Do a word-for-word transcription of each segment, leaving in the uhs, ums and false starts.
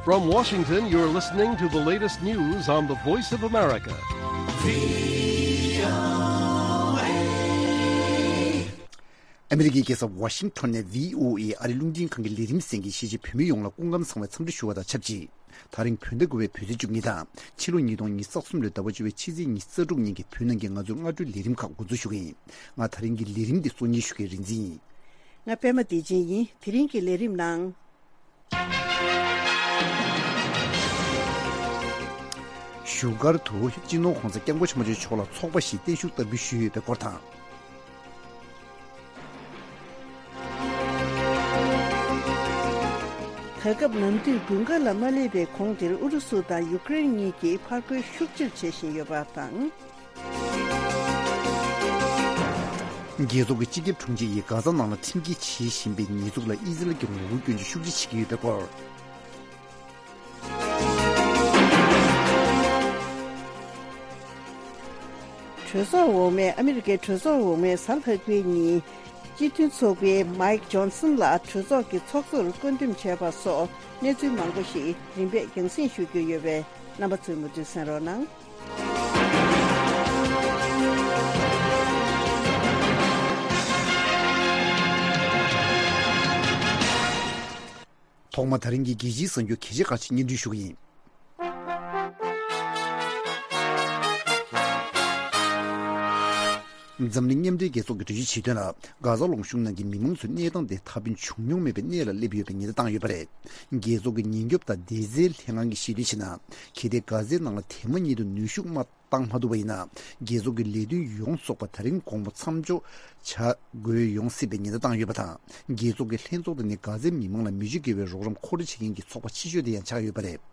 From Washington, you're listening to the latest news on the Voice of America. ཨ་མེ་རི་ཀའི་རྒྱལ་ས་ཝ་ཤིང་ཊོན་ནས་བྷི་ཨོ་ཨེ་ཨ་རིའི་རླུང་འཕྲིན་ཁང་གི་ལས་རིམ་གསན་མཁན་གཞིས་བྱེས་བོད་མི་ཡོངས་ལ་སྐུ་ཁམས་བཟང་བའི་འཚམས་འདྲི་ཞུ་བ་དང་ཆབས་ཅིག་དེ་རིང་བོད་ཟླ་དགུ་པའི་བོད་ཚེས་བཅུ་གཉིས་དང་ཕྱི་ལོ་ཉིས་སྟོང་ཉི་ཤུ་རྩ་གསུམ་ལོའི་ཟླ་བ་བཅུ་པའི་ཕྱི་ཚེས་ཉི་ཤུ་རྩ་དྲུག་ཉིན་གྱི་བོད་ནང་གི་ང་ཚོའི་སྔ་དྲོའི་ལས་རིམ་ཁག་འགོ་འཛུགས་ཞུ་གི་ཡིན། ང་དེ་རིང་གི་ལས་རིམ་འདི་གཙོ་གཉེར་ཞུ་མཁན་རིག་འཛིན་ཡིན། ང་པད་མ་བདེ་ཆེན་ཡིན། དེ་རིང་གི་ལས་རིམ་ནང་། བཞུགས་སྒར་དུ་སྤྱི་ནོར་༸གོང་ས་༸སྐྱབས་མགོན་ཆེན་པོ་མཆོག་ལ་ཚོགས་པ་ཞིག་བརྟན་བཞུགས་བསྟར་འབུལ་ཞུས་ཡོད་པའི་སྐོར་དང་། ད་སྐབས་ནམ་དུས་དགུན་ཁ་ལ་མ་སླེབས་པའི་གོང་དེར་ཨུ་རུ་སུ་དང་ཡུ་ཀེ་རེན་གཉིས་ཀྱིས་ཕར་རྒོལ་ཤུགས་ཆེར་བྱེད་བཞིན་ཡོད་པ་དང་། རྒྱལ་ཚོགས་ཀྱི་སྤྱི་ཁྱབ་དྲུང་ཆེ་ཡིས་གྷ་ཛ་ནང་ལ་ཁྲིམས་འགལ་བྱེད་བཞིན་པའི་ཉེས་འཛུགས་ལ་ཨི་ཟི་རལ་གྱིས་ངོ་རྒོལ་སྐྱོན་བརྗོད་ཤུགས་ཆེ་བྱེད་ཀྱི་ཡོད་པའི་སྐོར། གྲོས་ཚོགས་འོག་མས། ཨ་མི་རི་ཀའི་གྲོས་ཚོགས་འོག་མས་གཟའ་ལྷག་པའི་ཉིན་སྤྱི་མཐུན་ཚོགས་པའི་མའིག་ཇོན་སན་ལ་གྲོས་ཚོགས་ཀྱི་ཚོགས་གཙོར་བསྐོ་འདེམས་བྱས་པ་སོགས་གནས་ཚུལ་མང་པོ་ཞིག་རིམ་པས་རྒྱང་སྲིང་ཞུ་རྒྱུ་ཡོད་པས་རྣམ་པ་ཚོས་མུ་མཐུད་གསན་རོགས་གནང་། ཐོག་མར་དེ་རིང་གི་རྒྱལ་སྤྱིའི་གསར་འགྱུར་གལ་ཆེ་ཁག་ཅིག་སྙན་སྒྲོན་ཞུ་གི་ཡིན། འཛམ་གླིང་མཉམ་འབྲེལ་རྒྱལ་ཚོགས་ཀྱིས་གྲོས་ཆོད་བྱས་དོན་ལ། གྷ་ཛ་ལུང་གཤོང་ནང་གི་མི་མང་ཚོའི་གནས་སྟངས་དེ་ད་ཕན་བྱུང་མྱོང་མེད་པའི་གནས་ལ་སླེབས་ཡོད་པའི་ཉེན་བརྡ་བཏང་ཡོད་པ་རེད། རྒྱལ་ཚོགས་ཀྱི་ཉེན་སྐྱོབ་དང་སྡེ་ཚན་ལྷན་ཁང་གིས་ཤེས་དོན་བྱས་ན། གལ་ཏེ་གྷ་ཛའི་ནང་ལ་དེ་མ་ཉིད་དུ་ནུས་ཤུགས་མ་བཏང་མ་ཐུབ་པ་ཡིན་ན། རྒྱལ་ཚོགས་ཀྱི་ལས་དོན་ཡོངས་རྫོགས་པ་ད་རིང་དགོང་མོ་མཚམས་འཇོག་བྱ་དགོས་ཡོང་སྲིད་པའི་ཉེན་བརྡ་བཏང་ཡོད་པ་དང་། རྒྱལ་ཚོགས་ཀྱི་ལྷན་ཚོགས་དེ་ནི་གྷ་ཛའི་མི་མང་ལ་མི་རྒྱུ་འགེལ་བའི་རོགས་རམ་མཁོ་སྤྲོད་བྱེད་མཁན་གྱི་ཚོགས་པ་ཆེ་ཤོས་དེ་ཡང་ཆགས་ཡོད་པ་རེད།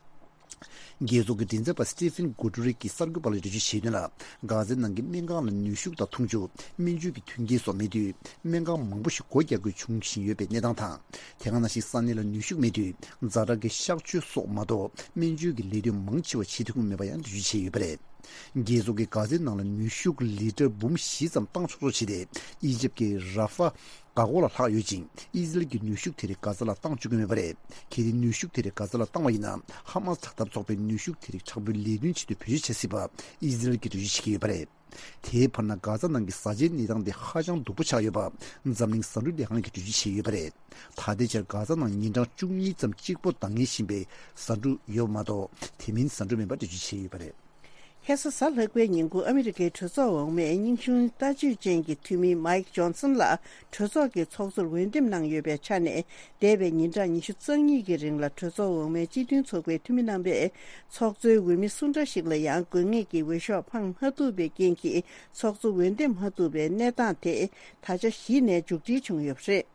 རྒྱལ་ཚོགས་ཀྱི་མགྲིན་ཚབ་པ་སི་ཏི་ཕིན་གུ་ཏུ་རེ་ཀྱིས་གསར་འགོད་པ་ལ་འགྲེལ་བརྗོད་བྱས་དོན་ལ། གྷ་ཛའི་ནང་གི་སྨན་ཁང་ལ་ནུས་ཤུགས་དང་འཐུང་ཆུ། སྨན་བཅོས་ཀྱི་མཐུན་རྐྱེན་སོགས་མེད་དུས། སྨན་ཁང་མང་པོ་ཞིག་སྒོ་རྒྱག་དགོས་བྱུང་བཞིན་ཡོད་པའི་གནས་སྟངས་དང་། དེ་ག་ནང་བཞིན་ས་གནས་ལ་ནུས་ཤུགས་མེད་དུས། ཛ་དྲག་གི་གཤགས་བཅོས་སོགས་མ་གཏོགས། སྨན་བཅོས་ཀྱི་ལས་དོན་མང་ཆེ་བ་བྱེད་ཐུབ་ཀྱི་མེད་པ་ཡང་འགྲེལ་བརྗོད་བྱས་ཡོད་པ་རེད། རྒྱལ་ཚོགས་ཀྱིས་གྷ་ཛའི་ནང་ལ་ནུས་ཤུགས་ལི་ཊར་འབུམ་བཞི་ཙམ་བཏང་ཆོག་ཆོག་བྱས་ཏེ། ཨི་ཇིབ་ཀྱི་ར་ཧྥ་འགག་སྒོ་ལ་ལྷག་ཡོད་ཅིང་། ཨི་ཟི་རལ་གྱི་ནུས་ཤུགས་དེ་རིགས་གྷ་ཛ་ལ་བཏང་བཅུག་གི་མེད་པ་རེད། གལ་ཏེ་ནུས་ཤུགས་དེ་རིགས་གྷ་ཛ་ལ་བཏང་བ་ཡིན་ན། ཧ་མ་སི་དྲག་འཐབ་ཚོགས་པས་ནུས་ཤུགས་དེ་རིགས་དྲག་པོའི་ལས་དོན་ཆེད་དུ་བེད་སྤྱོད་བྱ་སྲིད་པ། ཨི་ཟི་རལ་གྱིས་འགྲེལ་བརྗོད་བྱེད་ཀྱི་ཡོད་པ་རེད། དེའི་བར་ན་གྷ་ཛ་ནང་གི་བཟའ་བཅའི་གནས་སྟངས་དེ་ཧ་ཅང་སྡུག་པོ་ཆགས་ཡོད་པ། འཛམ་གླིང་ཟ་འབྲུ་ལས་ཁང་གིས་འགྲེལ་བརྗོད་བྱས་ཡོད་པ་རེད། ད་ལྟའི་ཆར་གྷ་ཛ་ནང་ཉིན་གྲངས་བཅུ་གཉིས་ཙམ་གཅིག་པོ་འདང་ངེས་བཞིན་པའི་ཟ་འབྲུ་ཡོད་མ་གཏོགས། དེ་མིན་ཟ་འབྲུ་མེད་པ་འགྲེལ་བརྗོད་བྱས་ཡོད་པ་རེད། ཁ་སང་གཟའ་ལྷག་པའི་ཉིན་གུང་ཨ་མི་རི་ཀའི་གྲོས་ཚོགས་འོག་མས་སྙན་ཞུ་ལྟ་སྤྱོད་ཅན་གྱི་འཐུས་མི་མའིག་ཇོན་སན་ལ་གྲོས་ཚོགས་ཀྱི་ཚོགས་གཙོར་འོས་འདེམས་གནང་ཡོད་པའི་ཆ་ནས། འདས་པའི་ཉིན་གྲངས་ཉི་ཤུ་རྩ་གཉིས་ཀྱི་རིང་ལ་གྲོས་ཚོགས་འོག་མའི་སྤྱི་མཐུན་ཚོགས་པའི་འཐུས་མི་རྣམ་པས་ཚོགས་གཙོའི་འོས་མི་སུ་འདྲ་ཞིག་ལ་ཡང་དགོས་ངེས་ཀྱི་འོས་ཤོག་འཕང་མ་ཐུབ་པའི་རྐྱེན་གྱིས་ཚོགས་གཙོ་འོས་འདེམས་མ་ཐུབ་པའི་གནས་སྟངས་དེ་ད་ཆ་གཞི་ནས་མཇུག་སྒྲིལ་བྱུང་ཡོད་པ་རེད།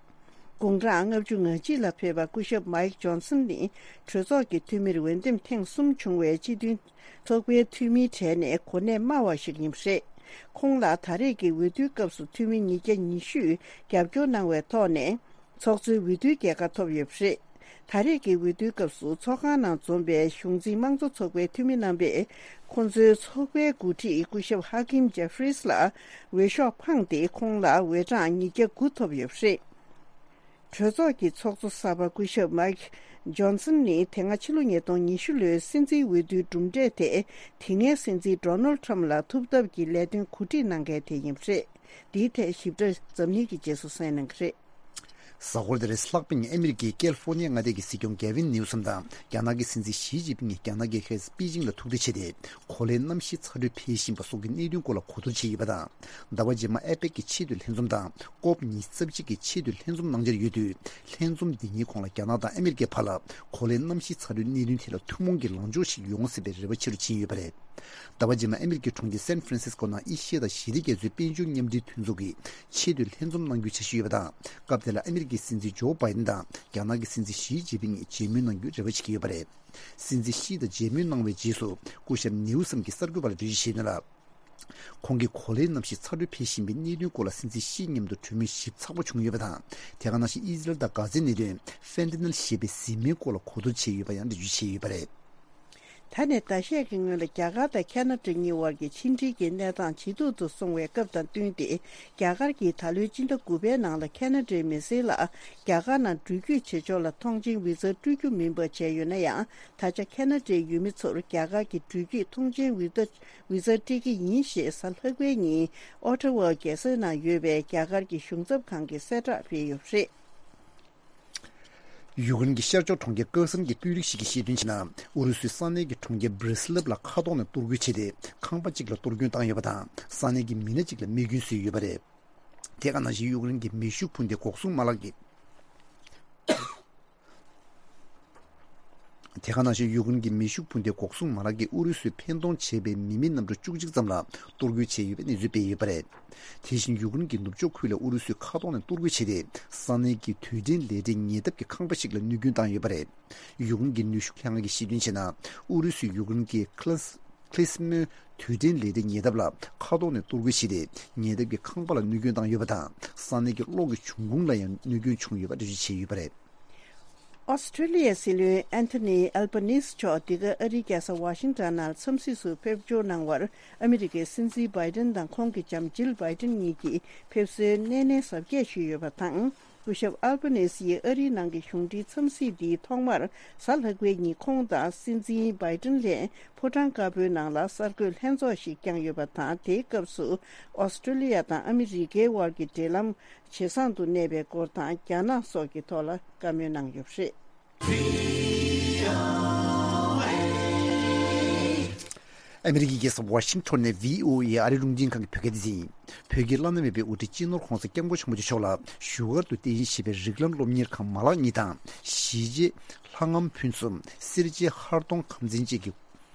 དགུང་གྲངས་ལྔ་བཅུ་ང་གཅིག་ལ་ཕེབས་པ་སྐུ་ཞབས་མའིག་ཇོན་སན་ནི་གྲོས་ཚོགས་ཀྱི་འཐུས་མིར་འོས་འདེམས་ཐེངས་གསུམ་བྱུང་བའི་སྤྱི་མཐུན་ཚོགས་པའི་འཐུས་མིའི་གྲས་ནས་གོ་གནས་དམའ་བ་ཞིག་ཡིན་པ་རེད། ཁོང་ལ་ད་རེས་ཀྱི་འོས་བསྡུའི་སྐབས་སུ་འཐུས་མི་ཉིས་བརྒྱ་ཉི་ཤུས་རྒྱབ་སྐྱོར་གནང་བའི་ཐོག་ནས་ཚོགས་གཙོའི་འོས་བསྡུའི་རྒྱལ་ཁ་ཐོབ་ཡོད་པ་རེད། ད་རེས་ཀྱི་འོས་བསྡུའི་སྐབས་སུ་ཚོགས་ཁང་ནང་འཛོམས་པའི་གཞུང་འཛིན་དམངས་གཙོ་ཚོགས་པའི་འཐུས་མི་རྣམ་པས་ཁོང་ཚོའི་ཚོགས་པའི་འགོ་ཁྲིད་སྐུ་ཞབས་ཧ་ཀིམ་ཇེ་ཧྥི་རིས་ལ་འོས་ཤོག་འཕངས་ཏེ་ཁོང་ལ་འོས་གྲངས་ཉིས་བརྒྱ་དགུ་ཐོབ་ཡོད་པ་རེད། གྲོས་ཚོགས་ཀྱི་ཚོགས་གཙོ་གསར་པ་སྐུ་ཞབས་མའིག་ཇོན་སན་ནི་དེ་སྔ་ཕྱི་ལོ་ཉིས་སྟོང་ཉི་ཤུ་ལོའི་སྲིད་འཛིན་འོས་བསྡུའི་གྲུབ་འབྲས་དེ་དེ་སྔའི་སྲིད་འཛིན་ཌོ་ནལ་ཁྲམ་ལ་ཐུབ་ཐབས་ཀྱི་ལས་དོན་གོ་སྒྲིག་གནང་མཁན་དེ་ཡིན་པ་རེད། འདིའི་ཐད་ཞིབ་ཕྲ་འཛམ་གླིང་གི་རྗེས་སུ་གསན་གནང་གི་རེད། གཟའ་འཁོར་འདིར་ལྷག་པའི་ཉིན་ཨ་མི་རི་ཀའི་ཀལ་ཧྥོ་ནི་ཡ་མངའ་སྡེ་གི་སྲིད་སྐྱོང་གེ་ཝིན་ནིའུ་སམ་དང་རྒྱ་ནག་གི་སྲིད་འཛིན་ཞི་ཅིན་ཕིང་གིས་རྒྱ་ནག་གི་ཧེ་པེ་ཅིང་ལ་ཐུག་འཕྲད་བྱས་ཏེ། གོ་ལའི་གནམ་གཤིས་ཚ་དྲོད་འཕེལ་བཞིན་པ་སོགས་ཀྱི་གནད་དོན་སྐོར་ལ་གོ་བསྡུར་བྱས་ཡོད་པ་དང་། ཟླ་བ་རྗེས་མར་ཨེ་པེག་གི་ཆེས་མཐོའི་ལྷན་འཛོམས་དང་ཀོབ་ཉི་ཤུ་རྩ་གཅིག་གི་ཆེས་མཐོའི་ལྷན་འཛོམས་གནང་འཆར་ཡོད་དུས། ལྷན་འཛོམས་འདི་ཉིན་གོང་ལ་རྒྱ་ནག་དང་ཨ་མི་རི་ཀའི་བར་ལ་གོ་ལའི་གནམ་གཤིས་ཚ་དྲོད་གནད་དོན་ཐད་ལ་ཐུན་མོང་གི་ལངས་ཕྱོགས་ཤིག་ཡོང་སྲིད་པའི་རེ་བ་ཆེ་རུ་ཕྱིན་ཡོད་པ་རེད། ཟླ་བ་རྗེས་མར་ཨ་མི་རི་ཀའི་གྲོང་ཁྱེར་སན་ཧྥ་རན་སིས་ཀོ་ནང་ཨེ་ཤི་ཡ་དང་ཞི་བདེ་རྒྱ་མཚོའི་དཔལ་འབྱོར་མཉམ་འབྲེལ་མཐུན་ཚོགས་ཀྱི་ཆེས་མཐོའི་ལྷན་འཛོམས་གནང་རྒྱུའི་འཆར་གཞི་ཡོད་པ་དང་། སྐབས་དེ་ལ་ཨ་མི་རི་ཀའི་སྲིད་འཛིན་ཇོ་བྷའི་ཌེན་དང་རྒྱ་ནག་གི་སྲིད་འཛིན་ཞི་ཅིན་ཕིང་གཉིས་མཇལ་མོལ་གནང་རྒྱུའི་རེ་བ་བྱེད་ཀྱི་ཡོད་པ་རེད། སྲིད་འཛིན་ཞི་དང་མཇལ་མོལ་གནང་བའི་རྗེས་སུ་སྐུ་ཞབས་ནིའུ་སམ་གྱིས་གསར་འགོད་པ་ལ་འགྲེལ་བརྗོད་བྱས་དོན་ལ། ཁོང་གིས་གོ་ལའི་གནམ་གཤིས་ཚ་དྲོད་འཕེལ་བཞིན་པའི་གནད་དོན་སྐོར་ལ་སྲིད་འཛིན་ཞི་མཉམ་དུ་གྲོས་མོལ་ཞིབ་ཚགས་པོ་བྱུང་ཡོད་པ་དང་། དེ་ག་ནང་བཞིན་ཨི་ཟི་རལ་དང་གྷ་ཛའི་གནད་དོན་ཧྥེན་ཏ་ནིལ་ཞེས་པའི་ཟི་མའི་སྐོར་ལ་གོ་བསྡུར་བྱས་ཡོད་པ་ཡང་འགྲེལ་བརྗོད་བྱས་ཡོད་པ་རེད། ད་ནས་ཟླ་ཤས་ཀྱི་སྔོན་ལ་རྒྱ་གར་དང་ཁ་ན་ཌ་གཉིས་དབར་གྱི་ཕྱི་འབྲེལ་གྱི་གནས་སྟངས་ཇེ་སྡུག་ཏུ་སོང་བའི་སྐབས་དང་བསྟུན་ཏེ། རྒྱ་གར་གྱིས་ད་ལོའི་སྤྱི་ཟླ་དགུ་པའི་ནང་ལ་ཁ་ན་ཌའི་མི་སེར་ལ་རྒྱ་གར་ནང་འགྲུལ་སྐྱོད་བྱེད་ཕྱོགས་ལ་ཐོངས་མཆན་བི་ཛ་སྤྲོད་རྒྱུ་མིན་པ་བྱས་ཡོད་ན་ཡང་། ད་ཆ་ཁ་ན་ཌའི་ཡུལ་མི་ཚོར་རྒྱ་གར་གྱི་འགྲུལ་སྐྱོད་ཐོངས་མཆན་བི་ཛ་བི་ཛ་སྤྲད་ཀྱི་ཡིན་ཞེས་གཟའ་ལྷག་པའི་ཉིན་ཨོ་ཊ་ཝ་རྒྱལ་ས་ནང་ཡོད་པའི་རྒྱ་གར་གྱི་གཞུང་ཚབ་ཁང་གིས་གསལ་བསྒྲགས་སྤེལ་ཡོད་པ་རེད། ཡུཀ་རེན་གྱི་ཤར་ཕྱོགས་གྲོང་ཁྱེར་ཀེར་སན་གྱི་དཔོན་རིགས་ཤིག་གིས་བཤད་དོན་བྱས་ན། ཨུ་རུ་སུས་ས་གནས་ཀྱི་གྲོང་ཁྱེར་བྷི་རི་སི་ལབ་ལ་མཁའ་ཐོག་ནས་གཏོར་རྒོལ་བྱས་ཏེ། ཁང་པ་གཅིག་ལ་གཏོར་སྐྱོན་བཏང་ཡོད་པ་དང་། ས་གནས་ཀྱི་མི་སྣ་གཅིག་ལ་རྨས་སྐྱོན་བཟོས་ཡོད་པ་རེད། དེ་ག་ནང་བཞིན་ཡུཀ་རེན་གྱི་མེ་ཤུགས་འཕུར་མདེལ་འགོག་སྲུང་མ་ལག་གི་དེ་ག་ནང་བཞིན་ཡུཀ་རེན་གྱི་མེ་ཤུགས་འཕུར་མདེལ་འགོག་སྲུང་མ་ལག་གིས་ཨུ་རུ་སུས་འཕེན་གཏོང་བྱས་པའི་མི་མེད་གནམ་གྲུ་བཅུ་གཅིག་ཙམ་ལ་གཏོར་རྒོལ་བྱས་ཡོད་པའི་གནས་ཚུལ་སྤེལ་ཡོད་པ་རེད། དེ་བཞིན་ཡུཀ་རེན་གྱི་ནུབ་ཕྱོགས་ཁུལ་ལ་ཨུ་རུ་སུས་མཁའ་ཐོག་ནས་གཏོར་རྒོལ་བྱས་ཏེ། ས་གནས་ཀྱི་དུས་དྲན་ལས་གྲྭའི་ཉེ་འདབས་ཀྱི་ཁང་པ་ཞིག་ལ་གནོད་སྐྱོན་བཏང་ཡོད་པ་རེད། ཡུཀ་རེན་གྱི་ནུས་ཤུགས་ལྷན་ཁང་གིས་གཞི་རྟེན་བྱས་ན། ཨུ་རུ་སུས་ཡུཀ་རེན་གྱི་ཁི་ལེ་སི་ཁི་ལེ་སི་མོ་དུས་དྲན་ལས་གྲྭའི་ཉེ་འདབས་ལ་མཁའ་ཐོག་ནས་གཏོར་རྒོལ་བྱས་ཏེ། ཉེ་འདབས་ཀྱི་ཁང་པ་ལ་གནོད་སྐྱོན་བཏང་ཡོད་པ་དང་། ས་གནས་ཀྱི་གློག་གི་འབྱུང་ཁུངས་ལ་ཡང་གནོད་སྐྱོན་བྱུང་ཡོད་པ་འགྲེལ་བརྗོད་བྱས་ཡོད་པ་རེད། ཨོ་སི་ཀྲི་ལི་ཡའི་སྲིད་བློན་ཨན་ཐོ་ནི་ཨལ་བྷ་ནིས་མཆོག་འདི་ག་ཨ་རིའི་རྒྱལ་ས་ཝ་ཤིང་ཊོན་ནང་འཚམས་གཟིགས་སུ་ཕེབས་འབྱོར་གནང་བར། ཨ་མི་རི་ཀའི་སྲིད་འཛིན་བྷའི་ཏིན་དང་ཁོང་གི་བྱམས་ཆེན་བྷའི་ཏིན་གཉིས་ཀྱིས་ཕེབས་བསུའི་སྣེ་ནས་གཟབ་རྒྱས་ཞུས་ཡོད་པ་དང་། སྐུ་ཞབས་ཨལ་བྷ་ནིས་ཡིས་ཨ་རིའི་ནང་གི་གཞུང་འབྲེལ་འཚམས་གཟིགས་འདིའི་ཐོག་མར། གཟའ་ལྷག་པའི་ཉིན་ཁོང་དང་སྲིད་འཛིན་བྷའི་ཏིན་ལྷན་ཕོ་བྲང་དཀར་པོའི་ནང་ལ་གསར་འགོད་ལྷན་ཚོགས་ཤིག་བསྐྱངས་ཡོད་པ་དང་། དེའི་སྐབས་སུ་ཨོ་སི་ཀྲི་ལི་ཡ་དང་ཨ་མི་རི་ཀའི་དབར་གྱི་འབྲེལ་ལམ་ཇེ་བཟང་དུ་གནས་པའི་སྐོར་དང་། རྒྱ་ནག་སོགས་ཀྱི་ཐོག་ལ་བཀའ་མོལ་གནང་ཡོད་པ་རེད། ཨ་མི་རི་ཀའི་རྒྱལ་ས་ཝ་ཤིང་ཊོན་ནས་བྷི་ཨོ་ཨེ་ཨ་རི་རླུང་འཕྲིན་ཁང་གི་བོད་སྐད་སྡེ་ཚན་ཡིན། བོད་ཀྱི་བླ་ན་མེད་པའི་དབུ་ཁྲིད་སྤྱི་ནོར་༧གོང་ས་༧སྐྱབས་མགོན་ཆེན་པོ་མཆོག་ལ་བཞུགས་སྒར་དུ་རྟེན་གཞི་བྱས་པའི་རིགས་ལམ་སློབ་གཉེར་ཁང་མ་ལག་གཉིས་དང་། གཞིས་བྱེས་ལྷ་ངམ་ཕུན་སུམ། སེར་བྱེས་ཧར་གདོང་ཁམས་ཚན་བཅས་ཀྱི་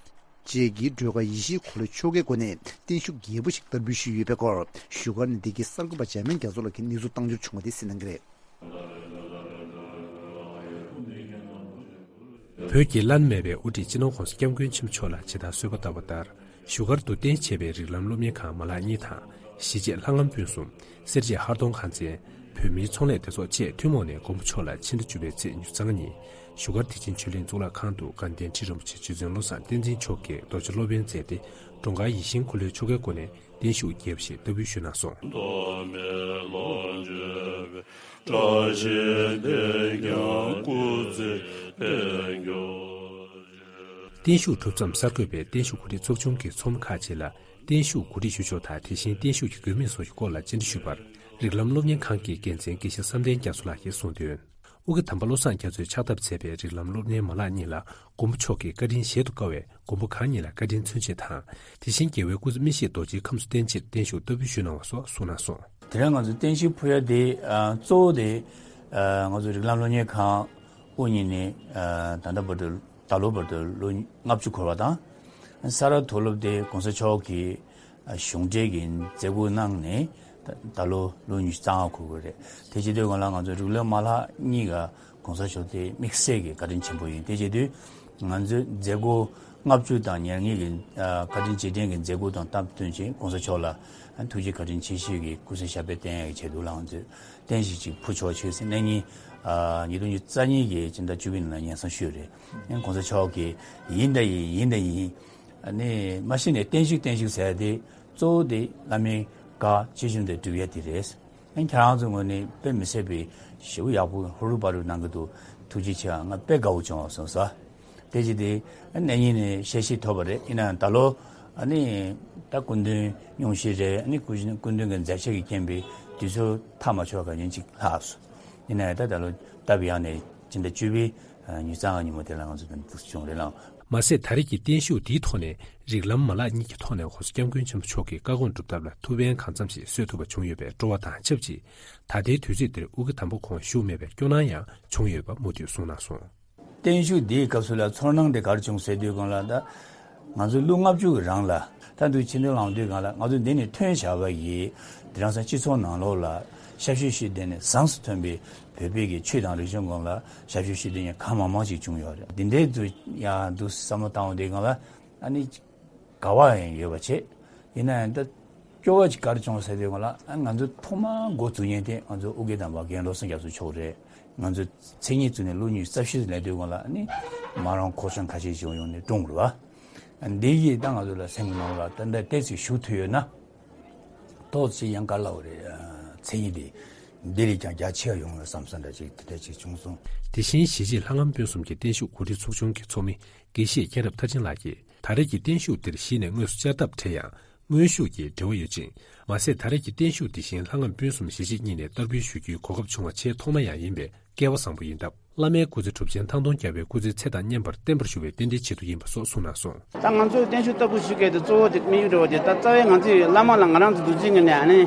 བཅས་ཀྱི་སྒྲོལ་དཀར་ཡེ་ཤེས་འཁོར་ལོའི་ཆོ་གའི་སྒོ་ནས་བརྟན་བཞུགས་རྒྱས་པོ་ཞིག་བསྟར་འབུལ་ཞུས་ཡོད་པའི་སྐོར། བཞུགས་སྒར་ནས་བདེ་སྐྱིད་གསར་འགོད་པ་འཇར་མན་རྒྱ་མཚོ་ལགས་ཀྱིས་གནས་ཚུལ་བཏང་འབྱོར་བྱུང་བ་དེ་གསན་གནང་གི་རེད། བོད་ཀྱི་བླ་ན་མེད་པའི་དབུ་ཁྲིད་སྤྱི་ནོར་༧གོང་ས་༧སྐྱབས་མགོན་ཆེན་པོ་མཆོག་ལ་ཇི་ལྟར་གསོལ་བ་བཏབ་པ་ལྟར། བཞུགས་སྒར་དུ་རྟེན་གཞི་བྱས་པའི་རིགས་ལམ་སློབ་གཉེར་ཁང་མ་ལག་གཉིས་དང་། གཞིས་བྱེས་ལྷ་ངམ་ཕུན་སུམ། སེར་བྱེས་ཧར་གདོང་ཁམས་ཚན། བོད་མིའི་ཚོང་ལས་སྡེ་ཚོགས་བཅས་ཐུན་མོང་ནས་མགོན་པོ་མཆོག་ལ་ཕྱི་ཟླ་བཅུ་པའི་ཚེས་ཉི་ཤུ་རྩ་ལྔ་ཉིན། བཞུགས་སྒར་བདེ་ཆེན་ཆོས་གླིང་གཙུག་ལག་ཁང་དུ་དགའ་ལྡན་ཁྲི་རིན་པོ་ཆེ་རྗེ་བཙུན་བློ་བཟང་བསྟན་འཛིན་མཆོག་གིས་རྡོ་རྗེ་སློབ་དཔོན་མཛད་དེ། སྒྲོལ་དཀར་ཡིད་བཞིན་འཁོར་ལོའི་ཆོ་གའི་སྒོ་ནས་བརྟན་བཞུགས་རྒྱས་པ་ཞིག་བསྟར་འབུལ་ཞུས་གནང་སོང་། མདོ་སྨད་ལོ་འཇོ་བའི་བཀྲ་ཤིས་དེས་ཀྱང་སྐུ་ཚེ་བརྟན་གྱུར་ཅིག་བརྟན་བཞུགས་གྲུབ་མཚམས་གསར་འགོད་པས་བརྟན་བཞུགས་གོ་སྒྲིག་ཚོགས་ཆུང་གི་ཚོགས་མི་ཁག་ཅིག་ལ་བརྟན་བཞུགས་གོ་སྒྲིག་ཞུ་ཕྱོགས་དང་། དེ་བཞིན་བརྟན་བཞུགས་ཀྱི་དགོས་དམིགས་སོགས་ཀྱི་སྐོར་ལ་བཅར་འདྲི་ཞུས་པར། རིགས་ལམ་སློབ་གཉེར་ཁང་གི་འགན་འཛིན་དགེ་བཤེས་བསམ་གཏན་རྒྱ་མཚོ་ལགས་ཀྱིས་གསུངས་དོན། ཨོ་རྒྱན་དམ་པ་བློ་བཟང་རྒྱ་མཚོས་ཕྱག་བཏབ་མཛད་པའི་རིགས་ལམ་སློབ་གཉེར་མ་ལག་གཉིས་ལ་མགོན་པོ་མཆོག་གི་བཀའ་དྲིན་གཞལ་དུ་དཀའ་བས། མགོན་པོ་གང་ཉིད་ལ་བཀའ་དྲིན་མཚོན་ཆེད་དང་། དེ་བཞིན་རྒྱལ་བའི་སྐུ་ཚེ་མི་ཤིགས་རྡོ་རྗེའི་ཁམས་སུ་བརྟན་ཕྱིར་བརྟན་བཞུགས་བསྟར་འབུལ་ཞུས་གནང་བ་སོགས་གསུངས་གནང་སོང་། དེ་རིང་ང་ཚོ་བརྟན་བཞུགས་ཕུལ་ཡ་དེ་ཨ་གཙོ་བོ་དེ་ཨ་ང་ཚོ་རིགས་ལམ་སློབ་གཉེར་ཁང་དབུ་བརྙེས་ནས་ཨ་ད་ལྟ་བར་དུ་ད་ལོ་བར་དུ་ལོ་ལྔ་བཅུ་འཁོར་བ་དང་། ས་རཱ་མཐོ་སློབ་དེ་༧གོང་ས་མཆོག་གིས་གཞུང་འབྲེལ་གྱི་མཛད་སྒོ་གནང་ནས་ད་ད་ལོ་ལོ་ཉི་ཤུ་རྩ་ལྔ་འཁོར་དགོས་རེད། དེ་བྱེད་དུས་སྒང་ལ་ང་ཚོ་རིགས་ལམ་མ་ལག་གཉིས་ཀ་༧གོང་ས་མཆོག་དེ་དམིགས་བསལ་གྱི་བཀའ་དྲིན་ཆེན་པོ་ཡིན། དེ་བྱེད་དུས་ང་ཚོའི་མཛད་སྒོ་ལྔ་བཅུ་དང་ཉེར་ལྔའི་གི་ཨ་བཀའ་དྲིན་རྗེས་དྲན་གྱི་མཛད་སྒོ་དང་སྟབས་བསྟུན་བྱས་༧གོང་ས་མཆོག་ལ་ཐུགས་རྗེ་བཀའ་དྲིན་ཆེ་ཞུའི་གི་སྐུ་ཚེ་ཞབས་པད་བརྟན་ཡག་གི་ཆེད་དུ་ལ་ང་ཚོས་རྟེན་གཞི་ཅིག་ཕུལ་ཆོག་ཆོག་ཟེར་གནང་ཉིན་ཨ་ཉིས་སྟོང་ཉི་ཤུ་རྩ་གཉིས་ཀྱི་ཕྱི་ཟླ་བཅུ་པའི་ནང་ལ་སྙན་སེང་ཞུས་རེད། ཨ་༧གོང་ས་མཆོག་གིས་ཡིན་ད་ཡིན་ཡིན་ད་ཡིན། ཨ་ནི་མ་གཞི་ནས་བརྟན་བཞུགས་བརྟན་བཞུགས་ཟེར་ཡ་དེ་གཙོ་བོ་དེ་བླ་མའི་བཀའ་ཇི་བཞིན་དུ་སྒྲུབ་ཡ་དེ་རེད། ཨ་ཁྱེད་རང་ཚོའི་ངོས་ནས་དཔེ་མི་སྲིད་པའི་ཞེ་པོ་ཡག་པོ་ཧུར་ཧུར་པ་རུ་གནང་གི་འདུག་ཐུགས་རྗེ་ཆེ། ང་དཔེ་དགའ་བོ་བྱུང་བ་སོང་ས། དེ་བྱས་ཏེ་ཨ་གནས་རྙིང་ནས་ཤེས་བཞེས་ཐོབ་པ་རེད། ཡིན་ནའང་ད་ལོ་ཨ་ནི་ད་སྐུ་མདུན་སྙུང་གཞི་རེད། ཨ་ནི་སྐུ་སྐུ་མདུན་གྱི་མཛད་འཆར་གྱི་རྐྱེན་པས་དུས་ཚོད་ཐག་མ་ཆོད་ག་ཉིན་གཅིག་ལྷག་སོང་། ཡིན་ནའང་ད་ད་ལོ་སྟབས་ཡག་ནས་ཕྱི་ཟླ་བཅུ་པའི་ཨ་ཉི་ཤུ་རྩ་ལྔ་ཉིན་མོ་དེ་ལ་ང་ཚོ་དེ་འདུག་བྱུང་རེད་ལགས། མ་ཟད་ད་རེས་ཀྱི་བརྟན་བཞུགས་འདིའི་ཐོག་ནས་རིགས་ལམ་མ་ལག་གཉིས་ཀྱི་ཐོག་ནས་༧གོང་ས་༧སྐྱབས་མགོན་ཆེན་པོ་མཆོག་གི་བཀའ་དགོངས་སྒྲུབ་ཐབས་ལ་ཐུགས་ཕན་གང་འཚམ་ཞིག་གསོས་ཐུབ་པ་བྱུང་ཡོད་པའི་སྤྲོ་བ་དང་ཆབས་ཅིག་ད་ལྟའི་དུས་ཚོད་འདིར་ཨོ་རྒྱན་དམ་པ་ཁོང་བཞུགས་མེད་པའི་སྐྱོ་སྣང་ཡང་བྱུང་ཡོད་པ་མུ་མཐུད་གསུངས་གནང་སོང་། བརྟན་བཞུགས་འདིའི་སྐབས་སུ་ལ་ཚོར་སྣང་དེ་ག་རེ་བྱུང་ཟེར་དུས་སྒང་ལ་ད་ང་ཚོ་ལོ་ལྔ་བཅུ་གི་རིང་ལ་ད་དུང་ཕྱི་ཟླ་ལངས་དུས་སྒང་ལ་ང་ཚོ་འདི་ནས་ཐོན་བཞག་པ་ཡིས་དེང་སང་སྤྱི་ཚོགས་ནང་ལོགས་ལ་ཞབས་ཞུ་ཞུས་ཏེ་ནས་བཟང་སུ་ཐོན་པའི་བོད་པའི་གི་ཆོས་དང་རིག་གཞུང་སྒང་ལ་ཞབས་ཞུ་ཞུས་ཏེ་ནས་གང་མང་མང་ཞིག་བྱུང་ཡོད་རེད། འདི་འདྲའི་དུ་ཡང་འདུག་བསམ་བློ་བཏང་བ་དེ་སྒང་ལ་ཨ་ནི་དགའ་བ་ཡང་ཡོད་པ་བྱས། ཡིན་ན་ཡང་ད་སྐྱོ་བ་ཅིག་ག་རེ་བྱུང་ཟེར་དུས་སྒང་ལ་ཨ་ང་ཚོ་ཐོག་མར་འགོ་བཙུགས་མཁན་དེ་ང་ཚོ་ཨོ་རྒྱན་དམ་པ་རྒན་བློ་བཟང་རྒྱ་མཚོ་མཆོག་རེད། ང་ཚོ་མཚན་ཉིད་བཙུགས་ནས་ལོ་ཉི་ཤུ་རྩ་བཞི་ལས་དུས་སྒང་ལ་ཨ་ནི་མ་རང་ཁོག་ཆང་ཁ་ཤས་ཤིག་ཡོང་ནས་བཀྲོངས་རེད་བ། འདི་ཡིས་ད་ང་ཚོ་ལ་སེམས་ནང་ལ་ད་ལྟ་ཏོག་ཙམ་ཞུགས་ཐུབ་ཡོད་ན། ཏོག་ཙམ་ཡང་ག་ལབ་རེད། མཚན་ཉིད་དེ་འདི་ལས་ཀྱང་རྒྱ་ཆེ་བ་ཡོང་བའི་བསམ་ས་འདྲ་ཅིག་དེ་འདྲ་ཅིག་བྱུང་སོང་། དེ་བཞིན་གཞིས་བྱེས་ལྷ་ངམ་སྤུན་གསུམ་གྱི་བརྟན་བཞུགས་གོ་སྒྲིག་ཚོགས་ཆུང་གི་ཚོགས་མི་དགེ་བཤེས་མཁྱེན་རབ་མཐར་ཕྱིན་ལགས་ཀྱིས། ད་རེས་ཀྱི་བརྟན་བཞུགས་འདིར་གཞི་ནས་དངོས་སུ་བཅར་ཐབས་བྲལ་ཡང་། དངོས་ཤུགས་ཀྱིས་འབྲེལ་བ་ཡོད་ཅིང་། མ་ཟད་ད་རེས་ཀྱི་བརྟན་བཞུགས་འདི་བཞིན་ལྷ་ངམ་སྤུན་གསུམ་གཞིས་བྱེས་གཉིས་ནས་བསྟར་འབུལ་ཞུ་རྒྱུའི་གོ་སྐབས་བྱུང་བ་ཆེས་ཐོག་མ་ཡང་ཡིན་པས་སྐལ་བ་བཟང་པོ་ཡིན་སྟབས། བླ་མའི་སྐུ་ཚེ་གྲུབ་ཆེན་ཐང་སྟོང་རྒྱལ་བའི་སྐུ་ཚེའི་ཚད་དང་མཉམ་པར་བརྟན་པར་བཞུགས་པའི་རྟེན་འབྲེལ་ཆེད་དུ་ཡིན་པ་སོགས་གསུངས་གནང་སོང་། ད་ང་ཚོས་བརྟན་བཞུགས་བསྟར་འབུལ་ཞུ་མཁན་དེ་གཙོ་བོ་དེ་དམིགས་ཡུལ་འདྲ་བོ་དེ་ད་རྩ་བའི་ང་ཚོས་བླ་མ་ལ་ང་རང་ཚོ་འདུ་འཛི་ངེས་ནས་ཨ་ནི།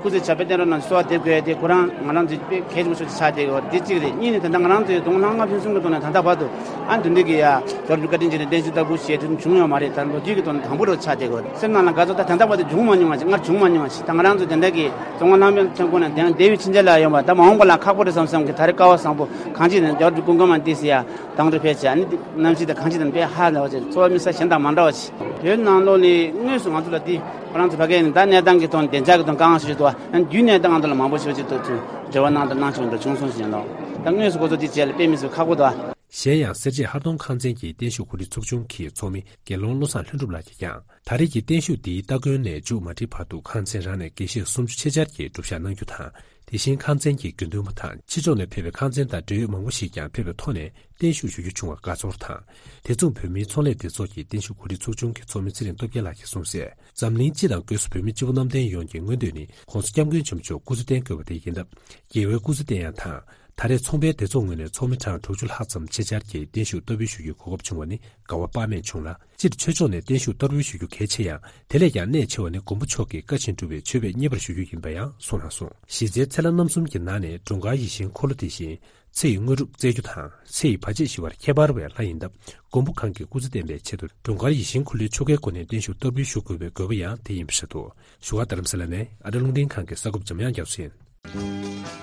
སྐུ་ཚེ་ཞབས་པད་བརྟན་རོགས་གནང་གསོལ་བ་འདེབས་དགོས་ཡ་དེ་ཁོ་རང་ང་རང་ཚོའི་དཔེ་གལ་ཆེན་པོ་ཞིག་ཆགས་བསྡད་ཡོད་དེ་གཅིག་རེད། གཉིས་ནི་ད་ལྟ་ང་རང་ཚོའི་དུང་ལྷང་ང་ཕུན་སུམ་གྱི་ཐོག་ནས་ད་ལྟ་བར་དུ་ཨ་འདི་འདྲ་གི་ཡ་རྒྱལ་བ་རིན་པོ་ཆེ་བཀའ་དྲིན་ཆེ་ནས་བརྟན་བཞུགས་བསྟར་འབུལ་བྱས་ཐུབ་བྱུང་ཡོད་མ་རེད། ད་ལོ་རྒྱུས་ཀྱི་ཐོག་ནས་དང་པོ་རུ་ཆགས་བསྡད་ཡོད། སེམས་ནང་ལ་དགའ་ཚོར་ད་ད་ལྟ་བར་དུ་བྱུང་མ་མྱོང་བ་ཞིག་སྔར་བྱུང་མ་མྱོང་བ་ཞིག་ད་ང་རང་ཚོ་དེ་འདྲ་གི་དུང་ལྷང་ཕུན་སུམ་ཁོ་ན་དེང་འདས་པའི་ཕྱིན་ཆད་ལ་ཡོང་བ་ད་མ་འོངས་པ་ལ་ཁག་པོ་རེད་བསམ་བསམ་གི་ད་རེས་སྐལ་བ་བཟང་པོ་གང་ཅི་ནས་རྒྱལ་བ་རིན་པོ་ཆེ་སྐུ་ཁམས་མ་བདེ་སི་ཡ་དང་དུ་ཕེབས་བྱས་ཨ་ནི་གནམ་གཤིས་དང་གང་ཅི་དང་དཔེ་ཧ་ལས་པ་ཅིག་གཙོ་བོ་དམིགས་བསལ་གཞན་དང་མ་འདྲ་བ་ཞིག་བོད་ནང་ལོགས་ནས་དངོས་སུ་ང་ཚོ་ལ་འདི་ཁོ་རང་ཚོ་ཕ་གིའི་ནས་ད་གནས་སྟངས་ཀྱི་ཐོག་ནས་བདེ་འཇགས་ཀྱི་ཐོག་དཀའ་ངལ་ཞིག་འདུག་བ། ཨ་ནི་རྒྱུན་གནས་སྟངས་ང་ཚོ་ལ་མང་པོ་ཞིག་ཅིག་ཏུ་ཚུར་འབྲེལ་བ་གནང་དང་གནང་ཆོག་འདྲ་བྱུང་སོང་ཞེས་ལོ། ད་དངོས་སུ་ཁོ་ཚོ་འདི་བྱས་ལ་དཔེ་མི་སྲིད་ཁག་པོ་འདུག་བ། གཞན་ཡང་སེར་བྱེས་ཧར་གདོང་ཁང་ཚན་གྱི་བརྟན་བཞུགས་གོ་སྒྲིག་ཚོགས་ཆུང་གི་ཚོགས་མི་དགེ་སློང་བློ་བཟང་ལྷུན་གྲུབ་ལགས་ཀྱིས་ཀྱང་། ད་རེས་ཀྱི་བརྟན་བཞུགས་འདིའི་སྟ་གོན་ནས་མཇུག་མ་སྒྲིལ་བར་དུ་ཁང་ཚན་རང་ནས་དགེ་བཤེས་སུམ་ཅུ་ཆེད་བཅར་གྱིས་སྒྲུབ་ཞག་གནང་རྒྱུ་དང་། དེ་བཞིན་ཁང་ཚན་གྱི་དགེ་འདུན་པ་དང་ཕྱི་ཕྱོགས་ནས་ཕེབས་པའི་ཁང་ཚན་དང་འབྲེལ་ཡོད་མང་པོ་ཞིག་ཀྱང་ཕེབས་པའི་ཐོག་ནས་བརྟན་བཞུགས་ཞུ་རྒྱུ་བྱུང་བར་དགའ་ཚོར་དང་། དེ་མཚུངས་བོད་མིའི་ཚོང་ལས་སྡེ་ཚོགས་ཀྱི་བརྟན་བཞུགས་གོ་སྒྲིག་ཚོགས་ཆུང་གི་ཚོགས་མི་ཚེ་རིང་སྟོབས་རྒྱལ་ལགས་ཀྱིས་གསུངས་གསལ། འཛམ་གླིང་སྤྱི་དང་སྒོས་སུ་བོད་མི་སྤྱི་བོ་གནམ་བསྟན་ཡོངས་ཀྱི་མངོན་འདོད་ནི་༸གོང་ས་༸སྐྱབས་མགོན་ཆེན་པོ་མཆོག་སྐུ་ཚེ་བརྟན་དགོས་པ་དེ་ཡིན་སྟབས། རྒྱལ་བའི་སྐུ་ཚེ་བརྟན་ཡག་དང་། ད་རེས་ཚོང་པའི་སྡེ་ཚོགས་ངོས་ནས་ཚོགས་མི་གྲངས་དྲུག་ཅུ་ལྷག་ཙམ་ཆེད་བཅར་གྱིས་བརྟན་བཞུགས་བསྟར་འབུལ་ཞུ་རྒྱུའི་གོ་སྐབས་བྱུང་བ་ནི་དགའ་བ་དཔག་མེད་བྱུང་ལ། སྤྱིར་ཆོས་ཕྱོགས་ནས་བརྟན་བཞུགས་བསྟར་འབུལ་ཞུ་རྒྱུ་གལ་ཆེ་ཡང་། དེ་ལས་ཀྱང་གནད་ཆེ་བ་ནི་མགོན་པོ་མཆོག་གིས་བཀའ་བཞིན་སྒྲུབ་པའི་མཆོད་པའི་མཉེས་པར་ཞུ་རྒྱུ་ཡིན་པ་ཡང་གསུངས་གནང་སོང་། གཞི་རྩའི་ཚེ་ལྷ་རྣམ་གསུམ་གྱི་ནང་ནས་འགྲོ་མགོན་ཡིད་བཞིན་འཁོར་ལོ་དེ་བཞིན། ཚེ་ཡི་དངོས་གྲུབ་སྩལ་རྒྱུ་དང་ཚེ་ཡི་བར་ཆད་ཞི་བར་ཁྱད་པར་བའི་ལྷ་ཡིན་སྟབས། མགོན་པོ་གང་གིས་སྐུ་ཚེ་བརྟན་པའི་ཆེད་དུ་འགྲོ་མགོན་ཡིད་བཞིན་འཁོར་ལོའི་ཆོ་གའི་སྒོ་ནས་བརྟན་བཞུགས་བསྟར་འབུལ་ཞུ་དགོས་པའི་དགོས་པ་ཡང་དེ་ཡིན་པ་རེད་འདུག་བཞུགས་སྒར་རྡ་རམ་ས་ལ་ནས་ཨ་རི་རླུང་འཕྲིན་ཁང་གི་གསར་འགོད་པ་འཇམ་དབྱངས་རྒྱ་མཚོ་ཡིན།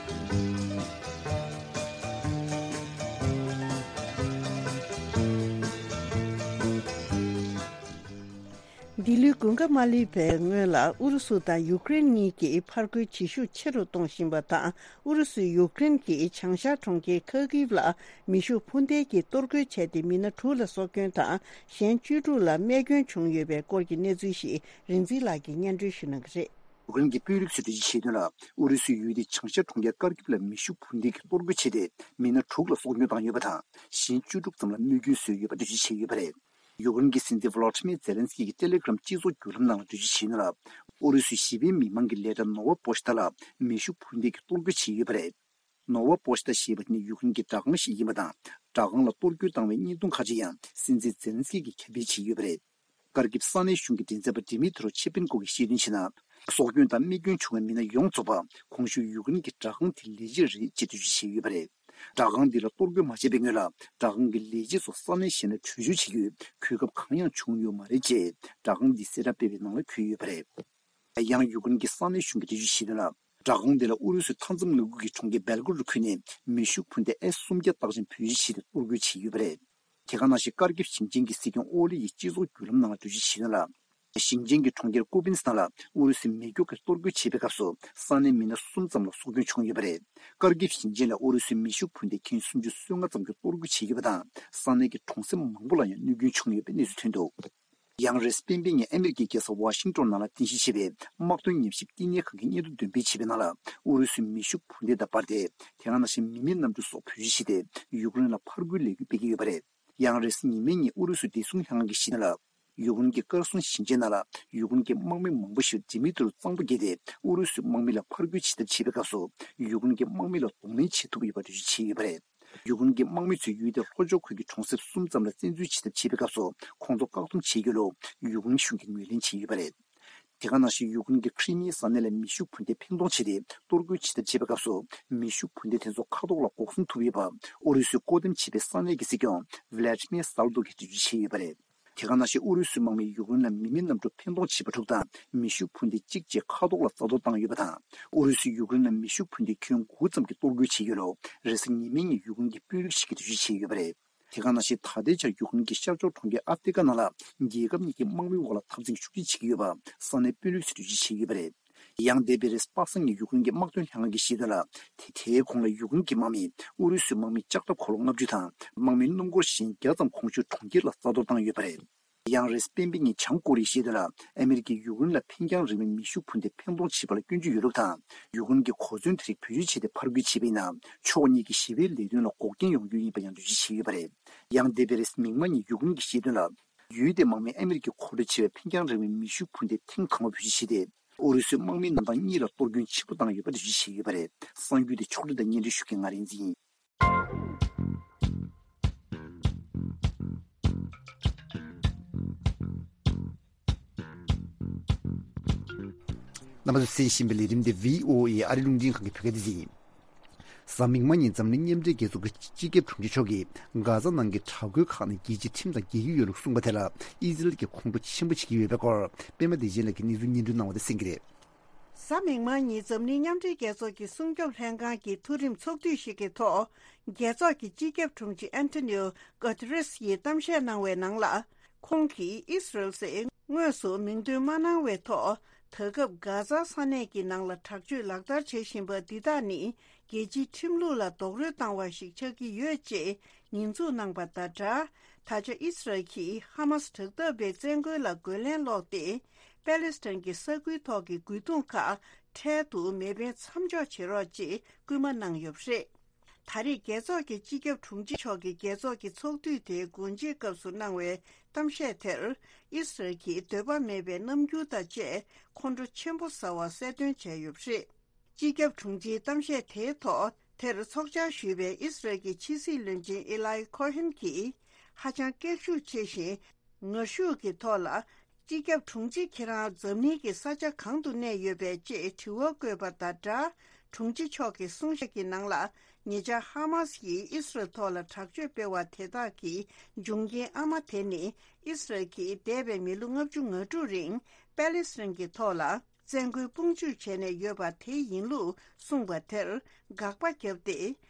འདི་ལོའི་དགུན་ཁ་མ་སླེབས་པའི་སྔོན་ལ་ཨུ་རུ་སུ་དང་ཡུ་ཀེ་རེན་གཉིས་ཀྱིས་ཕར་རྒོལ་བྱེད་ཤུགས་ཆེ་རུ་གཏོང་བཞིན་པ་དང་། ཨུ་རུ་སུས་ཡུཀ་རེན་གྱི་བྱང་ཤར་གྲོང་ཁྱེར་ཁ་ཀིབ་ལ་མེ་ཤུགས་འཕུར་མདེལ་གྱིས་གཏོར་རྒོལ་བྱས་ཏེ། མི་སྣ་དྲུག་ལ་སྲོག་སྐྱོན་དང་གཞན་བཅུ་དྲུག་ལ་རྨས་སྐྱོན་བྱུང་ཡོད་པའི་སྐོར་གྱི་གནས་ཚུལ་ཞིག་རིག་འཛིན་ལགས་ཀྱིས་སྙན་སྒྲོན་ཞུ་གནང་གི་རེད། ཡུཀ་རེན་གྱི་དཔོན་རིགས་ཚོས་འགྲེལ་བརྗོད་བྱས་དོན་ལ། ཨུ་རུ་སུའི་ཡུལ་དེ་བྱང་ཤར་གྲོང་ཁྱེར་ཀར་ཀིབ་ལ་མེ་ཤུགས་འཕུར་མདེལ་གྱིས་གཏོར་རྒོལ་བྱས་ཏེ། མི་སྣ་དྲུག་ལ་སྲོག་སྐྱོན་བཏང་ཡོད་པ་དང་། གཞན་བཅུ་དྲུག་ཙམ་ལ་རྨས་སྐྱོན་བཟོས་ཡོད་པ་འགྲེལ་བརྗོད་བྱས་ཡོད་པ་རེད། ཡུཀ་རེན་གྱི་སྲིད་འཛིན་ཝོ་ལོ་ཏི་མེ་ཛེ་ལན་སི་ཀི་གིས་ཏེ་ལེ་གྷི་རམ་སྤྱི་ཚོགས་བརྒྱུད་ལམ་ནང་ལ་འགྲེལ་བརྗོད་བྱས་ཡོད་ན། ཨུ་རུ་སུའི་གཞིས་སྤེལ་མི་མང་གི་ལས་གྲྭ་ནོ་ཝ་པོ་ཤི་ཏ་ལ་མེ་ཤུགས་འཕུར་མདེལ་གྱིས་གཏོར་རྒོལ་བྱས་ཡོད་པ་རེད། ནོ་ཝ་པོ་ཤི་ཏ་ཞེས་པ་དེ་ནི་ཡུཀ་རེན་གྱི་སྦྲག་ཁང་ཞིག་ཡིན་པ་དང་། སྦྲག་ཁང་ལ་གཏོར་རྒོལ་བཏང་བའི་བརྙན་ཐུང་ཁག་ཅིག་ཡང་སྲིད་འཛིན་ཛེ་ལན་སི་ཀི་གིས་ཁྱབ་སྤེལ་བྱས་ཡོད་པ་རེད། ཀར་ཀིབ་ས་གནས་གཞུང་གི་མགྲིན་ཚབ་པ་ཌི་མི་ཏྲོ་ཆེ་པིན་ཀོ་གིས་བཤད་དོན་བྱས་ན། སྲོག་སྐྱོན་དང་རྨས་སྐྱོན་བྱུང་བའི་མི་སྣ་ཡོངས་རྫོགས་པ་གོང་ཞུས་ཡུཀ་རེན་གྱི་སྦྲག་ཁང་དེའི་ལས་བྱེད་རེད་ཅེས་འགྲེལ་བརྗོད་བྱས་ཡོད་པ་རེད། སྦྲག་ཁང་འདི་ལ་གཏོར་རྒོལ་མ་བྱས་པའི་སྔོན་ལ། སྦྲག་ཁང་གི་ལས་བྱེད་ཚོ་ས་གནས་གཞན་ལ་བྲོས་བྱོལ་བྱེད་རྒྱུའི་གོ་སྐབས་གང་ཡང་བྱུང་ཡོད་མ་རེད་ཅེས་སྦྲག་ཁང་འདིས་གསལ་བསྒྲགས་སྤེལ་བའི་ནང་ལ་འཁོད་ཡོད་པ་རེད། ཡང་ཡུཀ་རེན་གྱི་ས་གནས་གཞུང་གིས་འགྲེལ་བརྗོད་བྱས་དོན་ལ། སྦྲག་ཁང་འདི་ལ་ཨུ་རུ་སུའི་མཐའ་མཚམས་མངའ་ཁུལ་གྱི་གྲོང་ཁྱེར་སྦེལ་གོ་རོཌ་ཁུལ་ནས་མེ་ཤུགས་འཕུར་མདེལ་ཨེ་སུམ་བརྒྱ་རྟགས་ཅན་བེད་སྤྱོད་བྱས་ཏེ་གཏོར་རྒོལ་བྱས་ཡོད་པ་རེད། དེ་ག་ནང་བཞིན་ཀར་ཀིབ་ཞིང་ཆེན་གྱི་སྲིད་སྐྱོང་ཨོ་ལི་ཡིས་སྤྱི་ཚོགས་བརྒྱུད་ལམ་ནང་ལ་འགྲེལ་བརྗོད་བྱས་དོན་ལ། ཞིང་ཆེན་གྱི་གྲོང་ཁྱེར་ཀུ་པིན་སི་ཐན་ལ་ཨུ་རུ་སུས་མེ་སྒྱོགས་ཀྱིས་གཏོར་རྒོལ་བྱས་པའི་སྐབས་སུ་ས་གནས་མི་སྣ་གསུམ་ཙམ་ལ་སྲོག་སྐྱོན་བྱུང་ཡོད་པ་རེད། ཀར་ཀིབ་ཞིང་ཆེན་ལ་ཨུ་རུ་སུའི་མེ་ཤུགས་འཕུར་མདེལ་ཁྱོན་སུམ་ཅུ་སོ་ལྔ་ཙམ་གྱིས་གཏོར་རྒོལ་བྱས་ཡོད་པ་དང་། ས་གནས་ཀྱི་གྲོང་གསེབ་མང་པོ་ལ་ཡང་གནོད་སྐྱོན་བྱུང་ཡོད་པའི་གནས་ཚུལ་ཐོན་འདུག་ཡང་རེས་སྤེན་པའི་ཉིན་ཨ་མི་རི་ཀའི་རྒྱལ་ས་ཝ་ཤིང་ཏོན་ནང་ལ་རྟེན་གཞི་བྱས་པའི་དམག་དོན་ཉམས་ཞིབ་བསྟི་གནས་ཁང་གིས་སྙན་ཐོ་འདོན་སྤེལ་བྱས་པའི་ནང་ལ། ཨུ་རུ་སུའི་མེ་ཤུགས་འཕུར་མདེལ་དང་འབར་མདེལ། དེ་ག་ནང་བཞིན་མི་མེད་གནམ་གྲུ་སོགས་བེད་སྤྱོད་བྱས་ཏེ། ཡུཀ་རེན་ལ་ཕར་རྒོལ་ལས་འགུལ་སྤེལ་གྱི་ཡོད་པ་རེད། ཡང་རེས་གཟའ་ཉི་མའི་ཉིན་ཨུ་རུ་སུའི་བདེ་སྲུང་ལྷན་ཁང་གིས་བཤད་ན་ལ། ཡུཀ་རེན་གྱི་ཀར་སུན་ཞིང་ཆེན་ནང་ལ་ཡུཀ་རེན་གྱི་དམག་མི་མང་པོ་ཞིག་ཌི་མི་ཏྲོ་གཙང་པོ་བརྒལ་ཏེ་ཨུ་རུ་སུའི་དམག་མི་ལ་ཕར་རྒོལ་བྱེད་ཐབས་བྱས་པའི་སྐབས་སུ། ཡུཀ་རེན་གྱི་དམག་མི་ལ་གདོང་ལེན་བྱེད་ཐུབ་ཡོད་པ་འགྲེལ་བརྗོད་བྱས་ཡོད་པ་རེད། ཡུཀ་རེན་གྱི་དམག་མི་ཚོས་ཡུལ་དེའི་ལྷོ་ཕྱོགས་ཁུལ་གྱི་གྲོང་གསེབ་གསུམ་ཙམ་ལ་བཙན་འཛུལ་བྱེད་ཐབས་བྱས་པའི་སྐབས་སུ་ཁོང་ཚོ་བཀག་སྡོམ་བྱེད་རྒྱུ་ལུ་ཡུཀ་རེན་གཞུང་གིས་ངོས་ལེན་བྱས་ཡོད་པ་རེད། དེ་ག་ནང་བཞིན་ཡུཀ་རེན་གྱི་ཁྲི་མིའི་ས་གནས་ལ་མེ་ཤུགས་འཕུར་མདེལ་འཕེན་གཏོང་བྱས་ཏེ་གཏོར་རྒོལ་བྱེད་ཐབས་བྱས་པའི་སྐབས་སུ། མེ་ཤུགས་འཕུར་མདེལ་དེ་ཚོ་མཁའ་ཐོག་ལ་འགོག་སྲུང་ཐུབ་ཡོད་པ། ཨུ་རུ་སུས་བཀོད་འདོམས་བྱས་པའི་ས་གནས་ཀྱི་སྲིད་སྐྱོང་ཝི་ལ་ཏི་མེ་སཱལ་ཏོ་གིས་འགྲེལ་བརྗོད་བྱས་ཡོད་པ་རེད། དེ་ག་ནང་བཞིན་ཨུ་རུ་སུའི་དམག་མིས་ཡུཀ་རེན་ལ་མི་མེད་གནམ་གྲུ་འཕེན་གཏོང་བྱས་པ་དྲུག་དང་མེ་ཤུགས་འཕུར་མདེལ་གཅིག་བཅས་མཁའ་ཐོག་ལ་རྩ་གཏོར་བཏང་ཡོད་པ་དང་། ཨུ་རུ་སུས་ཡུཀ་རེན་ལ་མེ་ཤུགས་འཕུར་མདེལ་ཁྱོན་དགུ་ཙམ་གྱིས་གཏོར་རྒོལ་བྱས་ཡོད་ལུགས་རེས་གཟའ་ཉི་མའི་ཉིན་ཡུཀ་རེན་གྱི་དཔོན་རིགས་ཤིག་གིས་འགྲེལ་བརྗོད་བྱས་ཡོད་པ་རེད། དེ་ག་ནང་བཞིན་ད་ལྟའི་ཆར་ཡུཀ་རེན་གྱི་ཤར་ཕྱོགས་གྲོང་ཁྱེར་ཨབ་ཏི་ཀ་ནང་ལ་རྒྱལ་ཁབ་གཉིས་ཀྱི་དམག་མིའི་དབར་ལ་འཐབ་འཛིང་ཤུགས་ཆེ་བྱེད་ཀྱི་ཡོད་པ་ས་གནས་དཔོན་རིགས་ཚོས་འགྲེལ་བརྗོད་བྱས་ཡོད་པ་རེད། ཡང་འདས་པའི་རེས་པ་སངས་ཉིན་ཡུཀ་རེན་གྱི་དམག་དོན་ལྷན་ཁང་གིས་བཤད་དོན་ལ། དེ་དེའི་གོང་ལ་ཡུཀ་རེན་གྱི་དམག་མིས་ཨུ་རུ་སུའི་དམག་མི་ལྕགས་ཐབ་འཁོར་ལོ་ལྔ་བཅུ་དང་དམག་མི་སྣུམ་འཁོར་གཞན་བརྒྱ་ཙམ་གོང་ཞུས་གྲོང་ཁྱེར་ལ་རྩ་གཏོར་བཏང་ཡོད་པ་རེད། ཡང་རེས་སྤེན་པེ་ཉིན་བྱང་ཀོ་རི་ཡའི་བཤད་དོན་ལ། ཨ་མི་རི་ཀས་ཡུཀ་རེན་ལ་འཕེན་རྐྱང་རིང་བའི་མེ་ཤུགས་འཕུར་མདེལ་འཕེན་གཏོང་བྱེད་པ་ལ་སྐྱོན་བརྗོད་ཡོད་ལུགས་དང་། ཡུཀ་རེན་གྱིས་གོ་མཚོན་དེ་རིགས་བེད་སྤྱོད་བྱས་ཏེ་ཕར་རྒོལ་བྱས་པ་ཡིན་ན། ཕྱོགས་གཉིས་ཀྱི་ཞི་བའི་ལས་དོན་ལ་འགོག་རྐྱེན་ཡོང་རྒྱུ་ཡིན་པ་ཡང་འགྲེལ་བརྗོད་བྱས་ཡོད་པ་རེད། ཡང་འདས་པའི་རེས་མིག་དམར་ཉིན་ཡུཀ་རེན་གྱིས་བཤད་དོན་ལ། ཡུལ་དེའི་དམག་མིས་ཨ་མི་རི་ཀས་མཁོ་སྤྲོད་བྱས་པའི་འཕེན་རྐྱང་རིང་བའི་མེ་ཤུགས་འཕུར་མདེལ་ཐེངས་དང་པོ་བེད་སྤྱོད་བྱས་ཏེ། ཨུ་རུ་སུའི་དམག་མིའི་རྣམ་གྲངས་གཉིས་ལ་གཏོར་སྐྱོན་ཆེན་པོ་བཏང་ཡོད་པ་འགྲེལ་བརྗོད་བྱས་ཡོད་པ་རེད། གསར་འགྱུར་དེ་ཕྱོགས་སྒྲིག་དང་སྙན་སྒྲོན་ཞུ་མཁན་ང་རིག་འཛིན་ཡིན། རྣམ་པ་ཚོས་གསན་བཞིན་པའི་ལས་རིམ་འདི་བྷི་ཨོ་ཨེ་ཨ་རི་རླུང་འཕྲིན་ཁང་གི་བོད་སྐད་སྡེ་ཚན་ཡིན། གཟའ་མིག་དམར་ཉིན་འཛམ་གླིང་མཉམ་འབྲེལ་རྒྱལ་ཚོགས་ཀྱི་སྤྱི་ཁྱབ་དྲུང་ཆེ་མཆོག་གིས་གྷ་ཛ་ནང་གི་དྲག་རྒོལ་ཁག་ནས་རྒྱལ་སྤྱིའི་ཁྲིམས་དང་འགལ་གྱི་ཡོད་ལུགས་གསུངས་པ་དེ་ལ་ཨི་ཟི་རལ་གྱིས་ཁོང་ཁྲོ་ཆེན་པོ་བྱེད་ཀྱི་ཡོད་པའི་སྐོར་པད་མ་བདེ་ཆེན་ལགས་ཀྱིས་གནས་ཚུལ་སྙན་སྒྲོན་གནང་བ་དེ་གསན་གྱི་རེད། གཟའ་མིག་དམར་ཉིན་འཛམ་གླིང་མཉམ་འབྲེལ་རྒྱལ་ཚོགས་ཀྱི་སྲུང་སྐྱོབ་ལྷན་ཁང་གི་མཐོ་རིམ་ཚོགས་འདུ་ཞིག་གི་ཐོག་རྒྱལ་ཚོགས་ཀྱི་སྤྱི་ཁྱབ་དྲུང་ཆེ་ཨན་ཐོ་ནིའོ་གོ་ཏི་རེས་ཡིས་གཏམ་བཤད་གནང་བའི་ནང་ལ། ཁོང་གིས་ཨི་སི་རལ་ཟེར་དངོས་སུ་མིང་འདོན་མ་གནང་བའི་ཐོག་ད་སྐབས་གྷ་ཛ་ས་གནས་ཀྱི་ནང་ལ་དྲག་སྤྱོད་ལག་བསྟར་བྱེད་བཞིན་པ་འདི་དག་ནི་རྒྱལ་སྤྱིའི་ཁྲིམས་ལུགས་ལ་རྡོག་རོལ་བཏང་བ་ཞིག་ཆགས་ཀྱི་ཡོད་ཅེས་ཉེས་འཛུགས་གནང་པ་དང་སྦྲགས། ད་ཆ་ཨི་སི་རལ་གྱིས་ཧ་མ་སི་དྲག་འཐབ་པའི་བཙན་རྒོལ་ལ་རྒོལ་ལན་སློག་སྟེ། པེ་ལེ་སི་ཐན་གྱི་ས་ཁུལ་ཐོག་གི་རྒོལ་རྡུང་ཁག་འཕྲལ་དུ་མེ་འཕེན་མཚམས་འཇོག་བྱེད་རོགས་ཅེས་སྐུལ་མ་གནང་ཡོད་པ་རེད། ད་རེས་རྒྱལ་ཚོགས་ཀྱི་སྤྱི་ཁྱབ་དྲུང་ཆེ་མཆོག་གིས་རྒྱལ་ཚོགས་ཀྱི་ཚོགས་འདུ་དེའི་སྒོ་འབྱེད་སྐབས་སུ་གནང་བའི་གཏམ་བཤད་དེར། ཨི་སི་རལ་གྱིས་འདོད་པ་མེད་པའི་རྣམ་འགྱུར་དང་བཅས་ཁོང་ཁྲོ་ཆེན་པོ་ཟ་བ་གསལ་སྟོན་བྱས་ཡོད་པ་རེད། སྤྱི་ཁྱབ་དྲུང་ཆེའི་གཏམ་བཤད་དེའི་ཐོག་དེར་ཚོགས་བཅར་ཞུས་པའི་ཨི་སི་རལ་གྱི་ཕྱི་སྲིད་བློན་ཆེན་ཨི་ལའི་ཁོ་ཧན་གྱིས་ཧ་ཅང་སྐད་ཤུགས་ཆེ་ཞིང་ངར་ཤུགས་ཀྱི་ཐོག་ལ། སྤྱི་ཁྱབ་དྲུང་ཆེ་ཁྱེད་རང་འཛམ་གླིང་གི་ས་ཆ་གང་དུ་གནས་ཡོད་པས་ཅེས་དྲི་བ་བཀོད་པ་དང་སྦྲགས། དྲུང་ཆེ་མཆོག་གིས་གསུང་བཤད་ཀྱི་ནང་ལ། ཉེ་ཆར་ཧ་མ་སི་ཡིས་ཨི་སི་རལ་ཐོག་ལ་དྲག་སྤྱོད་སྤེལ་བ་དེ་དག་གི་འབྱུང་རྐྱེན་ཨ་མ་དེ་ནི་ཨི་སི་རལ་གྱིས་འདས་པའི་མི་ལོ་ལྔ་བཅུ་ང་དྲུག་རིང་པེ་ལེ་སི་ཐན་གྱི་ཐོག་ལ་བཙན་རྒོལ་དཔུང་འཇུག་བྱས་ནས་ཡོད་པ་དེ་ཡིན་ལུགས་གསུངས་པ་དེར་དགག་པ་བརྒྱབ་སྟེ།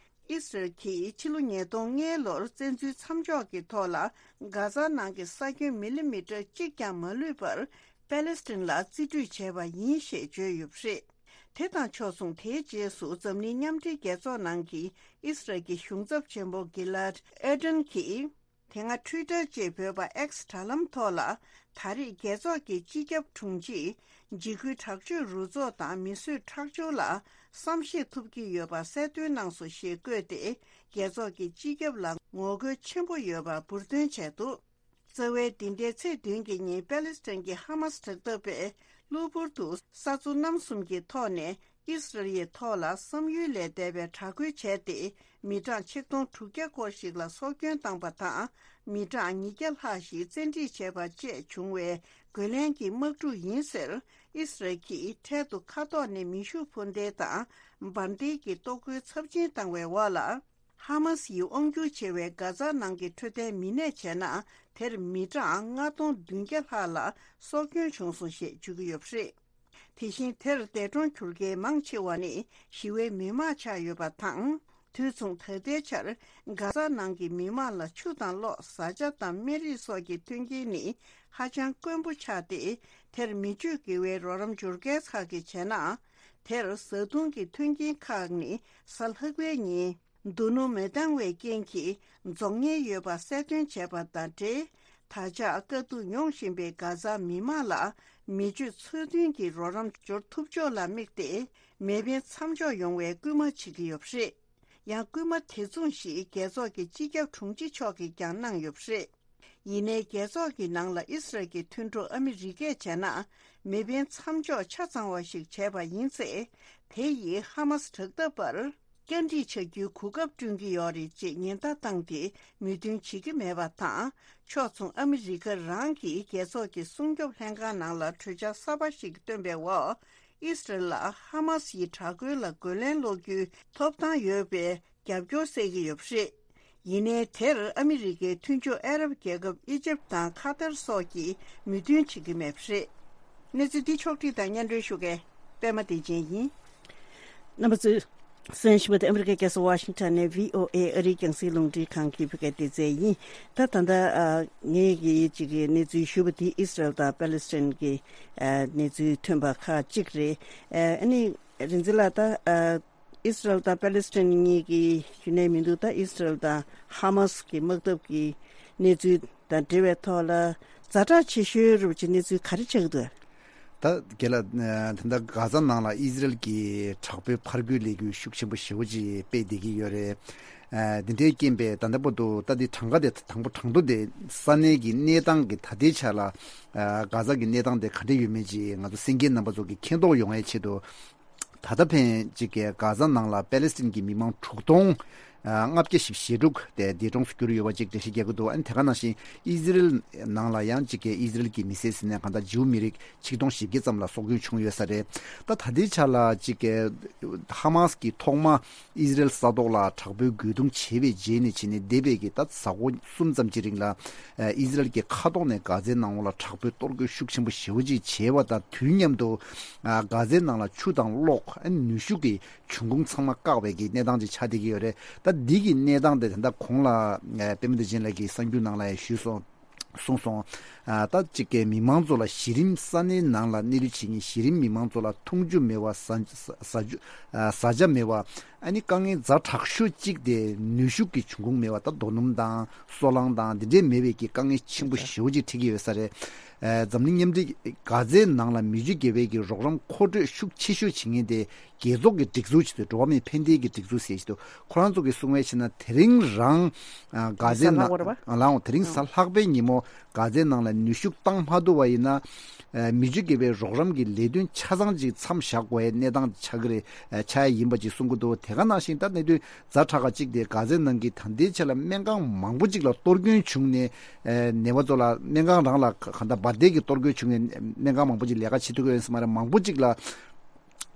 ཨི་སི་རལ་གྱིས་ཕྱི་ལོ་ཉིས་སྟོང་ལྔ་ལོར་བཙན་འཛུལ་མཚམས་འཇོག་གི་ཐོག་ལ་གྷ་ཛ་ནང་གི་ས་ཁྱོན་མི་ལི་མི་ཊར་གཅིག་ཀྱང་མ་ལུས་པར་པེ་ལེ་སི་ཐན་ལ་རྩིས་སྤྲོད་བྱས་པ་ཡིན་ཞེས་བརྗོད་ཡོད་པ་རེད། དེ་དང་ཕྱོགས་མཚུངས། དེའི་རྗེས་སུ་འཛམ་གླིང་མཉམ་འབྲེལ་རྒྱལ་ཚོགས་ནང་གི་ཨི་སི་རལ་གྱི་གཞུང་ཚབ་ཆེན་པོ་གི་ལཱད་ཨེར་ཌན་གྱིས། དེ་སྔ་ཊུའི་ཊར་ཅེས་འབོད་པ་ཨེག་སི་དྲ་ལམ་ཐོག་ལ། ད་རེས་རྒྱལ་ཚོགས་ཀྱི་སྤྱི་ཁྱབ་དྲུང་ཆེས་འཇིགས་སྐུལ་དྲག་སྤྱོད་རུ་ཚོགས་དང་མི་གསོད་ཁྲག་སྦྱོར་ལ་བསམ་ཤེས་ཐུབ་ཀྱི་ཡོད་པ་གསལ་སྟོན་གནང་སོང་ཞེས་བཀོད་དེ། རྒྱལ་ཚོགས་ཀྱི་སྤྱི་ཁྱབ་ལ་ངོ་རྒོལ་ཆེན་པོ་ཡོད་པ་འབུར་འདོན་བྱས་འདུག་རྩ་བའི་འདི་ཟླའི་ཚེས་བདུན་གྱི་ཉིན་པེ་ལེ་སི་ཐན་གྱི་ཧ་མ་སི་དྲག་འཐབ་པས་གློ་བུར་དུ་ས་མཚོ་གནམ་གསུམ་གྱི་ཐོག་ནས་ཨི་སི་རལ་ཡི་ཐོག་ལ་བསམ་ཡུལ་ལས་འདས་པའི་དྲག་རྒོལ་བྱས་ཏེ། མི་གྲངས་ཆིག་སྟོང་དྲུག་བརྒྱ་སྐོར་ཞིག་ལ་སྲོག་སྐྱོན་བཏང་པ་དང་། མི་གྲངས་ཉིས་བརྒྱ་ལྷག་ཞིག་བཙན་ཁྲིད་བྱས་པ་བཅས་བྱུང་བའི་རྒོལ་ལན་གྱི་དམག་འཁྲུག་ཡིན་ཟེར། ཨི་སི་རལ་གྱིས་འཕྲལ་དུ་མཁའ་ཐོག་ནས་མེ་ཤུགས་འཕུར་མདེལ་དང་འབར་མདེལ་གྱི་གཏོར་རྒོལ་ཚབས་ཆེན་བཏང་བའི་འོག་ལ། ཧ་མ་སི་ཡིས་དབང་སྒྱུར་བྱེད་པའི་གྷ་ཛ་ནང་གི་འཕྲོད་བསྟེན་མི་སྣས་བྱས་ན། དེར་མི་གྲངས་ལྔ་སྟོང་བདུན་བརྒྱ་ལྷག་ལ་སྲོག་སྐྱོན་བྱུང་སོང་ཞེས་བརྗོད་ཀྱི་ཡོད་པ་རེད། དེ་བཞིན་དེར་འདས་གྲོངས་གྱུར་མཁན་མང་ཆེ་བ་ནི་ཞི་བའི་མི་མང་ཆགས་ཡོད་པ་དང་། དུས་མཚུངས་ད་ལྟའི་ཆར་གྷ་ཛ་ནང་གི་མི་མང་ལ་ཆུ་དང་གློག་བཟའ་བཅའ་དང་སྨན་རིགས་སོགས་ཀྱི་མཐུན་རྐྱེན་ནི་ཧ་ཅང་དཀོན་པོ་ཆགས་ཏེ། དེར་མི་སྤྱོད་དགེ་བའི་རོགས་རམ་སྦྱོར་མཁན་ཁག་གིས་བྱས་ན། དེར་བཟའ་བཏུང་གི་མཐུན་རྐྱེན་ཁག་ནི་གཟའ་ལྷག་པའི་ཉིན། རྡོ་སྣུམ་མི་འདང་བའི་རྐྱེན་གྱིས་རྫོགས་ཉེན་ཡོད་པ་གསལ་སྟོན་བྱས་པ་དང་འབྲེལ། ད་ཆ་དཀའ་སྡུག་མྱོང་བཞིན་པའི་གྷ་ཛ་མི་མང་ལ་མི་སྤྱོད་ཚོགས་ཐུན་གྱི་རོགས་རམ་འབྱོར་ཐུབ་ཕྱོགས་ལ་དམིགས་ཏེ། མེ་འཕེན་མཚམས་འཇོག་ཡོང་བའི་སྐུལ་མ་བྱེད་ཀྱི་ཡོད་པ་རེད། ཡང་སྐུལ་མ་དེ་མཚུངས་ཤིག་རྒྱལ་ཚོགས་ཀྱི་སྤྱི་ཁྱབ་དྲུང་ཆེ་མཆོག་གིས་ཀྱང་གནང་ཡོད་པ་རེད། ཡིན་ནའི་རྒྱལ་ཚོགས་ཀྱི་ནང་ལ་ཨི་སི་རལ་གྱི་མཐུན་གྲོགས་ཨ་མི་རི་ཀས་བྱས་ན། མེ་འཕེན་མཚམས་འཇོག་ཆ་ཚང་བ་ཞིག་བྱས་པ་ཡིན་ཚེ། དེ་ཡིས་ཧ་མ་སི་དྲག་འཐབ་པར་བཀའ་འདྲི་བྱ་རྒྱུའི་གོ་སྐབས་བསྐྲུན་གྱི་ཡོད་རེད་ཅེས་ཉེན་བརྡ་བཏང་སྟེ་མོས་མཐུན་བྱེད་ཀྱི་མེད་པ་དང་། ཕྱོགས་མཚུངས་ཨ་མི་རི་ཀ་རང་གིས་རྒྱལ་ཚོགས་ཀྱི་སྲུང་སྐྱོབ་ལྷན་ཁང་ནང་ལ་གྲོས་འཆར་གསར་པ་ཞིག་བཏོན་པའི་འོག་ཨི་སི་རལ་ལ་ཧ་མ་སི་ཡི་དྲག་རྒོལ་ལ་རྒོལ་ལན་སློག་རྒྱུའི་ཐོབ་ཐང་ཡོད་པའི་རྒྱབ་སྐྱོར་སྩལ་གྱི་ཡོད་པ་རེད། ཡིན་ནའི་དེར་ཨ་མི་རི་ཀའི་མཐུན་ཕྱོགས་ཨ་རབ་རྒྱལ་ཁབ་ཨི་ཇིབ་དང་ཁ་ཐར་སོགས་ཀྱིས་མོས་མཐུན་བྱེད་ཀྱི་མེད་པ་རེད། གནས་ཚུལ་འདི་ཕྱོགས་བསྒྲིགས་དང་སྙན་སྒྲོན་ཞུ་མཁན་པད་མ་བདེ་ཆེན་ཡིན། རྣམ་པ་ཚོས་གསན་བཞིན་པ་དེ་ཨ་མི་རི་ཀའི་རྒྱལ་ས་ཝ་ཤིང་ཊོན་ནས་བྷི་ཨོ་ཨེ་ཨ་རིའི་རྒྱང་སྲིང་རླུང་འཕྲིན་ཁང་གི་བོད་སྐད་སྡེ་ཚན་ཡིན། ད་ད་ལྟ་ཨ་ངས་ཀྱིས་ཅིག་གི་གནས་ཚུལ་ཞུས་པ་དེ་ཨི་སི་རལ་དང་པེ་ལེ་སི་ཐན་གྱི་ཨ་གནས་ཚུལ་ཐོན་པ་ཁག་ཅིག་རེད། ཨ་ནི་རིག་འཛིན་ལགས། ད་ཨ་ཨི་སི་རལ་དང་པེ་ལེ་སི་ཐན་གཉིས་ཀྱི་རྒྱུན་ལས་མི་འདུག་ད་ཨི་སི་རལ་དང་ཧ་མ་སི་གི་དམག་འཐབ་ཀྱི་གནས་ཚུལ་དང་འབྲེལ་བའི་ཐོག་ལ་ ཛ་དྲག་ཆེ་ཤོས་རུ་ཅིག་གནས་ཚུལ་ག་རེ་ཆགས་ཀྱི་འདུག་ད་རྒན་ལགས། ད་ལྟ་གྷ་ཛ་ནང་ལ་ཨི་ཟི་རེལ་གྱི་དྲག་པོའི་ཕར་རྒོལ་ལས་འགུལ་ཤུགས་ཆེན་པོ་ཞེ་པོ་ཅིག་སྤེལ་བསྡད་ཀྱི་ཡོད་རེད། འདི་འདྲའི་རྐྱེན་པས་ད་ལྟ་བར་དུ་ད་འདི་གྲངས་ཀ་དེ་དང་པོ་དང་པོ་དེ་ས་གནས་ཀྱི་གནས་སྟངས་ཀྱི་ད་ལྟའི་ཆ་ལ་གྷ་ཛ་གི་གནས་སྟངས་དེ་ག་འདྲ་ཡོད་མེད་ཅིག་ང་ཚོ་གསན་མཁན་རྣམ་པ་ཚོ་གི་མཁྱེན་རྟོགས་ཡོང་ཡའི་ཆེད་དུ། ད་ལྟ་ཕན་ཅིག་གི་གྷ་ཛ་ནང་ལ་པེ་ལེ་སི་ཐན་གྱི་མི་མང་དྲུག་སྟོང་ལྔ་བརྒྱ་བཞི་བཅུ་ཞེ་དྲུག་དེ་འདས་གྲོངས་སུ་གྱུར་ཡོད་པ་ཅིག་འགྲེལ་བཤད་རྒྱག་གི་འདུག་ཨ་ནི་དེ་ག་ནང་བཞིན་ཨི་ཟི་རེལ་ནང་ལ་ཡང་ཅིག་གི་ཨི་ཟི་རེལ་གྱི་མི་སེར་ཟེར་ནས་གང་ལྟར་ཇིའུ་མི་རིགས་ཆིག་སྟོང་བཞི་བརྒྱ་ཙམ་ལ་སྲོག་སྐྱོན་བྱུང་ཡོད་ས་རེད། ད་ད་ལྟའི་ཆ་ལ་ཅིག་གི་ཧ་མ་སི་གི་ཐོག་མ་ཨི་ཟི་རེལ་ས་ཐོག་ལ་དྲག་པོའི་རྒོལ་རྡུང་བྱས་པའི་རྗེས་ནས་བྱས་ནས་འདས་པའི་གི་ད་གཟའ་འཁོར་གསུམ་ཙམ་གྱི་རིང་ལ་ཨི་ཟི་རེལ་གྱི་མཁའ་ཐོག་ནས་གྷ་ཛའི་ནང་ལོགས་ལ་དྲག་པོའི་གཏོར་རྒོལ་ཤུགས་ཆེན་པོ་ཞེ་པོ་ཅིག་བྱས་པ་དང་དུས་མཉམ་དུ་གྷ་ཛའི་ནང་ལ་ཆུ་དང་གློག་ནུས་ཤུགས་ཀྱི་འབྱུང་ཁུངས་ཚང་མ་བཀག་པའི་གི་གནས་སྟངས་ཅིག་ཆགས་བསྡད་ཀྱི་ཡོད་རེད། ད་འདི་གི་གནས་སྟངས་དེ་ད་ལྟ་གོང་ལ་པད་མ་བདེ་ཆེན་ལགས་ཀྱིས་གསར་འགྱུར་ནང་ལ་ཡང་ཞུས་སོང་། གསུངས་སོང་། ཨ་ད་གཅིག་གི་མི་མང་ཚོ་ལ་གཞི་རིམ་ས་གནས་ནང་ལ་གནས་ལུས་བྱེད་མཁན་གཞི་རིམ་མི་མང་ཚོ་ལ་འཐུང་ཆུ་མེད་པ་ཟ་ཟ་ཟ་ཆུ་ཨ་ཟ་ཆ་མེད་པ་ཨ་ནི་དཀའ་ངལ་ཛ་དྲག་ཤོས་གཅིག་དེ་ནུས་ཤུགས་ཀྱི་འབྱུང་ཁུངས་མེད་པ་ད་རྡོ་སྣུམ་དང་སོལ་རླངས་དང་འདི་འདྲའི་མེད་པའི་གི་དཀའ་ངལ་ཆེན་པོ་ཞེ་པོ་ཅིག་འཕྲད་ཀྱི་ཡོད་ས་རེད། ཨ་འཛམ་གླིང་མཉམ་འབྲེལ་གྷ་ཛའི་ནང་ལ་མི་རྒྱུ་བརྒྱད་པའི་གི་རོགས་རམ་མཁོ་སྤྲོད་ཤུགས་ཆེ་ཤོས་བྱེད་མཁན་དེ། རྒྱལ་ཚོགས་ཀྱི་སྒྲིག་འཛུགས་ཆེད་དུ་འགྲོ་བ་མིའི་ཕན་བདེ་གི་སྒྲིག་འཛུགས་ཟེར་ཞིག་འདུག་ཁོ་རང་ཚོ་གིས་གསུངས་པའི་ཕྱིར་ན་དེ་རིང་རང་གྷ་ཛའི་ནང་ལའང་དེ་རིང་གཟའ་ལྷག་པའི་ཉིན་མོ་གྷ་ཛའི་ནང་ལ་ནུས་ཤུགས་བཏང་མ་ཐུབ་པ་ཡིན་ན་མི་རྒྱུ་བརྒྱད་པའི་རོགས་རམ་གྱི་ལས་དོན་ཆ་ཚང་ཅིག་མཚམས་བཞག་དགོས་པའི་གནས་སྟངས་ཆགས་ཀྱི་རེད། ཆགས་ཡ་ཡིན་པ་ཅིག་གསུང་གི་འདུག་དེ་ག་ནང་བཞིན་ད་གནད་དོན་ཛ་དྲག་ག་ཅིག་དེ་གྷ་ཛའི་ནང་གི་ད་ལྟའི་ཆ་ལ་སྨན་ཁང་མང་པོ་ཅིག་ལ་གཏོར་སྐྱོན་བྱུང་ནས་ནད་པ་ཚོ་ལ་སྨན་ཁང་རང་ལ་གང་ལྟར་འབར་མདེལ་གྱི་གཏོར་སྐྱོན་བྱུང་ནས་སྨན་ཁང་མང་པོ་ཅིག་ལས་ཀ་བྱེད་ཐུབ་ཀྱི་ཡོད་ས་མ་རེད། མང་པོ་ཅིག་ལ།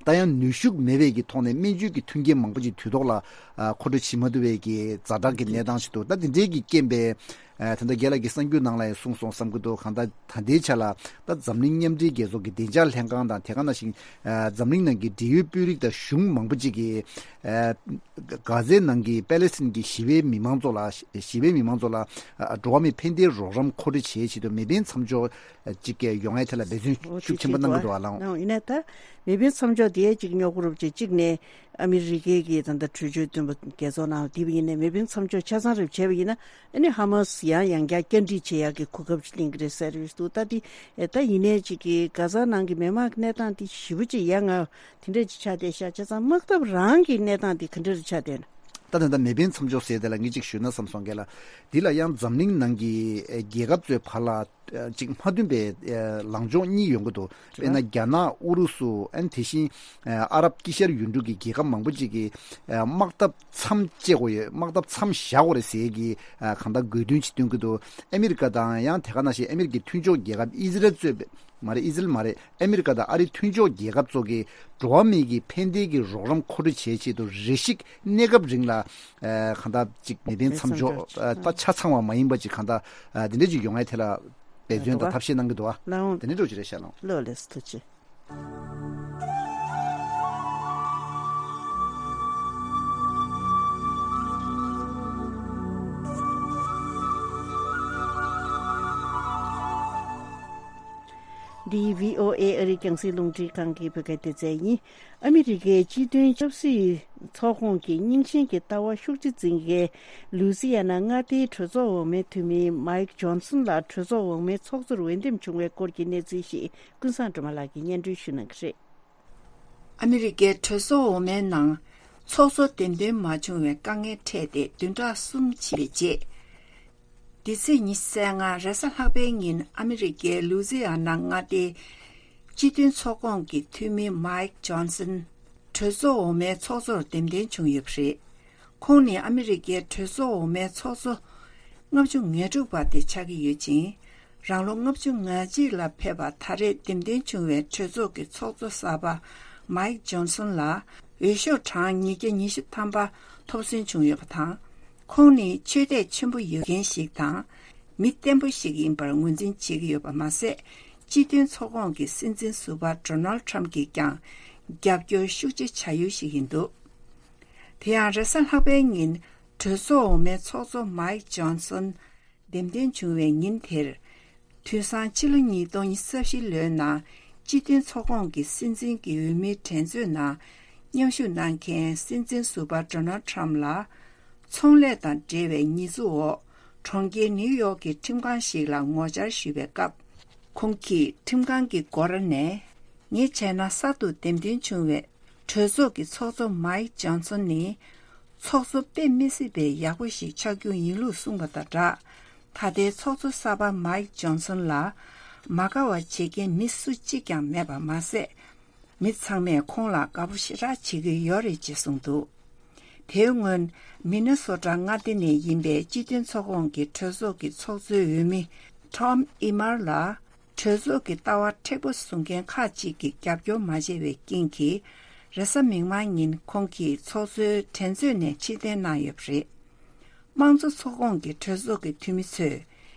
ད་ཡང་ནུས་ཤུགས་མེད་པའི་གི་ཐོག་ནས་སྨན་བཅོས་ཀྱི་མཐུན་རྐྱེན་མང་པོ་ཅིག་དུས་ཐོག་ལ་ཨ་མཁོ་སྤྲོད་བྱེད་མ་ཐུབ་པའི་གི་ཛ་དྲག་གི་གནས་སྟངས་ཤིག་འདུག་ད་དེ་འདྲའི་གི་རྐྱེན་པས་ཨ་ད་ལྟ་རྒན་ལགས་ཀྱིས་གསར་འགྱུར་ནང་ལ་ཡང་གསུངས་སོང་བསམ་གྱི་འདུག་གང་ལྟར་ད་ལྟའི་ཆ་ལ་ད་འཛམ་གླིང་མཉམ་འབྲེལ་རྒྱལ་ཚོགས་ཀྱི་བདེ་འཇགས་ལྷན་ཁང་དང་དེ་ག་ནང་བཞིན་ཨ་འཛམ་གླིང་ནང་གི་འབྲེལ་ཡོད་དཔོན་རིགས་དང་གཞུང་མང་པོ་ཅིག་གིས་ཨ་གྷ་ཛའི་ནང་གི་པེ་ལེ་སི་ཐན་གྱི་ཞི་བའི་མི་མང་ཚོ་ལ་ཞི་བའི་མི་མང་ཚོ་ལ་ཨ་འགྲོ་བ་མིའི་ཕན་བདེའི་རོགས་རམ་མཁོ་སྤྲོད་བྱེད་ཆེད་དུ་མེ་འཕེན་མཚམས་འཇོག་ཅིག་ཡོང་ཡའི་ཐད་ལ་འབད་བརྩོན་ཤུགས་ཆེན་པོ་གནང་གི་འདུག་ཨ་ལགས། ཡིན་ན་ད་མེ་འཕེན་མཚམས་འཇོག་དེ་ཅིག་རྙོག་རུབ་ཅིག་གཅིག་ནས་ཨ་མི་རི་ཀའི་གི་ད་ལྟ་གྲོས་ཆོད་བཏོན་པ་རྒྱལ་ཚོགས་ནང་དེ་བ་ཡིན་ནའི་མེ་འཕེན་མཚམས་འཇོག་ཆ་ཚང་རེ་བྱས་པ་ཡིན་ན་ཨ་ནི་ཧ་མ་སི་ཡང་ཡང་བསྐྱར་བསྐྱར་འདྲི་བྱེད་ཡག་གི་གོ་སྐབས་ཅིག་ལེན་གི་རེད་ཟེར་ཡོད་འདུག་ད་དེ་ད་ཡིན་ནའི་ཅིག་གི་གྷ་ཛ་ནང་གི་མི་མང་གི་གནས་སྟངས་དེ་ཞེ་པོ་ཅིག་ཡ་ང་དེ་འདྲ་ཅིག་ཆགས་བསྡད་ཤག་བྱས་ཙང་དམག་འཐབ་རང་གི་གནས་སྟངས་དེ་ག་འདྲ་རེ་ཆགས་བསྡད་ན། ད་ད་ལྟ་མེ་འཕེན་མཚམས་འཇོག་ཟེར་དེ་ལ་ངས་ཅིག་ཞུས་ན་བསམ་སོང་གི་ལ། འདི་ལ་ཡང་འཛམ་གླིང་ནང་གི་ཨེ་རྒྱལ་ཁབ་ཚོའི་བར་ལ་ཨེ་ཅིག་མ་མཐུན་པའི་ཨེ་ལངས་ཕྱོགས་གཉིས་ཡོང་གི་འདུག་དཔེར་ན་རྒྱ་ནག་ཨུ་རུ་སུ་ཨན་དེ་བཞིན་ཨེ་ཨ་རབ་དཀྱིལ་ཤར་ཡུལ་གྲུ་གི་རྒྱལ་ཁབ་མང་པོ་ཅིག་གིས་ཨེ་དམག་འཐབ་མཚམས་བཅད་དགོས་ཡོད། དམག་འཐབ་མཚམས་བཞག་དགོས་རེད་ཟེར་གི་ཨེ་གང་ལྟར་དགོས་འདུན་ཅིག་བཏོན་གི་འདུག་ཨ་མི་རི་ཀ་དང་ཡང་དེ་ག་ནང་བཞིན་ཨ་མི་རི་ཀའི་མཐུན་ཕྱོགས་རྒྱལ་ཁབ་ཨི་ཟི་རལ་གཙོས་པའི་མ་རེད། ཨི་ཟི་རལ་མ་རེད། ཨ་མི་རི་ཀ་དང་ཨ་རིའི་མཐུན་ཕྱོགས་རྒྱལ་ཁབ་ཚོ་གིས་འགྲོ་བ་མིའི་གི་ཕན་བདེའི་གི་རོགས་རམ་མཁོ་སྤྲོད་བྱེད་ཆེད་དུ་རེ་ཞིག་གནས་སྐབས་རིང་ལ་ཨ་གང་ལྟར་ཅིག་མེ་འཕེན་མཚམས་འཇོག་ཨ་ད་ཆ་ཚང་བ་མ་ཡིན་པ་ཅིག་གང་ལྟར་ཨ་དེ་འདྲ་ཅིག་ཡོང་ཡའི་ཐད་ལ་འབད་བརྩོན་དང་ཐབས་ཤེས་གནང་གི་འདུག་ཨ། ལགས་འོང་། དེ་འདྲ་འགྲོ་ཅིག་རེད་ཤག་ལགས་འོང་། ལགས་ལགས་སོ། ཐུགས་རྗེ་ཆེ། འདི་བྷི་ཨོ་ཨེ་ཨ་རིའི་རྒྱང་སྲིང་རླུང་འཕྲིན་ཁང་གི་བོད་སྐད་སྡེ་ཚན་ཡིན། ཨ་མི་རི་ཀའི་སྤྱི་མཐུན་ཆབ་སྲིད་ཚོགས་ཁོངས་ཀྱི་རྙིང་ཞེན་གྱི་ལྟ་བ་ཤུགས་ཆེ་འཛིན་མཁན་ལུའུ་སི་ཡ་ན་མངའ་སྡེའི་གྲོས་ཚོགས་འོག་མའི་འཐུས་མི་མཱིག་ཇོན་སན་ལགས་གྲོས་ཚོགས་འོག་མའི་ཚོགས་གཙོར་འོས་འདེམས་བྱུང་བའི་སྐོར་གྱི་གནས་ཚུལ་ཞིག་ཀུན་བཟང་སྒྲོལ་མ་ལགས་ཀྱིས་སྙན་སྒྲོན་ཞུ་གནང་གི་རེད། ཨ་མི་རི་ཀའི་གྲོས་ཚོགས་འོག་མའི་ནང་ཚོགས་གཙོ་འདེམས་ཐོན་མ་བྱུང་བའི་དཀའ་ངལ་འཕྲད་དེ་བདུན་ཕྲག་གསུམ་ཕྱིན་པའི་རྗེས། འདི་ཚེས་ཉི་ཤུ་རྩ་ལྔ་རེས་གཟའ་ལྷག་པའི་ཉིན་ཨ་མི་རི་ཀའི་ལུའུ་ཛི་ཡ་ན་མངའ་སྡེའི་སྤྱི་མཐུན་ཚོགས་ཁོངས་ཀྱི་འཐུས་མི་མཱིག་ཇོན་སན་གྲོས་ཚོགས་འོག་མའི་ཚོགས་གཙོར་འདེམས་ཐོན་བྱུང་ཡོད་པ་རེད། ཁོང་ནི་ཨ་མི་རི་ཀའི་གྲོས་ཚོགས་འོག་མའི་ཚོགས་གཙོ་ལྔ་བཅུ་ང་དྲུག་པ་དེ་ཆགས་ཀྱི་ཡོད་ཅིང་། རང་ལོ་ལྔ་བཅུ་ང་གཅིག་ལ་ཕེབས་པ་ད་རེས་འདེམས་ཐོན་བྱུང་བའི་གྲོས་ཚོགས་ཀྱི་ཚོགས་གཙོ་གསར་པ་མཱིག་ཇོན་སན་ལ་འོས་ཤོག་གྲངས་ཉིས་བརྒྱ་ཉི་ཤུ་ཐམ་པ་ཐོབ་སོན་བྱུང་ཡོད་པ་དང་། ཁོང་ནི་ཆོས་དད་ཆེན་པོ་ཡོད་མཁན་ཞིག་དང་། མི་བརྟན་པོ་ཞིག་ཡིན་པར་ངོས་འཛིན་བྱེད་ཀྱི་ཡོད་པ་མ་ཟད། སྤྱི་མཐུན་ཚོགས་ཁོངས་ཀྱི་སྲིད་འཛིན་ཟུར་པ་ཌོ་ནལ་ཊམ་གྱིས་ཀྱང་རྒྱབ་སྐྱོར་ཤུགས་ཆེ་བྱ་ཡུལ་ཞིག་ཡིན་འདུག་དེ་ཡང་རེས་གཟའ་ལྷག་པའི་ཉིན་གྲོས་ཚོགས་འོག་མའི་ཚོགས་གཙོ་མཱིག་ཇོན་སན་འདེམས་ཐོན་བྱུང་བའི་ཉིན་དེར། དུས་སང་ཕྱི་ལོ་ཉིས་སྟོང་ཉི་ཤུ་རྩ་བཞི་ལོའི་ནང་སྤྱི་མཐུན་ཚོགས་ཁོངས་ཀྱི་སྲིད་འཛིན་གྱི་འོས་མིའི་འགྲན་རྩོད་ནང་མཉམ་ཞུགས་གནང་མཁན་སྲིད་འཛིན་ཟུར་པ་ཌོ་ནལ་ཊམ་ལ། ཚོང་ལས་དང་འབྲེལ་བའི་ཉེས་འཛུགས་འོག་ གྲོང་ཁྱེར་ནིའུ་ཡོག་གི་ཁྲིམས་ཁང་ཞིག་ལ་ངོ་བཅར་ཞུས་པའི་སྐབས། ཁོང་གིས་ཁྲིམས་ཁང་གི་སྒོ་ར་ནས། ངས་བྱས་ན་གསར་དུ་འདེམས་ཐོན་བྱུང་བའི་གྲོས་ཚོགས་ཀྱི་ཚོགས་གཙོ་མའིག་ཇོན་སོན་ནི། ཚོགས་གཙོ་དཔེ་མི་སྲིད་པའི་ཡག་པོ་ཞིག་ཆགས་རྒྱུ་ཡིན་ལུགས་གསུངས་པ་དང་སྦྲགས། ད་ལྟའི་ཚོགས་གཙོ་གསར་པ་མའིག་ཇོན་སོན་ལ་མ་དགའ་བ་བྱེད་མཁན་མི་སུ་གཅིག་ཀྱང་མེད་པ་མ་ཟད། མི་ཚང་མས་ཁོང་ལ་དགའ་པོ་ཞེ་དྲག་བྱེད་ཀྱི་ཡོད་རེད་ཅེས་གསུངས་འདུག་དེའི་སྔོན། མི་ནི་སོ་ཊ་མངའ་སྡེ་ནས་ཡིན་པའི་སྤྱི་མཐུན་ཚོགས་ཁོངས་ཀྱི་གྲོས་ཚོགས་ཀྱི་ཚོགས་གཙོའི་འོས་མི་ཊོམ་ཨི་མར་ལ། གྲོས་ཚོགས་ཀྱི་ལྟ་བ་མཁྲེགས་པོ་བཟུང་མཁན་ཁག་ཅིག་གིས་རྒྱབ་སྐྱོར་མ་བྱས་པའི་རྐྱེན་གྱིས། རེས་གཟའ་མིག་དམར་ཉིན་ཁོང་གིས་ཚོགས་གཙོའི་འགྲན་རྩོད་ནས་ཕྱིར་འཐེན་གནང་ཡོད་པ་རེད། དམངས་གཙོ་ཚོགས་ཁོངས་ཀྱི་གྲོས་ཚོགས་ཀྱི་འཐུས་མི་ཚོས།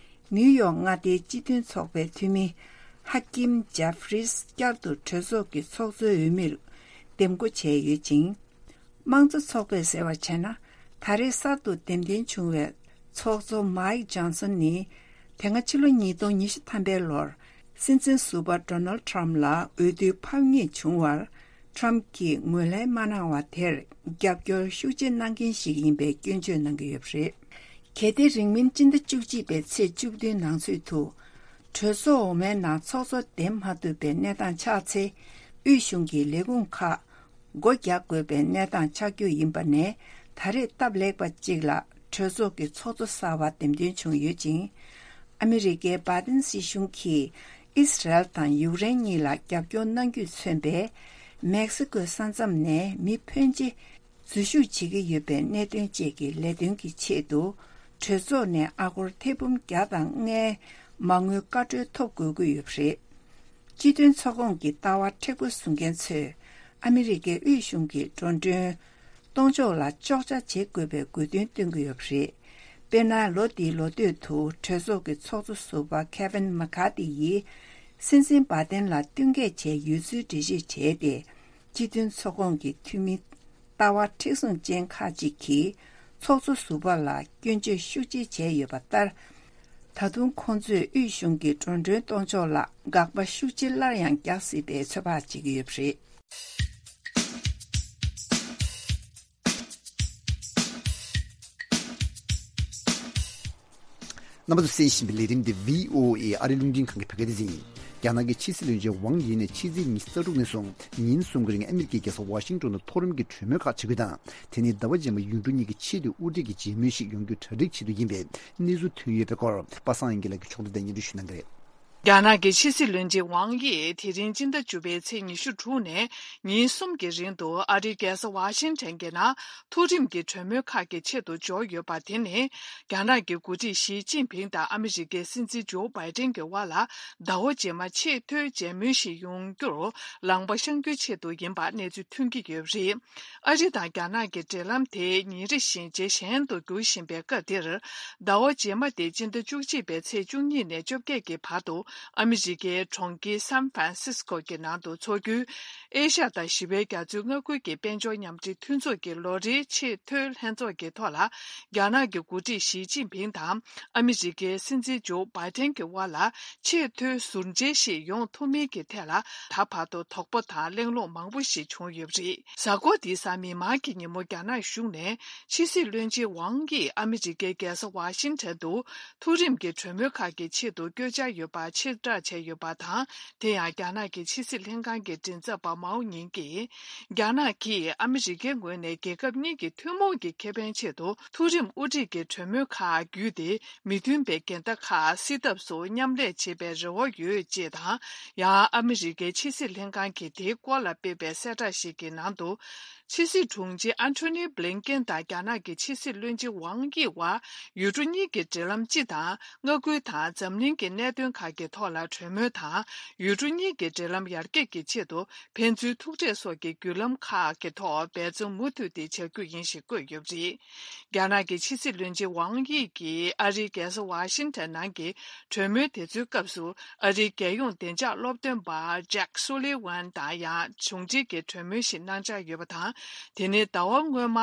ནིའུ་ཡོག་མངའ་སྡེའི་སྤྱི་མཐུན་ཚོགས་པའི་འཐུས་མི་ཧ་ཀིམ་ཇེ་ཧྥི་རིས་བསྐྱར་དུ་གྲོས་ཚོགས་ཀྱི་ཚོགས་གཙོའི་འོས་མིར་འདེམས་བསྐོ་བྱས་ཡོད་ཅིང་། དམངས་གཙོ་ཚོགས་པས་ཟེར་བ་བྱས་ན། ད་རེས་གསར་དུ་འདེམས་ཐོན་བྱུང་བའི་ཚོགས་གཙོ་མའིག་ཇོན་སོན་ནི། དེ་སྔ་ཕྱི་ལོ་ཉིས་སྟོང་ཉི་ཤུ་ཐམ་པའི་ལོར། སྲིད་འཛིན་ཟུར་པ་ཌོ་ནལ་ཊམ་ལ་འོས་བསྡུའི་ཕམ་ཉེས་བྱུང་བར། ཊམ་གྱིས་ངོས་ལེན་མ་གནང་བ་དེར་རྒྱབ་སྐྱོར་ཤུགས་ཆེ་གནང་མཁན་ཞིག་ཡིན་པའི་སྐྱོན་བརྗོད་གནང་གི་ཡོད་པ་རེད། གལ་ཏེ་རིང་མིན་སྤྱི་ཟླ་བཅུ་གཅིག་པའི་ཚེས་བཅུ་བདུན་ནང་ཚུད་དུ། གྲོས་ཚོགས་འོག་མའི་ནང་ཚོགས་གཙོ་འདེམས་མ་ཐུབ་པའི་གནས་སྟངས་ཆགས་ཚེ། དབུས་གཞུང་གི་ལས་ཁུངས་ཁག་སྒོ་རྒྱག་དགོས་པའི་གནས་སྟངས་ཆགས་རྒྱུ་ཡིན་པ་ནས། ད་རེས་སྟབས་ལེགས་པ་གཅིག་ལ་གྲོས་ཚོགས་ཀྱི་ཚོགས་གཙོ་གསར་པ་འདེམས་ཐོན་བྱུང་ཡོད་ཅིང་། ཨ་མི་རི་ཀའི་བྷའི་ཏིན་སྲིད་གཞུང་གིས་ཨིས་རལ་དང་ཡུཀ་རེན་གཉིས་ལ་རྒྱབ་སྐྱོར་གནང་རྒྱུས་མཚོན་པའི་མེག་སི་ཀོའི་ས་མཚམས་ནས་མི་ཕོན་ཆེ་འཛུལ་ཞུགས་བྱེད་ཀྱི་ཡོད་པའི་གནད་དོན་བཅས་ཀྱི་ལས་དོན་གྱི་ཆེད་དུ། གྲོས་ཚོགས་ནས་ཨ་སྒོར་ཐེར་འབུམ་བརྒྱ་དང་ལྔའི་མ་དངུལ་བཀའ་འཁྲོལ་ཐོབ་དགོས་ཀྱི་ཡོད་པ་རེད། སྤྱི་མཐུན་ཚོགས་ཁོངས་ཀྱི་ལྟ་བ་མཁྲེགས་པོ་བཟུང་མཁན་ཚོས། ཨ་མི་རི་ཀའི་དབུས་གཞུང་གི་འགྲོ་གྲོན་གཏོང་ཕྱོགས་ལ་གཅོག་ཆ་བྱེད་དགོས་པའི་དགོས་འདུན་བཏོན་གྱི་ཡོད་པ་རེད། དཔེར་ན། ལོ་འདིའི་ལོ་སྟོད་དུ་གྲོས་ཚོགས་ཀྱི་ཚོགས་གཙོ་ཟུར་པ་ཁེ་ཝིན་མེ་ཁ་ཐི་ཡིས། སྲིད་འཛིན་བྷའི་ཏན་ལ་བསྟུན་མཁས་བྱས་ཡོད་ཚུལ་འགྲེལ་བརྗོད་བྱས་ཏེ། སྤྱི་མཐུན་ཚོགས་ཁོངས་ཀྱི་འཐུས་མི་ལྟ་བ་མཁྲེགས་བཟུང་ཅན་ཁག་ཅིག་གིས་ཚོགས་གཙོ་ཟུར་པ་ལ་སྐྱོན་བརྗོད་ཤུགས་ཆེ་བྱས་ཡོད་པ་ལྟར། ད་དུང་ཁོང་ཚོས་དབུས་གཞུང་གི་འགྲོ་གྲོན་གཏོང་ཕྱོགས་ལ་དགག་པ་ཤུགས་ཆེ་སླར་ཡང་རྒྱག་སྲིད་པའི་ཚོད་དཔག་བྱེད་ཀྱི་ཡོད་པ་རེད། རྣམ་པ་ཚོས་གསན་བཞིན་པའི་ལས་རིམ་འདི་བྷི་ཨོ་ཨེ་ཨ་རིའི་རླུང་འཕྲིན་ཁང་གི་བོད་སྐད་སྡེ་ཚན་ཡིན། རྒྱ་ནག་གི་ཕྱི་སྲིད་བློན་ཆེན་ཝང་ཡི་ནས་ཕྱི་ཚེས་ཉི་ཤུ་རྩ་དྲུག་ནས་བཟུང་ཉིན་གསུམ་གྱི་རིང་ཨ་མི་རི་ཀའི་རྒྱལ་ས་ཝ་ཤིང་ཏོན་དུ་མཐོ་རིམ་གྱི་གྲོས་མོལ་ཁག་བྱེད་རྒྱུ་དང་། དེ་ནས་ཟླ་བ་རྗེས་མ་ཡུལ་གྲུ་གཉིས་ཀྱི་ཆེས་མཐོའི་དབུ་ཁྲིད་ཀྱི་མཇལ་མོལ་ཞིག་ཡོང་རྒྱུ་གྲ་སྒྲིག་བྱེད་དུ་ཡིན་པའི་གནས་ཚུལ་ཐོན་ཡོད་པའི་སྐོར། པ་སངས་དབྱངས་སྐྱིད་ལགས་ཀྱིས་ཕྱོགས་བསྒྲིགས་དང་སྙན་སྒྲོན་ཞུ་གནང་གི་རེད། རྒྱ་ནག་གི་ཕྱི་སྲིད་བློན་ཆེན་ཝང་ཡི་དེ་རིང་སྤྱི་ཟླ་བཅུ་པའི་ཚེས་ཉི་ཤུ་དྲུག་ནས་ཉིན་གསུམ་གྱི་རིང་དུ་ཨ་རིའི་རྒྱལ་ས་ཝ་ཤིང་ཊོན་གྱི་ནང་མཐོ་རིམ་གྱི་གྲོས་མོལ་ཁག་གི་ཆེད་དུ་འབྱོར་ཡོད་པ། དེ་ནི་རྒྱ་ནག་གི་འགོ་ཁྲིད་ཞི་ཅིན་ཕིང་དང་ཨ་མི་རི་ཀའི་སྲིད་འཛིན་ཇོ་བྷའི་ཏན་གྱི་དབར་ལ་ཟླ་བ་རྗེས་མ་ཆེས་མཐོའི་མཇལ་མོལ་ཞིག་ཡོང་རྒྱུར་ལངས་པ་བཤང་རྒྱུའི་ཆེད་དུ་ཡིན་པ་གནས་ཚུལ་ཐོན་གྱི་ཡོད་པ་རེད། ཨ་རི་དང་རྒྱ་ནག་གི་འབྲེལ་ལམ་དེ་ཉིན་རེ་བཞིན་ཇེ་ཞན་དུ་འགྱུར་བཞིན་པའི་སྐབས་འདིར། ཟླ་བ་རྗེས་མ་སྟེ་སྤྱི་ཟླ་བཅུ་གཅིག་པའི་ཚེས་བཅུ་གཉིས་ནས་བཅོ་བརྒྱད་ཀྱི་བར་དུ་ཨ་མི་རི་ཀའི་གྲོང་ཁྱེར་སན་ཧྥ་རན་སིས་ཀོ་གི་ནང་དུ་འཚོགས་རྒྱུའི་ཨེ་ཤ་ཡ་དང་ཞི་བའི་རྒྱ་མཚོའི་མངའ་ཁུལ་གྱི་དཔལ་འབྱོར་མཉམ་འབྲེལ་མཐུན་ཚོགས་ཀྱི་ལོ་རེའི་ཆེས་མཐོའི་ལྷན་ཚོགས་ཀྱི་ཐོག་ལ། རྒྱ་ནག་གི་འགོ་ཁྲིད་ཞི་ཅིན་ཕིང་དང་ཨ་མི་རི་ཀའི་སྲིད་འཛིན་ཇོ་བྷའི་ཏན་གྱི་དབར་ལ། ཆེས་མཐོའི་ཟུར་མཇལ་ཞིག་ཡོང་ཐུབ་མིན་གྱི་ཐད་ལ་ད་བར་དུ་དོགས་པ་དང་གླེང་སློང་མང་པོ་ཞིག་བྱུང་ཡོད་པ་རེད། གཟའ་འཁོར་འདིའི་གཟའ་མིག་དམར་གྱི་ཉིན་མོ་རྒྱ་ནག་གཞུང་ནས་ཕྱི་སྲིད་བློན་ཆེན་ཝང་ཡིས་ཨ་མི་རི་ཀའི་རྒྱལ་ས་ཝ་ཤིང་ཊོན་དུ་མཐོ་རིམ་གྱི་གྲོས་མོལ་ཁག་གི་ཆེད་དུ་བསྐྱོད་འཆར་ཡོད་པ་ཕྱིར་བསྒྲགས་བྱས་ཡོད་པ་དང་། དེ་ཡང་རྒྱ་ནག་གི་ཕྱི་སྲིད་ལྷན་ཁང་གི་མགྲིན་ཚབ་པ་མའོ་ཉིང་གིས། རྒྱ་ནག་གིས་ཨ་མི་རི་ཀའི་ངོས་ནས་རྒྱལ་ཁབ་གཉིས་ཀྱི་ཐུན་མོང་གི་ཁེ་ཕན་ཆེད་དུ་མཐོ་རིམ་དབུ་ཁྲིད་ཀྱི་གྲོས་མོལ་ཁག་བརྒྱུད་དེ། མི་མཐུན་པའི་འགལ་ཟླ་ཁག་སེལ་ཐབས་སུ་མཉམ་ལས་བྱེད་པའི་རེ་བ་ཡོད་ཅེས་དང་། ཡང་ཨ་མི་རི་ཀའི་ཕྱི་སྲིད་ལྷན་ཁང་གིས་དེའི་སྐོར་ལ་སྤེལ་བའི་གསལ་བསྒྲགས་ཤིག་གི་ནང་དུ། ཕྱི་སྲིད་དྲུང་ཆེ་ཨན་ཐོ་ནི་བྷི་ལིན་ཀེན་དང་རྒྱ་ནག་གི་ཕྱི་སྲིད་བློན་ཆེན་ཝང་དབྱི་དབར་ཡུལ་གྲུ་གཉིས་ཀྱི་འབྲེལ་ལམ་སྤྱི་དང་མངའ་ཁུལ་དང་འཛམ་གླིང་གི་གནད་དོན་ཁག་གི་ཐོག་ལ་གྲོས་མོལ་དང་། ཡུལ་གྲུ་གཉིས་ཀྱི་འབྲེལ་ལམ་ཡར་རྒྱས་ཀྱི་ཆེད་དུ་ཕན་ཚུན་ཐུག་འཕྲད་སོགས་ཀྱི་བརྒྱུད་ལམ་ཁག་གི་ཐོག་འབད་བརྩོན་མུ་མཐུད་དེ་བྱ་རྒྱུ་ཡིན་ཞེས་བཀོད་ཡོད་པ་རེད། རྒྱ་ནག་གི་ཕྱི་སྲིད་བློན་ཆེན་ཝང་དབྱི་གིས་ཨ་རིའི་རྒྱལ་ས་ཝ་ཤིང་ཊོན་ནང་གི་གྲོས་མོལ་དེ་ཚོའི་སྐབས་སུ། ཨ་རིའི་རྒྱལ་ཡོངས་བདེ་འཇགས་སློབ་སྟོན་པ་ཇེག་སུ་ལི་ཝན་དང་ཡང་བྱུང་འཕྲིན་གྱི་གྲོས་མོལ་ཞིག་གནང་འཆར་ཡོད་པ་དང་། དེ་ནི་ཟླ་བ་སྔོན་མ་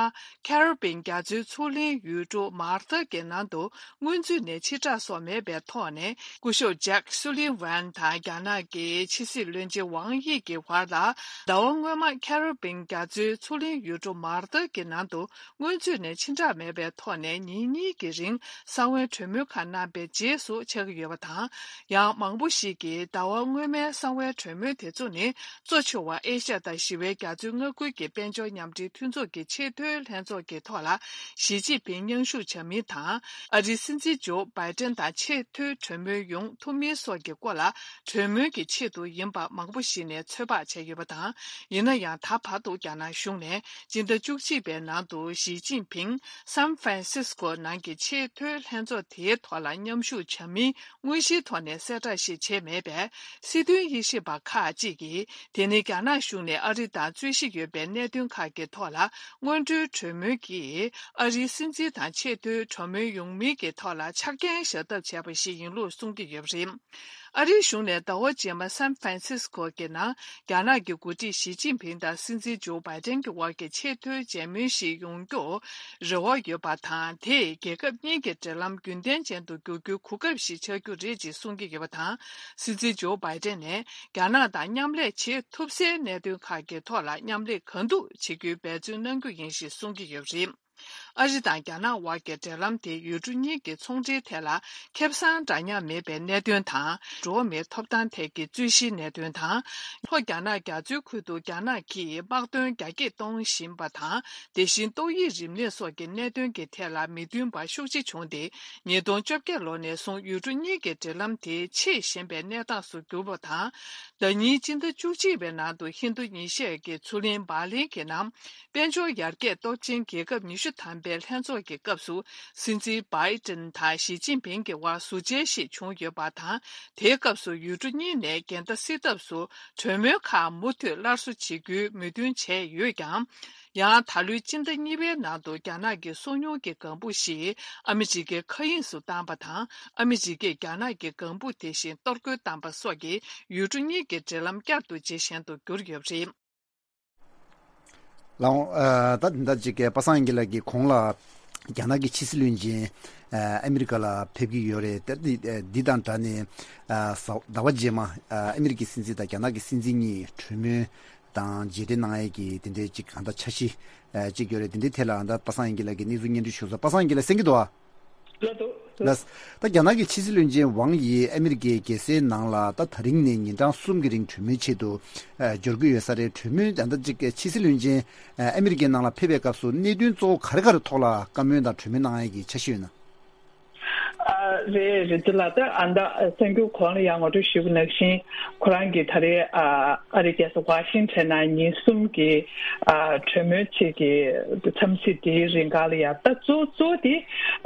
ཁེ་རི་བྷིན་རྒྱ་མཚོའི་མཚོ་གླིང་ཡུལ་གྲུ་མཱ་ཐར་གྱི་ནང་དུ་སྔོན་ཚུད་ནས་ཕྱིར་བསྒྲགས་སོགས་མེད་པའི་ཐོག་ནས། སྐུ་ཞབས་ཇེག་ སུ་ལི་ཝན་དང་རྒྱ་ནག་གི་ཕྱི་སྲིད་བློན་ཆེན་ཝང་དབྱི་གི་བར་ལ། ཟླ་བ་སྔོན་མ་ཁེ་རི་བིན་རྒྱ་མཚོའི་མཚོ་གླིང་ཡུལ་གྲུ་མར་ཏཱ་གི་ནང་དུ་སྔོན་ཚུད་ནས་ཕྱི་བསྒྲགས་མེད་པའི་ཐོག་ནས་ཉིན་གཉིས་ཀྱི་རིང་གསང་བའི་གྲོས་མོལ་ཁག་གནང་པའི་རྗེས་སུ་ཆགས་ཀྱི་ཡོད་པ་དང་། ཡང་མང་པོ་ཞིག་གིས་ཟླ་བ་སྔོན་མའི་གསང་བའི་གྲོས་མོལ་དེ་ཚོ་ནི། གཙོ་ཆེ་བ་ཨེ་ཤ་ཡ་དང་ཞི་བའི་རྒྱ་མཚོའི་མངའ་ཁུལ་གྱི་དཔལ་འབྱོར་མཉམ་འབྲེལ་མཐུན་ཚོགས་ཀྱི་ཆེས་མཐོའི་ལྷན་ཚོགས་ཀྱི་ཐོག་ལ་ཞི་ཅིན་ཕིང་མཉམ་ཞུགས་བྱ་མིན་དང་། ཨ་རིའི་སྲིད་འཛིན་ཇོ་བྷའི་ཏན་དང་ཆེས་མཐོའི་གྲོས་མོལ་ཡོང་ཐུབ་མིན་སོགས་ཀྱི་སྐོར་ལ་གྲོས་མོལ་གྱི་ཆེད་དུ་ཡིན་པ་མང་པོ་ཞིག་ནས་ཚོད་དཔག་བྱས་ཡོད་པ་དང་། ཡིན་ན་ཡང་ད་བར་དུ་རྒྱ་ནག་གཞུང་ནས་སྤྱི་ཟླ་བཅུ་གཅིག་པའི་ནང་དུ་ཞི་ཅིན་ཕིང་སན་ཧྥ་རན་སིས་ཀོ་ནང་གི་ཆེས་མཐོའི་ལྷན་ཚོགས་དེའི་ཐོག་ལ་མཉམ་ཞུགས་བྱ་མིན། དངོས་གཞིའི་ཐོག་ནས་གསལ་བསྒྲགས་ཤིག་བྱས་མེད་པས། སྲིད་དོན་དབྱེ་ཞིབ་པ་ཁག་ཅིག་གིས། དེ་ནི་རྒྱ་ནག་གཞུང་ནས་ཨ་རི་དང་རྩོད་གཞི་ཡོད་པའི་གནད་དོན་ཁག་གི་ཐོག་ལ། སྔོན་འགྲོའི་གྲོས་མོལ་གྱིས། ཨ་རིའི་སྲིད་འཛིན་དང་ཆེས་མཐོའི་གྲོས་མོལ་ཡོང་མིན་གྱི་ཐོག་ལ་ཆ་རྐྱེན་བཞག་ཐབས་བྱས་པ་ཞིག་ཡིན་ལུགས་གསུང་གི་ཡོད་པ་རེད། ཨ་རིའི་གཞུང་ནས་ཟླ་བ་རྗེས་མ་སན་ཧྥ་རན་སིས་ཀོ་གི་ནང་། རྒྱ་ནག་གི་འགོ་ཁྲིད་ཞི་ཅིན་ཕིང་དང་སྲིད་འཛིན་ཇོ་བྷའི་ཏན་གྱི་དབར་གྱི་ཆེས་མཐོའི་མཇལ་མོལ་ཞིག་ཡོང་རྒྱུར་རེ་བ་ཡོད་པ་དང་། དེས་རྒྱལ་ཁབ་གཉིས་ཀྱི་འབྲེལ་ལམ་རྒྱུན་ལྡན་ཅན་དུ་འགྱུར་རྒྱུའི་གོ་སྐབས་ཤིག་ཆགས་རྒྱུ་རེད་ཅེས་གསུང་གི་ཡོད་པ་དང་། སྲིད་འཛིན་ཇོ་བྷའི་ཏན་ནས་རྒྱ་ནག་དང་མཉམ་ལས་བྱེད་ཐུབ་སའི་གནད་དོན་ཁག་གི་ཐོག་ལ་མཉམ་ལས་གང་ཐུབ་བྱེད་རྒྱུའི་འབད་བརྩོན་གནང་རྒྱུ་ཡིན་ཞེས་གསུང་གི་ཡོད་པ་རེད། ཨ་རི་དང་རྒྱ་ནག་དབར་གྱི་འབྲེལ་ལམ་དེ་ཡུལ་གྲུ་གཉིས་ཀྱི་ཚོང་འབྲེལ་ཐད་ལ་ཁེ་བཟང་འདྲ་མཉམ་མེད་པའི་གནད་དོན་དང་། འགྲོ་བ་མིའི་ཐོབ་ཐང་ཐད་ཀྱི་རྩོད་གཞིའི་གནད་དོན་དང་། ལྷོ་རྒྱ་ནག་རྒྱ་མཚོའི་ཁུལ་དུ་རྒྱ་ནག་གིས་དམག་དོན་རྒྱ་སྐྱེད་གཏོང་བཞིན་པ་དང་། དེ་བཞིན་ཏོག་དབྱིབས་རིམས་ནད་སོགས་ཀྱི་གནད་དོན་གྱི་ཐད་ལ་མི་མཐུན་པ་ཤུགས་ཆེ་བྱུང་སྟེ། ཉིས་སྟོང་བཅོ་བརྒྱད་ལོ་ནས་བཟུང་ཡུལ་གྲུ་གཉིས་ཀྱི་འབྲེལ་ལམ་དེ་ཆད་ཞན་པའི་གནས་སྟངས་སུ་གྱུར་པ་དང་། ཟླ་ཉིན་སྤྱི་ཟླ་བཅུ་གཅིག་པའི་ནང་དུ་ཧིན་རྡུ་ཉི་ཤར་གྱི་མཚོ་གླིང་འབར་ལིན་གྱི་ནང་། དཔལ་འབྱོར་ཡར་རྒྱས་སྟོབས་ཆེན་རྒྱལ་ཁབ་ཉི་ཤུ་ཐམ་པའི་ལྷན་ཚོགས་ཀྱི་སྐབས་སུ། སྲིད་འཛིན་བྷའི་ཏིན་དང་ཞི་ཅིན་ཕིང་གི་དབར་ཟུར་མཇལ་ཞིག་བྱུང་ཡོད་པ་དང་། དེའི་སྐབས་སུ་ཡུལ་གྲུ་གཉིས་ནས་འགལ་ཟླ་སེལ་ཐབས་སུ་གྲོས་མོལ་ཁག་མུ་མཐུད་སླར་གསོ་བྱེད་རྒྱུའི་མོས་མཐུན་བྱས་ཡོད་ཀྱང་། ཡང་ད་ལོའི་སྤྱི་ཟླ་གཉིས་པའི་ནང་དུ་རྒྱ་ནག་གི་སོ་མྱུལ་གྱི་ལྒང་བུ་ཞིག་ཨ་མི་རི་ཀའི་མཁའ་དབྱིངས་སུ་བཏང་པ་དང་། ཨ་མི་རི་ཀས་རྒྱ་ནག་གི་ལྒང་བུ་དེ་བཞིན་གཏོར་རྒོལ་བཏང་པ་སོགས་ཀྱིས་ཡུལ་གྲུ་གཉིས་ཀྱི་འབྲེལ་ལམ་བསྐྱར་དུ་ཇེ་ཞན་དུ་གྱུར་ཡོད་པ་རེད། ལགས་འོང་། ཨ། ད་འདི་འདྲ་ཅིག་གི་པ་སངས་དབྱངས་སྐྱིད་ལགས་ཀྱིས་གོང་ལ་རྒྱ་ནག་གི་ཕྱི་སྲིད་བློན་ཆེན་ཨ་ཨ་མི་རི་ཀ་ལ་ཕེབས་ཀྱི་ཡོད་རེད། ད་འདི་འདི་དང་སྦྲགས་ནས་ཨ་ཟླ་བ་རྗེས་མ་ཨ་ཨ་མི་རི་ཀའི་སྲིད་འཛིན་དང་རྒྱ་ནག་གི་སྲིད་འཛིན་གཉིས་གྲོས་མོལ་དང་མཇལ་འཕྲད་གནང་ཡས་ཀྱི་དེ་འདྲའི་ཅིག་གང་ལྟར་འཆར་གཞི་ཨ་ཅིག་ཡོད་རེད། དེ་འདྲའི་ཐད་ལ་ད་པ་སངས་དབྱངས་སྐྱིད་ལགས་ཀྱིས་གནས་ཚུལ་སྙན་སྒྲོན་ཞུ་ས། པ་སངས་དབྱངས་སྐྱིད་ལགས་གསན་གྱི་འདུག་ཨ། ལགས་འདུག་ལགས། ད་རྒྱ་ནག་གི་ཕྱི་སྲིད་བློན་ཆེན་ཝང་ཡི་ཨ་མི་རི་ཀའི་རྒྱལ་སའི་ནང་ལ་ད་ད་རིང་ནས་ཉིན་གྲངས་གསུམ་གྱི་རིང་གྲོས་མོལ་ཆེད་དུ་ཨ་འབྱོར་གྱི་ཡོད་ས་རེད། གྲོས་མོལ་ད་ལྟ་ཅིག་ཕྱི་སྲིད་བློན་ཆེན་ཨ་ཨ་མི་རི་ཀའི་ནང་ལ་ཕེབས་པའི་སྐབས་སུ་གནད་དོན་གཙོ་བོ་ག་རེ་ག་རེ་ཐོག་ལ་བཀའ་མོལ་དང་གྲོས་མོལ་གནང་ཡས་ཀྱི་འཆར་གཞི་ཡོད་ན། ཨ་རེད་རེད། འདི་ལ་ད་ཨ་ད་གསར་འགྱུར་གོང་ལ་ཡང་ངོ་སྤྲོད་ཞུས་པ་ནང་བཞིན། ཁོ་རང་གིས་ད་རེས་ཨ་ཨ་རིའི་རྒྱལ་ས་ཝ་ཤིང་ཊོན་ནང་ཉིན་གསུམ་གྱི་ཨ་གྲོས་མོལ་ཆེད་ཀྱི་འཚམས་གཟིགས་དེའི་རིང་ག་ལ་ཡ། ད་གཙོ་གཙོ་དེ་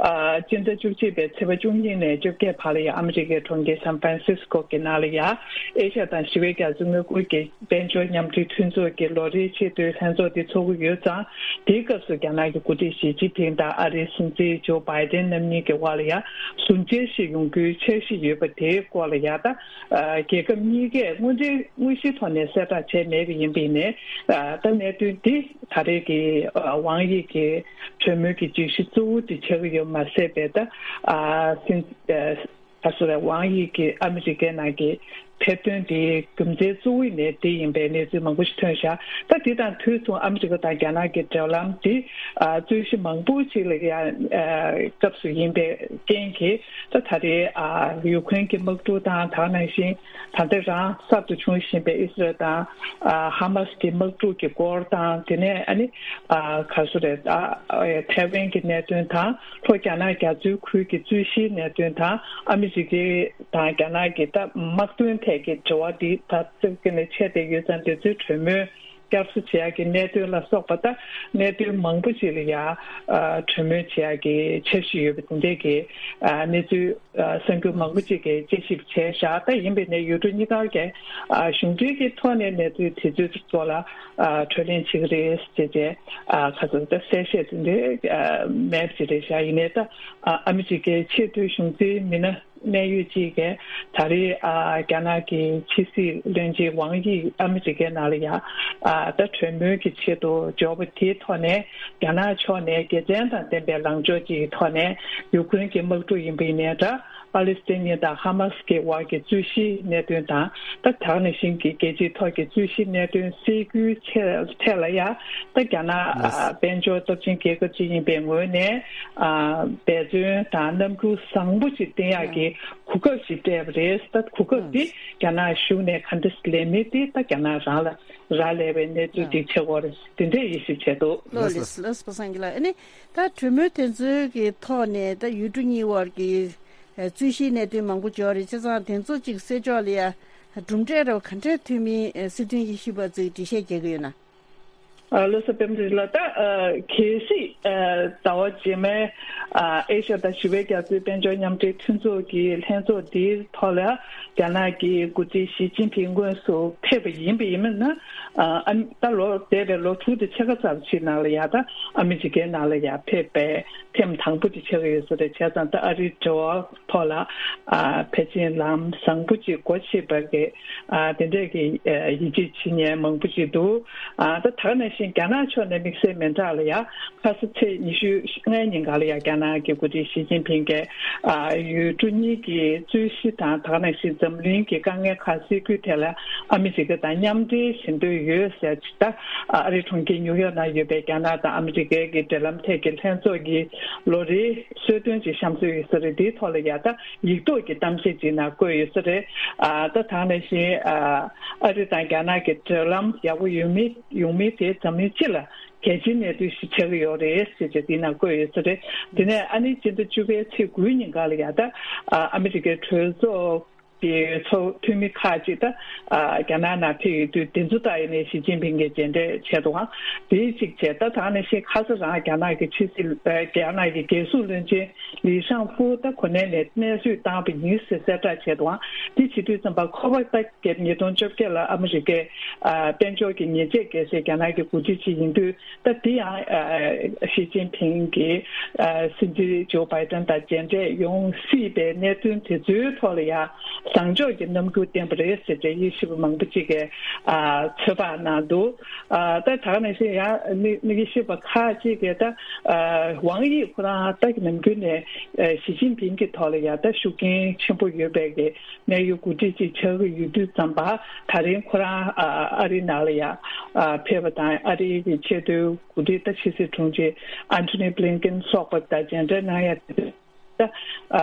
ཨ་སྤྱི་ཟླ་བཅུ་གཅིག་པའི་ཚེས་པ་བཅུ་གཉིས་ནས་བཅོ་བརྒྱད་བར་ལ་ཡ་ཨ་མི་རི་ཀའི་གྲོང་ཁྱེར་སན་ཧྥ་རན་སིས་ཀོ་གི་ནང་ལ་ཡ་ཨེ་ཤ་ཡ་དང་ཞི་བའི་རྒྱ་མཚོའི་མངའ་ཁུལ་གྱི་དཔལ་འབྱོར་མཉམ་འབྲེལ་མཐུན་ཚོགས་ཀྱི་ལོ་རེའི་ཆེས་མཐོའི་ལྷན་ཚོགས་དེ་ཚོགས་ཀྱི་ཡོད་ཙང་། དེའི་སྐབས་སུ་རྒྱ་ནག་གི་འགོ་ཁྲིད་ཞི་ཅིན་ཕིང་དང་ཨ་རིའི་སྲིད་འཛིན་ཇོ་བྷའི་ཏན་རྣམ་གཉིས་ཀྱི་དབར་ལ་ཡ་ཟུར་མཇལ་ཞིག་ཡོང་རྒྱུའི་འཆར་གཞི་ཡོད་པ་དེའི་སྐོར་ལ་ཡ། ད་ཨ་རྒྱལ་ཁབ་གཉིས་ཀས་དངོས་འབྲེལ་དངོས་གཞིའི་ཐོག་ནས་གསལ་བསྒྲགས་བྱས་མེད་པ་ཡིན་པས་ནས། ཨ་ད་གནད་དོན་འདི་ད་རེས་ཀྱི་ཨ་ཝང་ཡི་གི་གྲོས་མོལ་གྱི་སྒྲིག་གཞི་གཙོ་བོ་དེ་ཆགས་ཀྱི་ཡོད་མ་ཟད་པའི། ད་ཨ་སྲིད་ཨ། ད་ག་ཟེར་རེད། ཝང་ཡི་གིས་ཨ་མི་རི་ཀའི་ནང་གི་ཕེབས་ཐོན་དེའི་རྒྱུ་མཚན་གཙོ་བོ་ནི་དེ་ཡིན་པའི་གནས་ཚུལ་མང་པོ་ཞིག་ཐོན་བཞག་ད་དེ་དང་དུས་མཚུངས་ཨ་མི་རི་ཀ་དང་རྒྱ་ནག་གི་འབྲེལ་ལམ་དེ་ཨ་རྩོད་གཞི་མང་པོ་ཞིག་ལ་ཡ་ཨ་སྐབས་སུ་ཡིན་པའི་རྐྱེན་གྱིས། ད་ད་རེས་ཨ་ཡུ་ཁུ་རེན་གྱི་དམག་འཁྲུག་དང་། དེ་ནང་བཞིན་ད་ལྟ་རང་གསར་དུ་བྱུང་བཞིན་པའི་ཨི་སི་རལ་དང་ཨ་ཧ་མ་སི་གི་དམག་འཁྲུག་གི་སྐོར་དང་། དེ་ནས་ཨ་ནི་ཨ་ག་ཟེར་རེད། ཨ་ཐའེ་ཝན་གྱི་གནད་དོན་དང་། ལྷོ་རྒྱ་ནག་རྒྱ་མཚོའི་ཁུལ་གྱི་རྩོད་གཞིའི་གནད་དོན་དང་། ཨ་མི་རི་ཀའི་དང་རྒྱ་ནག་གི་ད་དམག་དོན་ཐད་ཀྱི་འབྲེལ་བ་འདི་ད་རྩ་བ་ནས་ཆད་བསྡད་ཡོད་ཙང་། དེ་ཚོའི་གྲོས་མོལ་བསྐྱར་གསོ་བྱེད་ཡག་གི་གནད་དོན་ལ་སོགས་པ། ད་གནད་དོན་མང་པོ་ཞིག་ལ་ཡ་ཨ་གྲོས་མོལ་བྱེད་ཡག་གི་འཆར་གཞི་ཡོད་པ་དེ་འདྲས་ཀྱི་ཨ་གནས་ཚུལ་ཨ་གསར་འགྱུར་མང་པོ་ཅིག་གིས་དཔྱད་ཞིབ་བྱས་བཞག་ད་ཡིན་པས་ནས་ཡུལ་གྲུ་གཉིས་ཀ་གི་ཨ་གཞུང་འབྲེལ་གྱི་ཐོག་ནས་གནས་ཚུལ་དེ་ཚོའི་སྐོར་ལ་ཨ་གྲོས་གླེང་བྱེད་ཀྱི་རེད་ཅེས་བྱས། ཨ་ག་ཚོད་ད་གསལ་བཤད་དེ་འདྲའི་ཨ་མེད་པ་ཅིག་རེད་བཞག་ཡིན་ནའི་ད་ཨ་ཨ་མི་རི་ཀའི་ཆེས་མཐོའི་གཞུང་འཛིན་མི་སྣ་གནད་ཡོད་ཅིག་གིས་ད་རེས་ཨ་རྒྱ་ནག་གི་ཕྱི་སྲིད་བློན་ཆེན་ཝང་དབྱི་ཨ་མི་རི་ཀའི་ནང་ལ་ཡ་ཨ་ད་གྲོས་མོལ་གྱི་ཆེད་དུ་འབྱོར་བ་དེའི་ཐོག་ནས། རྒྱ་ནག་ཕྱོགས་ནས་དགེ་མཚན་དང་ལྡན་པའི་ལངས་ཕྱོགས་ཀྱི་ཐོག་ནས་ཡུ་ཁུ་རེན་གྱི་དམག་འཁྲུག་ཡིན་པ་ཡིན་ནའི་འདྲ། པ་ལི་སི་ཐན་ཉིན་དང་ཧ་མ་སི་གི་དབར་གྱི་རྩོད་གཞིའི་གནད་དོན་དང་། ད་ད་ག་ནང་བཞིན་གྱི་རྒྱལ་སྤྱིའི་ཐོག་གི་རྩོད་གཞིའི་གནད་དོན་སེལ་རྒྱུའི་ཆེད་ཐད་ལ་ཡང་། ད་རྒྱ་ནག་ཨ་དཔལ་འབྱོར་སྟོབས་ཆེན་རྒྱལ་ཁབ་ཅིག་ཡིན་པའི་ངོས་ནས། ཨ་འབད་བརྩོན་དང་རྣམ་འགྱུར་བཟང་པོ་ཅིག་བསྟན་ཡག་གི་གོ་སྐབས་ཤིག་སྤྲད་པ་རེད། ད་གོ་སྐབས་འདི་རྒྱ་ནག་གཞུང་ནས་ག་འདྲ་ལེན་མིན་དེ་ད་རྒྱ་ནག་རང་ལ་རག་ལས་པའི་གནས་ཚུལ་ཅིག་ཆགས་ཀྱི་ཡོད་རེད། དེ་འདྲའི་དབྱེ་ཞིབ་བྱས་འདུག། ལགས་སོ། ལགས་སོ། པ་སངས་སྐྱིད་ལགས། ཨ་ནི་ད་གྲོས་མོལ་དེ་ཚོའི་གི་ཐོག་ནས་ད་ཡུལ་གྲུ་གཉིས་དབར་གྱི་རྩོད་གཞིའི་གནད་དོན་མང་པོ་ཡོད་རེད། བྱས་ཙང་དེ་ཚོ་ཅིག་སེལ་ཕྱོགས་ལ་ཡ་གྲུབ་འབྲས་རེ་བ་ག་འདྲས་ཐོན་མིན་སྲིད་དོན་དབྱེ་ཞིབ་པ་ཚོས་འགྲེལ་བཤད་རྒྱག་གི་ཡོད་ན། ལགས་སོ། པད་མ་བདེ་ལགས། ད་གལ་སྲིད་ཟླ་བ་རྗེས་མའི་ཨེ་ཤ་ཡ་དང་ཞི་བའི་རྒྱ་མཚོའི་དཔལ་འབྱོར་མཉམ་འབྲེལ་མཐུན་ཚོགས་ཀྱི་ལྷན་ཚོགས་འདིའི་ཐོག་ལ་རྒྱ་ནག་གི་འགོ་ཁྲིད་ཞི་ཅིན་ཕིང་དངོས་སུ་ཕེབས་པ་ཡིན་པ་ཡིན་ན། ད་ལོ་འདས་པའི་ལོ་དྲུག་དང་ཕྱེད་ཀ་ཙམ་ཞིག་ནང་ལ་ཡ་ད་ཨ་མི་རི་ཀའི་ནང་ལ་ཡ་ཕེབས་པའི་ཐེངས་དང་པོ་དེ་ཆགས་ཀྱི་ཡོད་ས་རེད། བྱས་ཙང་ད་ཨ་རིའི་འབྲེལ་བ་ཐོག་ལ་ཕལ་ཆེར་ལམ་བཟང་པོ་ཅིག་སྒོ་ཕྱེ་བ་གི་དེ་འདྲས་ཀྱི་ཡིད་ཆེས་བྱེད་མཁན་མང་པོ་ཅིག་འདུག། ད་ད་ག་ནང་བཞིན་རྒྱ་ནག་ཕྱོགས་ནས་དམིགས་བསལ་མི་འདྲ་ལ་ཡ། ཁ་ས་ཚེས་ཉི་ཤུ་ལྔའི་ཉིན་ག་ལ་ཡ་རྒྱ་ནག་གི་འགོ་ཁྲིད་ཞི་ཅིན་ཕིང་གིས་ཡུལ་གྲུ་གཉིས་ཀྱི་རྩོད་གཞི་དང་། ད་ག་ནང་བཞིན་འཛམ་གླིང་གི་དཀའ་ངལ་ཁག་སེལ་རྒྱུའི་ཐད་ལ་ཨ་མི་རི་ཀ་དང་མཉམ་འབྲེལ་བྱེད་འདོད་ཡོད་ཟེར། ད་ཨ་རིའི་གྲོང་ཁྱེར་ཉིའུ་ཡོག་ནང་ཡོད་པའི་རྒྱ་ནག་དང་ཨ་མི་རི་ཀའི་གི་འབྲེལ་ལམ་ཐད་ཀྱི་ལྷན་ཚོགས་ཀྱི་ལོ་རེའི་གསོལ་སྟོན་ཅིག་བཤམས་སྲོལ་ཡོད་ས་རེད། དེའི་ཐོག་ལ་ཡ་ད་ཡིག་ཐོག་གི་གཏམ་བཤད་ཅིག་ནང་བཀོད་ཡོད་ས་རེད། ཨ་ད་ད་ག་ནང་བཞིན་ཨ་རི་དང་རྒྱ་ནག་གི་འབྲེལ་ལམ་ཡག་པོ་ཡོང་མིན་ཡོང་མིན་དེ་འཛམ་གླིང་སྤྱི་ལ་གལ་ཆེའི་གནད་དོན་ཞིག་ཆགས་ཀྱི་ཡོད་རེད་ཟེར་བྱས་དེའི་ནང་བཀོད་ཡོད་ས་རེད། དེ་ནས་ཨ་ནི་སྤྱི་ཟླ་བཅུ་པའི་ཚེས་དགུའི་ཉིན་ག་ལ་ཡ་ད་ཨ་ཨ་མི་རི་ཀའི་གྲོས་ཚོགས་ཀྱི་ཚོགས་འཐུས་མི་ཁག་ཅིག་ད་ཨ་རྒྱ་ནག་ནང་ཕེབས་ཡོད་དུས་དེ་ཚོ་ད་ཡིན་ནའི་ཞི་ཅིན་ཕིང་གིས་མཇལ་འཕྲད་བྱས་འདུག་ག། དེའི་གཅིག་བྱས། ད་ད་ནང་བཞིན་ཁ་ས་རང་རྒྱ་ནག་གི་ཕྱི་སྲིད་རྒྱ་ནག་གི་རྒྱལ་སྲུང་བློན་ཆེན་ལི་ཤང་ཧྥུ་ད་གོ་གནས་ནས་གནས་དབྱུང་བཏང་བ་ཡིན་ཟེར་གསལ་བསྒྲགས་བྱས་འདུག་ག། དེ་བྱེད་དུས་ཙམ་པ་ཁོ་པ་ད་རྒྱལ་ཉིས་སྟོང་བཅོ་བརྒྱད་ལ་ཨ་མི་རི་ཀའི་ཨ་དཔལ་འབྱོར་གྱི་ཉེས་ཆད་བཀལ་སའི་རྒྱ་ནག་གི་འགོ་ཁྲིད་ཅིག་ཡིན་དུས། ད་དེ་ཡང་ཨ་ཞི་ཅིན་ཕིང་གིས་ཨ་སྲིད་འཛིན་ཇོ་བྷའི་ཏན་དང་མཇལ་འཕྲད་ཡོང་སྲིད་པའི་གནད་དོན་དེ་ཚོའི་ཐོག་ལ་ཡང་བཟང་ཕྱོགས་ཀྱི་རྣམ་འགྱུར་བསྟན་པ་རེད་ཟེར་བྱས་དབྱེ་ཞིབ་པ་མང་པོ་ཅིག་གིས་ཨ་ཚོད་དཔག་གནང་འདུག། ཨ་ད་ད་ག་ནང་བཞིན་ཡང་དམིགས་དམིགས་ཡེ་ཤེས་པ་ཁག་ཅིག་གིས་ད་ཨ་ཝང་དབྱི་ཁོ་རང་ད་ནམ་རྒྱུན་ནས་ཨ་ཞི་ཅིན་ཕིང་གི་ཐོག་ལ་ཡང་ད་ཤུགས་རྐྱེན་ཆེན་པོ་ཡོད་པའི་གི་གནད་ཡོད་འགོ་ཁྲིད་ཅིག་ཆགས་ཀྱི་ཡོད་དུས་ཙམ་པ། ད་རིང་ཁོ་རང་ཨ་ཨ་རིའི་ནང་ལ་ཡང་ཨ་ཕེབས་པ་དང་། ཨ་རིའི་གི་ཆེས་མཐོའི་འགོ་ཁྲིད་ད་ཕྱི་སྲིད་དྲུང་ཆེ་ཨན་ཐོ་ནི་བྷི་ལིན་ཀེན་སོགས་པ་དང་མཇལ་འཕྲད་གནང་ཡ་དེ། ད་ཨ་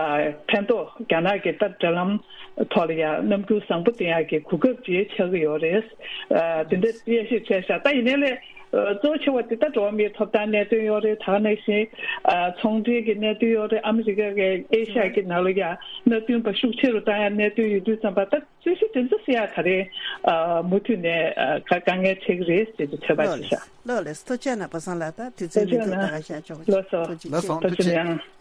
ཕན་ཐོགས་རྒྱ་ནག་གི་ད་འབྲེལ་ལམ་ཐོག་ལ་ཡང་རྣམ་འགྱུར་བཟང་པོ་བསྟན་ཡག་གི་གོ་སྐབས་ཅིག་ཆགས་ཀྱི་ཡོད་རེད། ཨ་དེ་འདྲ་དབྱེ་ཞིབ་བྱས་ཤག། ད་ཡིན་ནའི་ལས་ཨ་གཙོ་ཆེ་བ་དེ་ད་འགྲོ་བ་མིའི་ཐོབ་ཐང་གནད་དོན་ཡོད་རེད། ད་ག་ནང་བཞིན་ཨ་ཚོང་འབྲེལ་གྱི་གནད་དོན་ཡོད་རེད། ཨ་མི་རི་ཀ་གི་ཨེ་ཤ་ཡ་གི་ནང་ལ་ཡང་མནའ་མཐུན་པ་ཤུགས་ཆེ་རུ་བཏང་ཡག་གནད་དོན་ཡོད་དུས་ཙམ་པ། ད་རྩོད་གཞི་དེ་ཚོ་སེལ་ཡག་ད་རེས་ཨ་མུ་མཐུད་ནས་ཨ་དཀའ་དཀའ་ངལ་འཕྲད་ཀྱི་རེད་ཟེར་ཏེ་ཚོད་དཔག་ལགས་བྱེད་ཤག། ལགས་ལགས། ཐུགས་རྗེ་གནང་། པ་སངས་ལགས། ད་དུས་ཚོད་ཐུགས་རྗེ་མི་འདུག། ད་གནང་། ག་ཤ་ཆོག་གི། ལགས་སོ། ཐུགས་རྗེ་ཆེ། ལགས་སོ། ཐུགས་རྗེ་གནང་།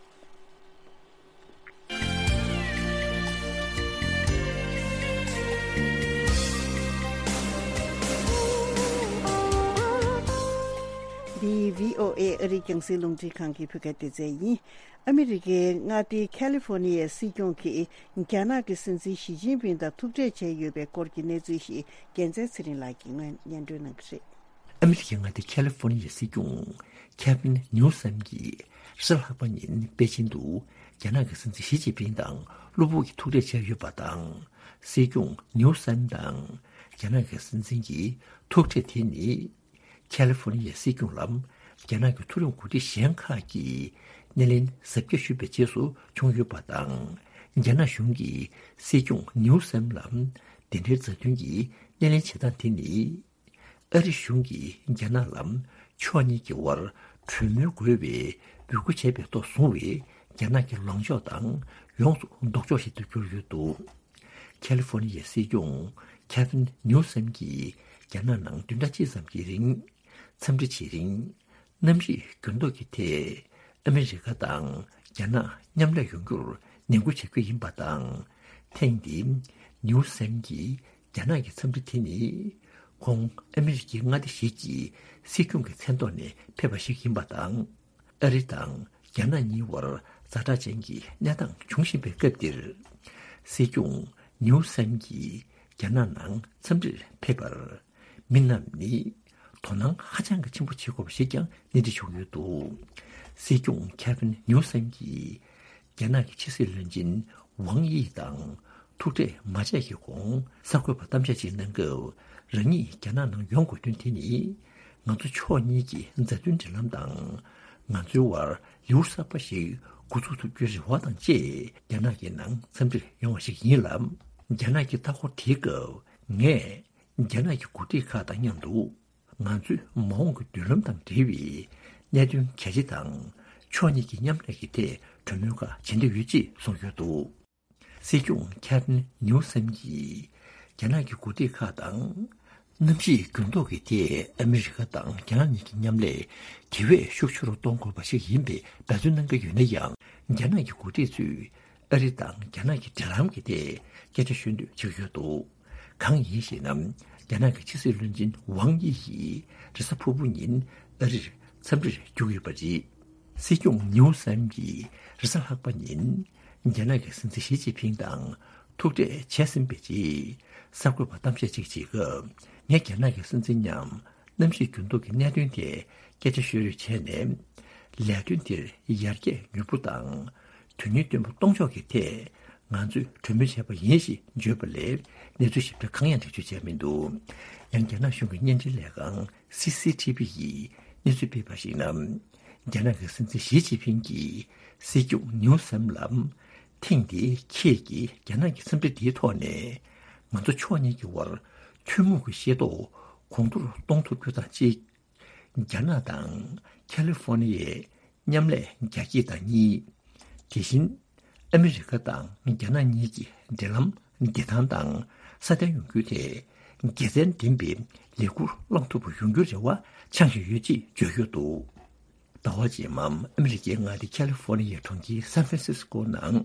འདི་བྷི་ཨོ་ཨེ་ཨ་རིའི་རྒྱང་སྲིང་རླུང་འཕྲིན་ཁང་གི་བོད་སྐད་སྡེ་ཚན་ཡིན། ཨ་མི་རི་ཀའི་མངའ་སྡེ་ཁ་ལི་ཧྥོ་ནི་ཡའི་སྲིད་སྐྱོང་གིས་རྒྱ་ནག་གི་སྲིད་འཛིན་ཞི་ཅིན་ཕིང་དང་ཐུག་འཕྲད་བྱས་ཡོད་པའི་སྐོར་གྱི་གནས་ཚུལ་ཞིག་རྒྱལ་མཚན་ཚེ་རིང་ལགས་ཀྱིས་སྔོན་སྙན་སྒྲོན་གནང་གི་རེད། ཨ་མི་རི་ཀའི་མངའ་སྡེ་ཁ་ལི་ཧྥོ་ནི་ཡའི་སྲིད་སྐྱོང་ཁེ་ཝིན་ནིའུ་སམ་གྱིས་རེས་གཟའ་ལྷག་པ་ཉིན་པེ་ཅིན་དུ་རྒྱ་ནག་གི་སྲིད་འཛིན་ཞི་ཅིན་ཕིང་དང་གློ་བུར་གྱི་ཐུག་འཕྲད་བྱས་ཡོད་པ་དང་། སྲིད་སྐྱོང་ནིའུ་སམ་དང་རྒྱ་ནག་གི་སྲིད་འཛིན་གྱི་ཐུག་འཕྲད་དེ་ནི། ཁ་ལི་ཧྥོ་ནི་ཡའི་སྲིད་སྐྱོང་ལ་རྒྱ་ནག་གི་མཐོ་རིམ་འགོ་ཁྲིད་གཞན་ཁག་གིས་སྣེ་ལེན་གཟབ་རྒྱས་ཞུས་པའི་རྗེས་སུ་བྱུང་ཡོད་པ་དང་། རྒྱ་ནག་གཞུང་གིས་སྲིད་སྐྱོང་ནིའུ་སམ་ལ་དེ་འབྲེལ་མཛའ་མཐུན་གྱི་སྣེ་ལེན་བྱེད་སྟངས་དེ་ནི། ཨ་རི་གཞུང་གིས་རྒྱ་ནག་ལ་ཕྱོགས་གཉིས་ཀྱི་དབར་གྲོས་མོལ་དགོས་པའི་འབོད་སྐུལ་བྱས་པའི་ཐོག་བཟུང་བའི་རྒྱ་ནག་གི་ལངས་ཕྱོགས་དང་ཡོངས་སུ་ལྡོག་ཕྱོགས་ཤིག་ཏུ་གྱུར་ཡོད་འདུག། ཁ་ལི་ཧྥོ་ནི་ཡའི་སྲིད་སྐྱོང་ཁེ་ཝིན་ནིའུ་སམ་གྱིས་རྒྱ་ནག་ནང་བདུན་ཕྲག་གཅིག་ཙམ་གྱི་རིང་འཚམས་འདྲི་བྱེད་རིང་། གནམ་གཤིས་འགྱུར་ལྡོག་གི་ཐད་ཨ་མི་རི་ཀ་དང་རྒྱ་ནག་མཉམ་ལས་ཡོང་རྒྱུར་ནན་སྐུལ་བྱེད་རྒྱུ་ཡིན་པ་དང་། ཐེངས་འདིའི་ནིའུ་སམ་གྱི་རྒྱ་ནག་གི་འཚམས་འདྲི་དེ་ནི། ཁོང་ཨ་མི་རི་ཀའི་མངའ་སྡེ་ཞིག་གི་སྲིད་སྐྱོང་གི་མཚན་ཐོག་ནས་ཕེབས་པ་ཞིག་ཡིན་པ་དང་། ཨ་རི་དང་རྒྱ་ནག་གཉིས་བར་ཛ་དྲག་ཅན་གྱི་གནས་སྟངས་བྱུང་བཞིན་པའི་སྐབས་འདིར། སྲིད་སྐྱོང་ནིའུ་སམ་གྱིས་རྒྱ་ནག་ནང་འཚམས་འདྲིར་ཕེབས་པར་མི་རྣམས་ནི་དོ་སྣང་ཧ་ཅང་གི་ཆེན་པོ་བྱེད་དགོས་པ་ཞིག་ཀྱང་སྣེ་ཁྲིད་བྱུང་ཡོད་འདུག། སྲིད་སྐྱོང་ཁེ་ཝིན་ནིའུ་སམ་གྱིས་རྒྱ་ནག་གི་ཕྱི་སྲིད་བློན་ཆེན་ ཝང་དབྱི་དང་ཐུག་འཕྲད་མ་བྱས་ཀྱི་གོང་གསར་འགོད་པར་གཏམ་བཤད་ཅིག་གནང་སྐབས། རང་ཉིད་རྒྱ་ནག་ནང་ཡོང་དགོས་དོན་དེ་ནི། ང་ཚོ་ཕྱོགས་གཉིས་ཀྱི་མཛའ་མཐུན་འབྲེལ་ལམ་དང་། ང་ཚོའི་བར་ལེའུ་གསར་པ་ཞིག་འགོ་འཛུགས་ཐུབ་རྒྱུའི་རེ་བ་དང་བཅས། རྒྱ་ནག་གི་ནང་འཚམས་འདྲིར་ཡོང་བ་ཞིག་ཡིན་ལ། རྒྱ་ནག་གི་ལྟ་སྐོར་དེའི་སྐབས། ངས་རྒྱ་ནག་གི་འགོ་ཁྲིད་ཁག་དང་མཉམ་དུ། ང་ཚོའི་མ་འོངས་ཀྱི་མདུན་ལམ་དང་འབྲེལ་བའི་གནད་དོན་གལ་ཆེ་དང་། ཕྱོགས་གཉིས་ཀྱི་མཉམ་ལས་ཀྱི་ཐད་གྲོས་མོལ་ཁག་བྱེད་འདོད་ཡོད་ཅེས་གསུངས་ཡོད་འདུག། སྲིད་སྐྱོང་ཁེ་ཝིན་ནིའུ་སམ་གྱིས་རྒྱ་ནག་གི་འགོ་ཁྲིད་ཁག་དང་། གནམ་གཤིས་འགྱུར་ལྡོག་གི་ཐད་ཨ་མི་རི་ཀ་དང་རྒྱ་ནག་གཉིས་ཀྱི་མཉམ་ལས་དེ་བས་ཤུགས་ཆེ་རུ་གཏོང་དགོས་པ་ཞིག་ཡིན་པའི་འབད་བརྩོན་གནང་གི་ཡོད་ན་ཡང་། རྒྱ་ནག་གི་འགོ་ཁྲིད་ཚོས་ཨ་རི་དང་རྒྱ་ནག་གི་འབྲེལ་ལམ་གྱི་ཐད་སྐད་ཆ་ཤོད་འདོད་བྱེད་ཀྱི་ཡོད་འདུག། གང་ཡིན་ཞེ་ན། རྒྱ་ནག་གི་ཕྱི་སྲིད་བློན་ཆེན་ཝང་དབྱི་ཡིས་རེས་གཟའ་ཕུར་བུ་ཉིན་ཨ་རིར་འཚམས་འདྲིར་བརྒྱུགས་ཡོད་པ་རེད། སྲིད་སྐྱོང་ནིའུ་སམ་གྱིས་རེས་གཟའ་ལྷག་པ་ཉིན་རྒྱ་ནག་གི་སྲིད་འཛིན་ཞི་ཅིན་ཕིང་དང་ཐུག་འཕྲད་བྱས་ཟིན་པའི་རྗེས། གསར་འགོད་པར་གཏམ་བཤད་ཅིག་བྱེད་སྐབས། ངས་རྒྱ་ནག་གི་སྲིད་འཛིན་མཉམ་གནམ་གཤིས་འགྱུར་ལྡོག་གི་གནད་དོན་ཐད་སྐད་ཆ་ཤོད་རེས་བྱས་ནས། ལས་དོན་དེར་ཡར་རྒྱས་མྱུར་པོ་དང་། དོན་སྙིང་བཏོན་པ་གཏོང་ཕྱོགས་ཀྱི་ཐད་ང་ཚོས་གྲོས་མོལ་བྱས་པ་ཡིན་ཞེས་བརྗོད་པ་ལས། གནས་ཚུལ་ཞིབ་ཕྲ་གང་ཡང་འགྲེལ་བརྗོད་བྱས་མི་འདུག། ཡང་རྒྱ་ནག་གཞུང་གི་བརྙན་འཕྲིན་ལས་ཁང་སི་སི་ཐི་བི་ཡིས་གནས་ཚུལ་སྤེལ་བར་གཞིགས་ན། རྒྱ་ནག་གི་སྲིད་འཛིན་ཞི་ཅིན་ཕིང་གིས་སྲིད་སྐྱོང་ནིའུ་སམ་ལ། ཐེངས་འདིའི་ཁྱེད་ཀྱིས་རྒྱ་ནག་གི་འཚམས་འདྲི་འདིའི་ཐོག་ནས། ང་ཚོ་ཕྱོགས་གཉིས་ཀྱི་བར་ཐུན་མོང་གི་ཤེས་རྟོགས་གོང་མཐོར་གཏོང་ཐུབ་རྒྱུ་དང་གཅིག། རྒྱ་ནག་དང་ཁ་ལི་ཧྥོ་ནི་ཡའི་མཉམ་ལས་རྒྱ་སྐྱེད་དང་གཉིས། དེ་བཞིན་ཨ་མི་རི་ཀ་དང་རྒྱ་ནག་གཉིས་ཀྱི་འབྲེལ་ལམ་བདེ་ཐང་དང་སྲ་བརྟན་ཡོང་རྒྱུའི་ཐད་དགེ་མཚན་ལྡན་པའི་ལས་འགུལ་བསླངས་ཐུབ་པ་ཡོང་རྒྱུའི་རེ་བ་འཆང་བཞིན་ཡོད་ཅེས་བརྗོད་ཡོད་འདུག། ཟླ་བ་རྗེས་མ་ཨ་མི་རི་ཀའི་མངའ་སྡེ་ཁ་ལི་ཧྥོ་ནི་ཡའི་གྲོང་ཁྱེར་སན་ཧྥ་རན་སིས་ཀོ་ནང་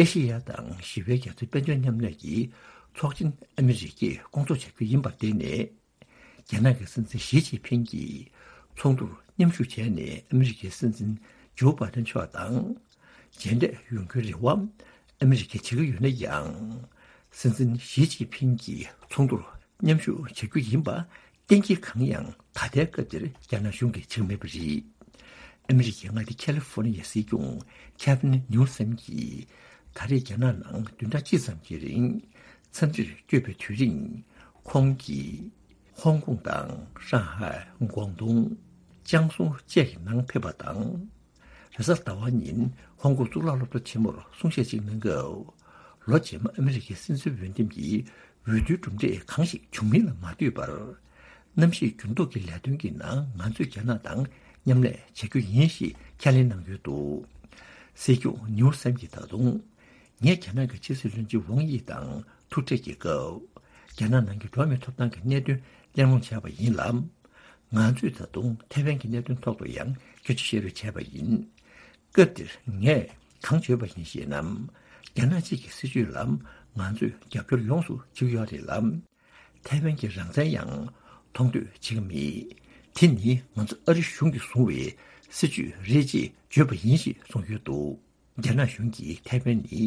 ཨེ་ཤེ་ཡ་དང་ཞི་བའི་རྒྱ་མཚོའི་དཔལ་འབྱོར་མཉམ་ལས་ཀྱི་ཚོགས་ཆེན་ཨ་མི་རི་ཀས་སྐོང་ཚོགས་བྱ་རྒྱུ་ཡིན་པར་བརྟེན་ནས། རྒྱ་ནག་གི་སྲིད་འཛིན་ཞི་ཅིན་ཕིང་གིས་ཚོགས་འདུར་མཉམ་ཞུགས་བྱས་ནས་ཨ་མི་རི་ཀའི་སྲིད་འཛིན་ཇོ་བྷའི་ཏན་མཆོག་དང་མཇལ་འཕྲད་ཡོང་རྒྱུའི་རེ་བ་ཨ་མི་རི་ཀས་བྱེད་ཀྱི་ཡོད་ན་ཡང་། སྲིད་འཛིན་ཞི་ཅིན་ཕིང་གིས་ཚོགས་འདུར་མཉམ་ཞུགས་བྱ་རྒྱུ་ཡིན་པ་གཏན་འཁེལ་གང་ཡང་ད་ལྟའི་སྐབས་འདིར་རྒྱ་ནག་གཞུང་གིས་བྱེད་ཀྱི་མེད་པ་རེད། ཨ་མི་རི་ཀའི་མངའ་སྡེ་ཁ་ལི་ཧྥོ་ནི་ཡའི་སྲིད་སྐྱོང་ཁེ་ཝིན་ནིའུ་སམ་གྱིས་ད་རེས་རྒྱ་ནག་ནང་བདུན་ཕྲག་གཅིག་ཙམ་གྱི་རིང་འཚམས་འདྲིར་བསྐྱོད་པའི་དུས་རིང་། ཁོང་གིས་ཧོང་ཀོང་དང་ཧྲང་ཧའེ། ཀོང་ཏུང་། ཅང་སུའུ་བཅས་ཀྱི་ནང་ཕེབས་པ་དང་། རེས་གཟའ་ཟླ་བ་ཉིན་ཧོང་ཀོང་གཙུག་ལག་སློབ་གྲྭ་ཆེན་མོར་གསུང་བཤད་ཅིག་གནང་སྐབས། ལོ་རྗེས་མ་ཨ་མི་རི་ཀའི་སྲིད་འཛིན་འོས་འདེམས་ཀྱི་འོས་བསྡུའི་གྲུབ་འབྲས་གང་ཞིག་བྱུང་མིན་ལ་མ་ལྟོས་པར། གནམ་གཤིས་འགྱུར་ལྡོག་གི་ལས་དོན་གྱི་ནང་ང་ཚོས་རྒྱ་ནག་དང་མཉམ་ལས་བྱ་རྒྱུ་ཡིན་ཞེས་ཁས་ལེན་གནང་ཡོད་འདུག། སྲིད་སྐྱོང་ནིའུ་སམ་གྱིས་ད་དུང་། ངས་རྒྱ་ནག་གི་ཕྱི་སྲིད་བློན་ཆེན་ཝང་དབྱི་དང་ཐུག་འཕྲད་ཀྱི་སྐབས། རྒྱ་ནག་ནང་གི་འགྲོ་བ་མིའི་ཐོབ་ཐང་གི་གནད་དོན་གླེང་སློང་བྱས་པ་ཡིན་ལ། ང་ཚོས་ད་དུང་ཐའེ་ཝན་གྱི་གནད་དོན་ཐོག་ཏུ་ཡང་སྐད་ཆ་བཤད་རེས་བྱས་པ་ཡིན། སྐབས་དེར་ངས་གང་བརྗོད་པ་ཡིན་ཞེ་ན། རྒྱ་ནག་གཅིག་གི་སྲིད་བྱུས་ལ་ང་ཚོས་རྒྱབ་སྐྱོར་ཡོངས་སུ་བྱེད་ཀྱི་ཡོད་རེད་ལ། ཐའེ་ཝན་གྱི་རང་བཙན་ཡང་མཐོང་འདོད་བྱེད་ཀྱི་མེད། དེ་ནི་ང་ཚོ་ཨ་རི་གཞུང་གིས་བཟུང་བའི་སྲིད་བྱུས་རེད་ཅེས་བརྗོད་པ་ཡིན་ཞེས་གསུངས་ཡོད་འདུག། རྒྱ་ནག་གཞུང་གིས་ཐའེ་ཝན་ནི་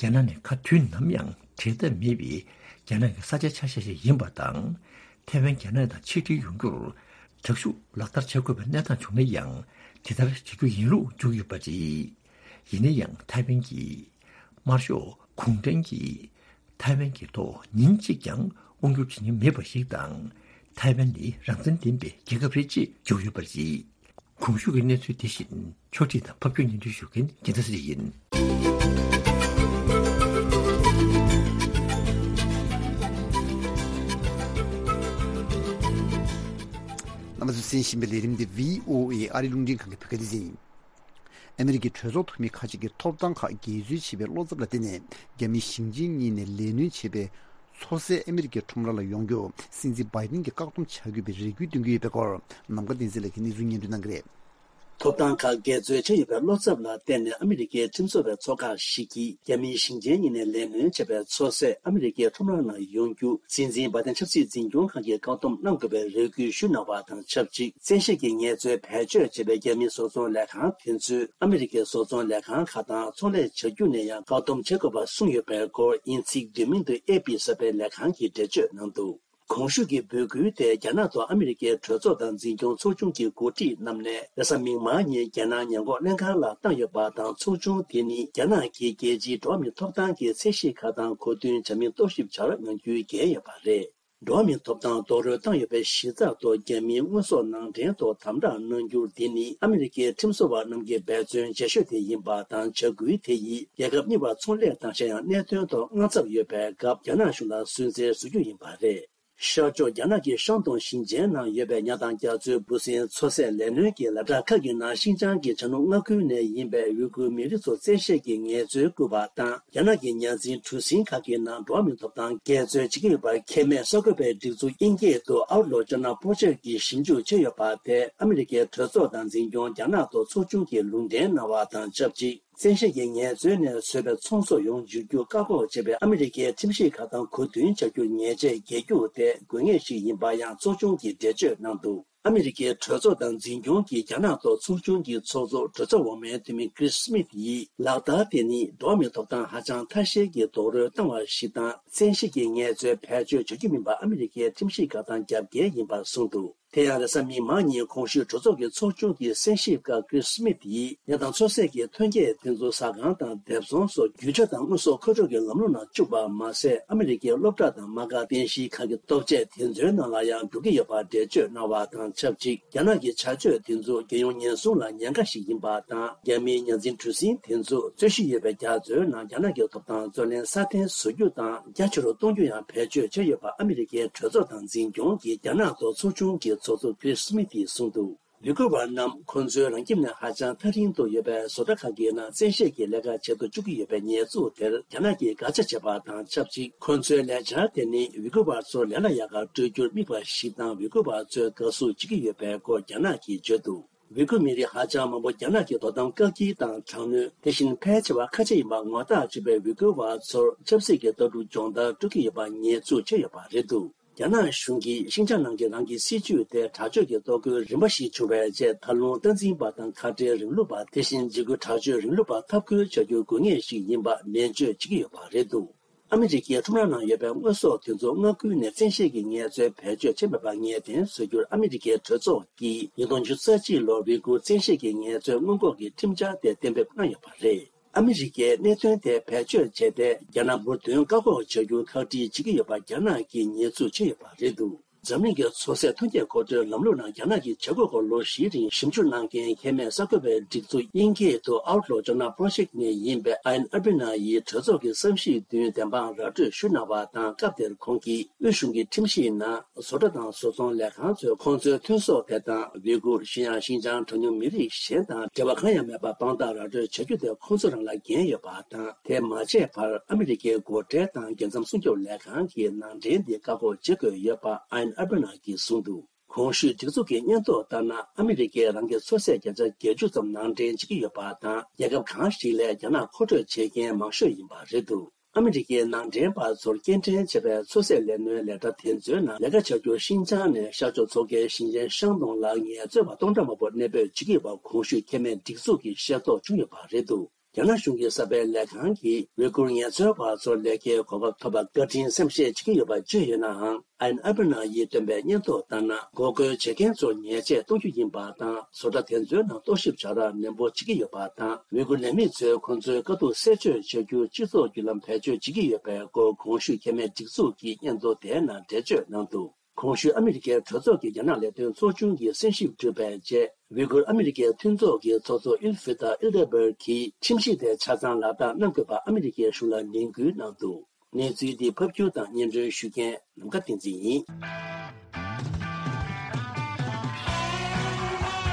རྒྱ་ནག་ནས་ག་དུས་ནམ་ཡང་བྲལ་ཐབས་མེད་པའི་རྒྱ་ནག་གི་ས་ཆའི་ཆ་ཤས་ཤིག་ཡིན་པ་དང་། ཐའེ་ཝན་རྒྱ་ནག་དང་ཆིག་སྒྲིལ་ཡོང་རྒྱུར་དྲག་ཤུགས་ལག་བསྟར་བྱ་དགོས་པའི་གནས་སྟངས་བྱུང་ན་ཡང་དེ་ལྟར་བྱེད་རྒྱུ་ཡིན་ལུགས་བརྗོད་ཡོད་པ་རེད། ཡིན་ན་ཡང་ཐའེ་ཝན་གྱི་དམར་ཤོག་གུང་ཁྲན་གྱིས་ཐའེ་ཝན་གྱི་ཐོག་ཉིན་གཅིག་ཀྱང་དབང་སྒྱུར་བྱེད་མྱོང་མེད་པ་ཞིག་དང་། ཐའེ་ཝན་ནི་རང་བཙན་ལྡན་པའི་རྒྱལ་ཁབ་རེད་ཅེས་བརྗོད་ཡོད་པ་རེད། གོང་ཞུས་ཀྱི་གནས་ཚུལ་དེ་བཞིན་ཕྱོགས་སྒྲིག་དང་ཕབ་སྒྱུར་སྙན་སྒྲོན་ཞུ་མཁན་རྒྱལ་མཚན་ཚེ་རིང་ཡིན། རྣམ་པ་ཚོས་གསན་བཞིན་པའི་ལས་རིམ་འདི་བྷི་ཨོ་ཨེ་ཨ་རིའི་རླུང་འཕྲིན་ཁང་གི་བོད་སྐད་སྡེ་ཚན་ཡིན། ཨ་མི་རི་ཀའི་གྲོས་ཚོགས་འཐུས་མི་ཁག་ཅིག་གིས་ཐོབ་ཐང་ཁག་འགལ་འཛོལ་བྱས་པའི་བློ་འཚབ་ལ་བརྟེན་ནས། རྒྱ་མི་ཞིང་ཆེན་གཉིས་ནས་ལས་སྣོན་བྱས་པའི་མཚོ་གསེར་ཨ་མི་རི་ཀའི་ཁྲོམ་ར་ལ་ཡོང་རྒྱུ་སྲིད་འཛིན་བྷའི་ཏིན་གྱིས་བཀག་སྡོམ་བྱ་དགོས་པའི་རེ་སྐུལ་འདོན་གྱི་ཡོད་པའི་སྐོར། ནམ་མཁའ་བསྟན་འཛིན་ལགས་ཀྱིས་གནས་ཚུལ་སྙན་སྒྲོན་གནང་གི་རེད། ཐོབ་ཐང་ཁག་འགལ་འཛོལ་བྱས་ཡོད་པའི་བློ་འཚབ་ལ་བརྟེན་ནས། ཨ་མི་རི་ཀའི་ཁྲིམས་བཟོ་བའི་ཚོགས་ཁག་ཞིག་གིས་རྒྱ་མིའི་ཞིང་ཆེན་གཉིས་ནས་ལས་སྣོན་བྱས་པའི་མཚོ་གསེར་ཨ་མི་རི་ཀའི་ཁྲོམ་ར་ནང་ཡོང་རྒྱུ་སྲིད་འཛིན་བྷའི་ཏིན་ཆབ་སྲིད་འཛིན་སྐྱོང་ཁང་གིས་བཀག་སྡོམ་གནང་དགོས་པའི་རེ་སྐུལ་ཞུས་གནང་བ་དང་ཆབས་ཅིག་བཙན་ཤེད་ཀྱིས་ངལ་རྩོལ་བེད་སྤྱོད་བྱས་པའི་རྒྱ་མིའི་བཟོ་ཚོང་ལས་ཁང་དེ་ཚོས་ཨ་མི་རི་ཀའི་བཟོ་ཚོང་ལས་ཁང་ཁག་དང་ཚོང་ལས་བྱ་རྒྱུ་ནས་ཡང་བཀག་སྡོམ་བྱེད་དགོས་པ་གསུངས་ཡོད་པའི་སྐོར། དབྱིན་ཚིག་བསྡུས་མིང་དུ་ཨེ་པི་ཟེར་བའི་ལས་ཁང་གིས་འགྲེལ་བརྗོད་གནང་འདུག། གོང་ཞུས་ཀྱི་འབོད་སྐུལ་དེ་རྒྱ་ནག་ཐོག་ཨ་མི་རི་ཀའི་གྲོས་ཚོགས་དང་འཛིན་སྐྱོང་ཚོགས་ཆུང་གི་འགོ་ཁྲིད་རྣམས་ནས་རེས་གཟའ་མིག་དམར་ཉིན་རྒྱལ་ནང་ཉེན་འགོག་ལྷན་ཁང་ལ་བཏང་ཡོད་པ་དང་། ཚོགས་ཆུང་དེ་ནི་རྒྱ་ནག་གིས་རྒྱལ་སྤྱིའི་འགྲོ་བ་མིའི་ཐོབ་ཐང་གི་ཚད་གཞི་ཁག་དང་གོ་བསྟུན་བྱ་མིན་རྟོག་ཞིབ་བྱ་རོགས་གནང་རྒྱུའི་འགན་ཡོད་པ་རེད། འགྲོ་བ་མིའི་ཐོབ་ཐང་རྡོག་རོལ་བཏང་ཡོད་པའི་གཞི་རྩ་ཐོག་རྒྱ་མིའི་དངོས་ཟོག་ནང་འདྲེན་ཐོག་དམ་དྲག་གནང་རྒྱུ་འདི་ནི་ཨ་མི་རི་ཀའི་ཁྲིམས་བཟོ་བ་རྣམས་ཀྱི་འབད་བརྩོན་ཆེ་ཤོས་དེ་ཡིན་པ་དང་། བྱ་འགུལ་དེ་ཡིས་རྒྱལ་ཁབ་གཉིས་བར་ཚོང་ལས་དང་། གཞན་ཡང་གནད་དོན་ཐོག་དངངས་འཚབ་ཡོད་པའི་སྐབས་རྒྱ་ནག་གཞུང་ལ་སུན་གཙེར་བཟོ་རྒྱུ་ཡིན་པ་རེད། ཤར་ཕྱོགས་རྒྱ་ནག་གི་ཤང་ཏུང་ཞིང་ཆེན་ནང་ཡོད་པའི་ཉ་དང་རྒྱ་མཚོའི་འབུ་སྲིན་མཚོ་ཟས་ལས་སྣོན་གྱི་ལ་དྭགས་ཁག་གི་ནང་ཤིན་ཅང་གི་བྱ་ནུབ་མངའ་ཁུལ་ནས་ཡིན་པའི་ཝི་གུར་མི་རིགས་ཚོ་བཙན་ཤེད་ཀྱིས་ངལ་རྩོལ་བསྐུལ་བ་དང་། རྒྱ་ནག་གི་ཉ་འཛིན་གྲུ་གཟིངས་ཁག་གི་ནང་འགྲོ་བ་མིའི་ཐོབ་ཐང་འགལ་རྩོད་བྱེད་ཀྱི་ཡོད་པར་ཁེ་མེད་གསར་འགོད་པའི་སྒྲིག་འཛུགས་དབྱིན་སྐད་དུ་Outlaw China Project གིས་ཞིབ་འཇུག་བྱས་ཡོད་པ་དེ་ཨ་མི་རི་ཀའི་གྲོས་ཚོགས་དང་འཛིན་སྐྱོང་རྒྱ་ནག་ཐོག་ཚོགས་ཆུང་གིས་ལུང་འདྲེན་གནང་བ་དང་ཆབས་ཅིག་བཙན་ཤེད་ཀྱིས་ངལ་རྩོལ་ནས་བཟོས་པའི་ཚོང་ཟོག་ཡོང་འཇུག་རྒྱུ་བཀག་འགོག་བྱེད་པའི་ཨ་མི་རི་ཀའི་ཁྲིམས་གཞི་ཁག་དང་གོ་བསྟུན་བྱ་རྒྱུ་ཉེས་ཆད་འགེལ་རྒྱུ་དེ་དགོས་ངེས་ཤིག་ཡིན་པ་ཡང་ཚོགས་ཆུང་གིས་འགྲེལ་བརྗོད་གནང་འདུག་ཨ་མི་རི་ཀའི་གྲོས་ཚོགས་དང་འཛིན་སྐྱོང་གིས་རྒྱ་ནག་ཐོག་ཚོགས་ཆུང་གི་ཚོགས་གཙོ་གྲོས་ཚོགས་འོག་མའི་འཐུས་མི་Chris Smith ཡིས་ལག་བསྟར་དེ་ནི་འགྲོ་བ་མིའི་ཐོབ་ཐང་ཧ་ཅང་ཐ་ཤལ་གྱི་རྡོག་རོལ་བཏང་བ་ཞིག་དང་། བཙན་ཤེད་ཀྱིས་ངལ་རྩོལ་བེད་སྤྱོད་བྱ་རྒྱུ་མིན་པ་ཨ་མི་རི་ཀའི་ཁྲིམས་གཞི་ཁག་དང་རྒྱབ་འགལ་ཡིན་པར་གསུངས་འདུག་དེ་ཡང་རེས་གཟའ་མིག་དམར་ཉིན་གོང་ཞུས་གྲོས་ཚོགས་ཀྱི་ཚོགས་ཆུང་གི་གསན་ཞིབ་སྐབས་Chris Smith ཡིས་ཉ་དང་མཚོ་ཟས་ཀྱི་ཐོན་སྐྱེད་དེ་ཚོ་ཟ་ཁང་དང་སྡེབ་ཚོང་སོགས་རྒྱུ་ཆ་དང་དངོས་ཟོག་མཁོ་སྤྲོད་ཀྱི་ལམ་ལུགས་ནང་བཅུག་པ་མ་ཟད། ཨ་མི་རི་ཀའི་སློབ་གྲྭ་དང་མ་དགའ་རྟེན་གཞིའི་ཁང་གི་ལྟོ་ཆས་དེ་ཚོའི་ནང་ལ་ཡང་འགྲོ་གི་ཡོད་པར་འགྲེལ་བརྗོད་གནང་བ་དང་ཆབས་ཅིག་རྒྱ་ནག་གི་བྱ་སྤྱོད་དེ་ཚོ་རྒྱལ་ཡོངས་ཉེན་སྲུང་ལ་ཉེན་ཁ་ཞིག་ཡིན་པ་དང་། རྒྱ་མིའི་ཉ་འཛིན་གྲུ་གཟིངས་དེ་ཚོ་རྩོད་གཞི་ཡོད་པའི་རྒྱ་མཚོའི་ནང་རྒྱ་ནག་གི་ཐོབ་ཐང་རྩོད་ལེན་སྲ་བརྟན་བཟོ་རྒྱུ་དང་རྒྱ་ཆེ་རུ་གཏོང་རྒྱུ་ཡང་བེད་སྤྱོད་བྱས་ཡོད་པ་ཨ་མི་རི་ཀའི་གྲོས་ཚོགས་དང་འཛིན་སྐྱོང་གི་རྒྱ་ནག་ཐོག་ཚོགས་ཆུང་གི་ཚོགས་གཙོ་Chris Smith ཡིས་གསུངས་འདུག་ཝི་གུར་བ་རྣམས་ཁོ་ཚོའི་རང་ཁྱིམ་ནས་ཧ་ཅང་ཐག་རིང་དུ་ཡོད་པའི་བཟོ་གྲྭ་ཁག་གི་ནང་བཙན་ཤེད་ཀྱིས་ལས་ཀ་བྱེད་དུ་བཅུག་གི་ཡོད་པའི་ཉེས་འཛུགས་དེར་རྒྱ་ནག་གིས་དགག་བྱ་བྱས་པ་དང་ཆབས་ཅིག་ཁོ་ཚོའི་ལས་འཆར་དེ་ནི་ཝི་གུར་བ་ཚོར་ལས་སླ་ཡག་ག་སྤྲོད་རྒྱུར་དམིགས་པ་ཞིག་དང་། ཝི་གུར་བ་ཚོས་དགའ་བསུ་བྱེད་ཀྱི་ཡོད་པའི་སྐོར་རྒྱ་ནག་གིས་བརྗོད་འདུག་ཝི་གུར་མི་རིགས་ཧ་ཅང་མང་པོ་རྒྱ་ནག་གི་དོ་དམ་བཀག་སྐྱིལ་དང་དྲག་གནོན། དེ་བཞིན་ཕལ་ཆེ་བ་ཁ་ཆེ་ཡིན་པ་ངོ་རྟགས་བྱས་པའི་ཝི་གུར་བ་ཚོར་ཆབ་སྲིད་ཀྱི་ལྟ་གྲུབ་སྦྱོང་བརྡར་སྤྲོད་ཀྱི་ཡོད་པ་ཉེས་འཛུགས་བྱས་ཡོད་པ་རེད་འདུག་རྒྱ་ནག་གཞུང་གིས་ཤིན་ཅང་ནང་གི་རང་གི་སྲིད་ཇུས་དེ་དྲག་སྤྱོད་ཀྱི་གཏོར་རྒོལ་རིམ་པ་ཞིག་བྱུང་བའི་རྗེས། ད་རུང་སྟངས་འཛིན་པ་དང་ཁ་བྲལ་རིང་ལུགས་པ། དེ་བཞིན་འཇིགས་སྐུལ་དྲག་སྤྱོད་རིང་ལུགས་པ་འཐབ་རྒོལ་བྱ་རྒྱུ་དགོས་ངེས་ཤིག་ཡིན་པ་ནན་བརྗོད་བྱེད་ཀྱི་ཡོད་པ་རེད་འདུག་ཨ་མི་རི་ཀའི་ཁྲོམ་ར་ནང་ཡོད་པའི་དངོས་ཟོག་དེ་ཚོ་མངའ་ཁུལ་ནས་བཙན་ཤེད་ཀྱིས་ངལ་རྩོལ་བེད་སྤྱོད་བྱས་མེད་པ་ངེས་གཏན་བཟོ་རྒྱུར་ཨ་མི་རི་ཀའི་གྲོས་ཚོགས་ཀྱིས་ཉིས་སྟོང་ཉི་ཤུ་རྩ་གཅིག་ལོར་ཝི་གུར་བཙན་ཤེད་ཀྱིས་ངལ་རྩོལ་སྔོན་འགོག་གི་ཁྲིམས་འཆར་དེ་གཏན་འབེབས་གནང་ཡོད་པ་རེད། ཨ་མི་རི་ཀས་གནད་དོན་དེ་བེད་སྤྱོད་བྱས་ཏེ། རྒྱ་ནག་འབུར་ཐོན་བཀག་འགོག་བྱ་རྒྱུར་ཁག་དཀྲི་བྱེད་ཀྱི་ཡོད་པ་རྒྱ་ནག་གིས་ཉེས་འཛུགས་བྱས་ཡོད་པ་རེད་འདུག་འཛམ་གླིང་གི་མཚོ་ཟས་ཐོན་སྐྱེད་མཁོ་སྤྲོད་ལམ་ལུགས་ནང་རྒྱ་ནག་གི་བྱེད་སྒོ་སྐོར་ལོ་བཞིའི་རིང་ཞིབ་འཇུག་གནང་མཁན་ཁེ་མེད་གསར་འགོད་པའི་སྒྲིག་འཛུགས་དབྱིན་སྐད་དུ་Outlaw Journal Project ནས་ཡིན་པའི་Ian Urbina ཡིས་གྲོས་ཚོགས་ཀྱི་བསམ་གཞིག་བདུན་བདེན་དཔང་ར་སྤྲོད་ཞུ་གནང་བ་དང་། སྐབས་དེར་ཁོང་གིས་དབུས་གཞུང་གི་ཁྲིམས་གཞིའི་ནང་བཟོ་གྲྭ་དང་བཟོ་ཚོང་ལས་ཁང་ཚོས་ཁོང་ཚོའི་ཐོན་ཟོག་དེ་དང་ཝི་གུར། གཞན་ཡང་ཤིན་ཅང་གྲངས་ཉུང་མི་རིགས་གཞན་དང་འབྲེལ་བ་གང་ཡང་མེད་པར་དཔང་རྟགས་ར་སྤྲོད་བྱ་རྒྱུ་དེ་ཁོང་ཚོ་རང་ལ་འགན་ཡོད་པ་དང་། དེ་མ་བྱས་བར་ཨ་མི་རི་ཀའི་སྒོ་ཁྲལ་དང་རྒྱལ་མཚམས་སྲུང་སྐྱོབ་ལས་ཁང་གིས་ནང་འདྲེན་འདི་བཀག་འགོག་བྱེད་དགོས་ཡོད་པ་Ian Urbina གིས་གསུངས་འདུག་གོང་ཞུས་སྒྲིག་འཛུགས་ཀྱི་སྙན་ཐོ་ལྟར་ན། ཨ་མི་རི་ཀས་རང་གི་མཚོ་ཟས་བརྒྱ་ཆ་བརྒྱད་ཅུ་ཙམ་ནང་འདྲེན་བྱེད་ཀྱི་ཡོད་པ་དང་། རྒྱལ་ཁབ་གང་ཞིག་ལས་རྒྱ་ནག་མཁོ་སྤྲོད་བྱེད་མཁན་མང་ཤོས་ཡིན་པ་རེད་འདུག་ཨ་མི་རི་ཀའི་ནང་འདྲེན་པ་ཚོར་སྐྱེལ་འདྲེན་བྱས་པའི་མཚོ་ཟས་ལས་སྣོན་ལས་གྲྭ་དེ་ཚོའི་ནང་ལས་ཀ་བྱ་རྒྱུར་ཤིན་ཅང་ནས་ཤར་ཕྱོགས་མཚོ་ཁའི་ཞིང་ཆེན་ཤང་ཏུང་ལ་ངལ་རྩོལ་བ་སྟོང་ཕྲག་མང་པོ་གནས་སྤོས་བྱེད་ཀྱི་ཡོད་པ་གོང་ཞུས་ཁེ་མེད་སྒྲིག་འཛུགས་ཀྱིས་ཤེས་རྟོགས་བྱུང་ཡོད་པ་རེད་འདུག་རྒྱ་ནག་གཞུང་གི་གསར་སྤེལ་ལས་ཁང་གིས་ཝི་གུར་ངལ་རྩོལ་བ་ཚོར་ལས་ཀའི་གོ་སྐབས་ཐོབ་པར་བཀའ་དྲིན་སེམས་ཤེས་བྱེད་ཀྱི་ཡོད་པ་བརྗོད་ཡོད་ནའང་། Ian Urbina ཡིས་བཏོན་པའི་སྙན་ཐོ་ལྟར་ན། འགོག་རྒོལ་བྱེད་མཁན་ཚོར་ཉེས་ཆད་གཏོང་རྒྱུ་ཡིན་པ་དང་། བཟོ་གྲྭ་དེ་ཚོའི་ནང་རྟོག་ཞིབ་བྱ་ར་ནན་པོ་བྱེད་ཀྱི་ཡོད་པ་དང་། ཝི་གུར་ལས་མི་ཚོས་ཁོང་ཚོའི་དཀའ་སྡུག་སེལ་བཅོས་བྱ་རྒྱུར་སྤྱི་ཚོགས་བརྒྱུད་ལམ་བེད་སྤྱོད་བྱེད་ཀྱི་ཡོད་པའི་སྐོར་གོང་ཞུས་ཁེ་མེད་སྒྲིག་འཛུགས་ཀྱིས་སྙན་ཐོ་དེའི་ནང་འགྲེལ་བརྗོད་གནང་འདུག་གོང་ཞུས་ཨ་མི་རི་ཀའི་གྲོས་ཚོགས་ཀྱི་རྒྱ་ནག་ལས་དོན་ཚོགས་ཆུང་གིས་གསན་ཞིབ་གྲུབ་པའི་རྗེས། ཝི་གུར་ཨ་མི་རི་ཀའི་མཐུན་ཚོགས་ཀྱི་ཚོགས་གཙོ་ཨིལ་ཧྥི་ཏཱ་ཨིལ་ཏེ་བེར་གྱིས་ཁྲིམས་གཞི་དེ་ཆ་ཚང་ལག་བསྟར་གནང་དགོས་པ་ཨ་མི་རི་ཀའི་གཞུང་ལ་ནན་སྐུལ་གནང་འདུག་གནས་ཚུལ་འདི་ཕབ་སྒྱུར་དང་སྙན་སྒྲོན་ཞུ་མཁན་ནམ་མཁའ་བསྟན་འཛིན་ཡིན།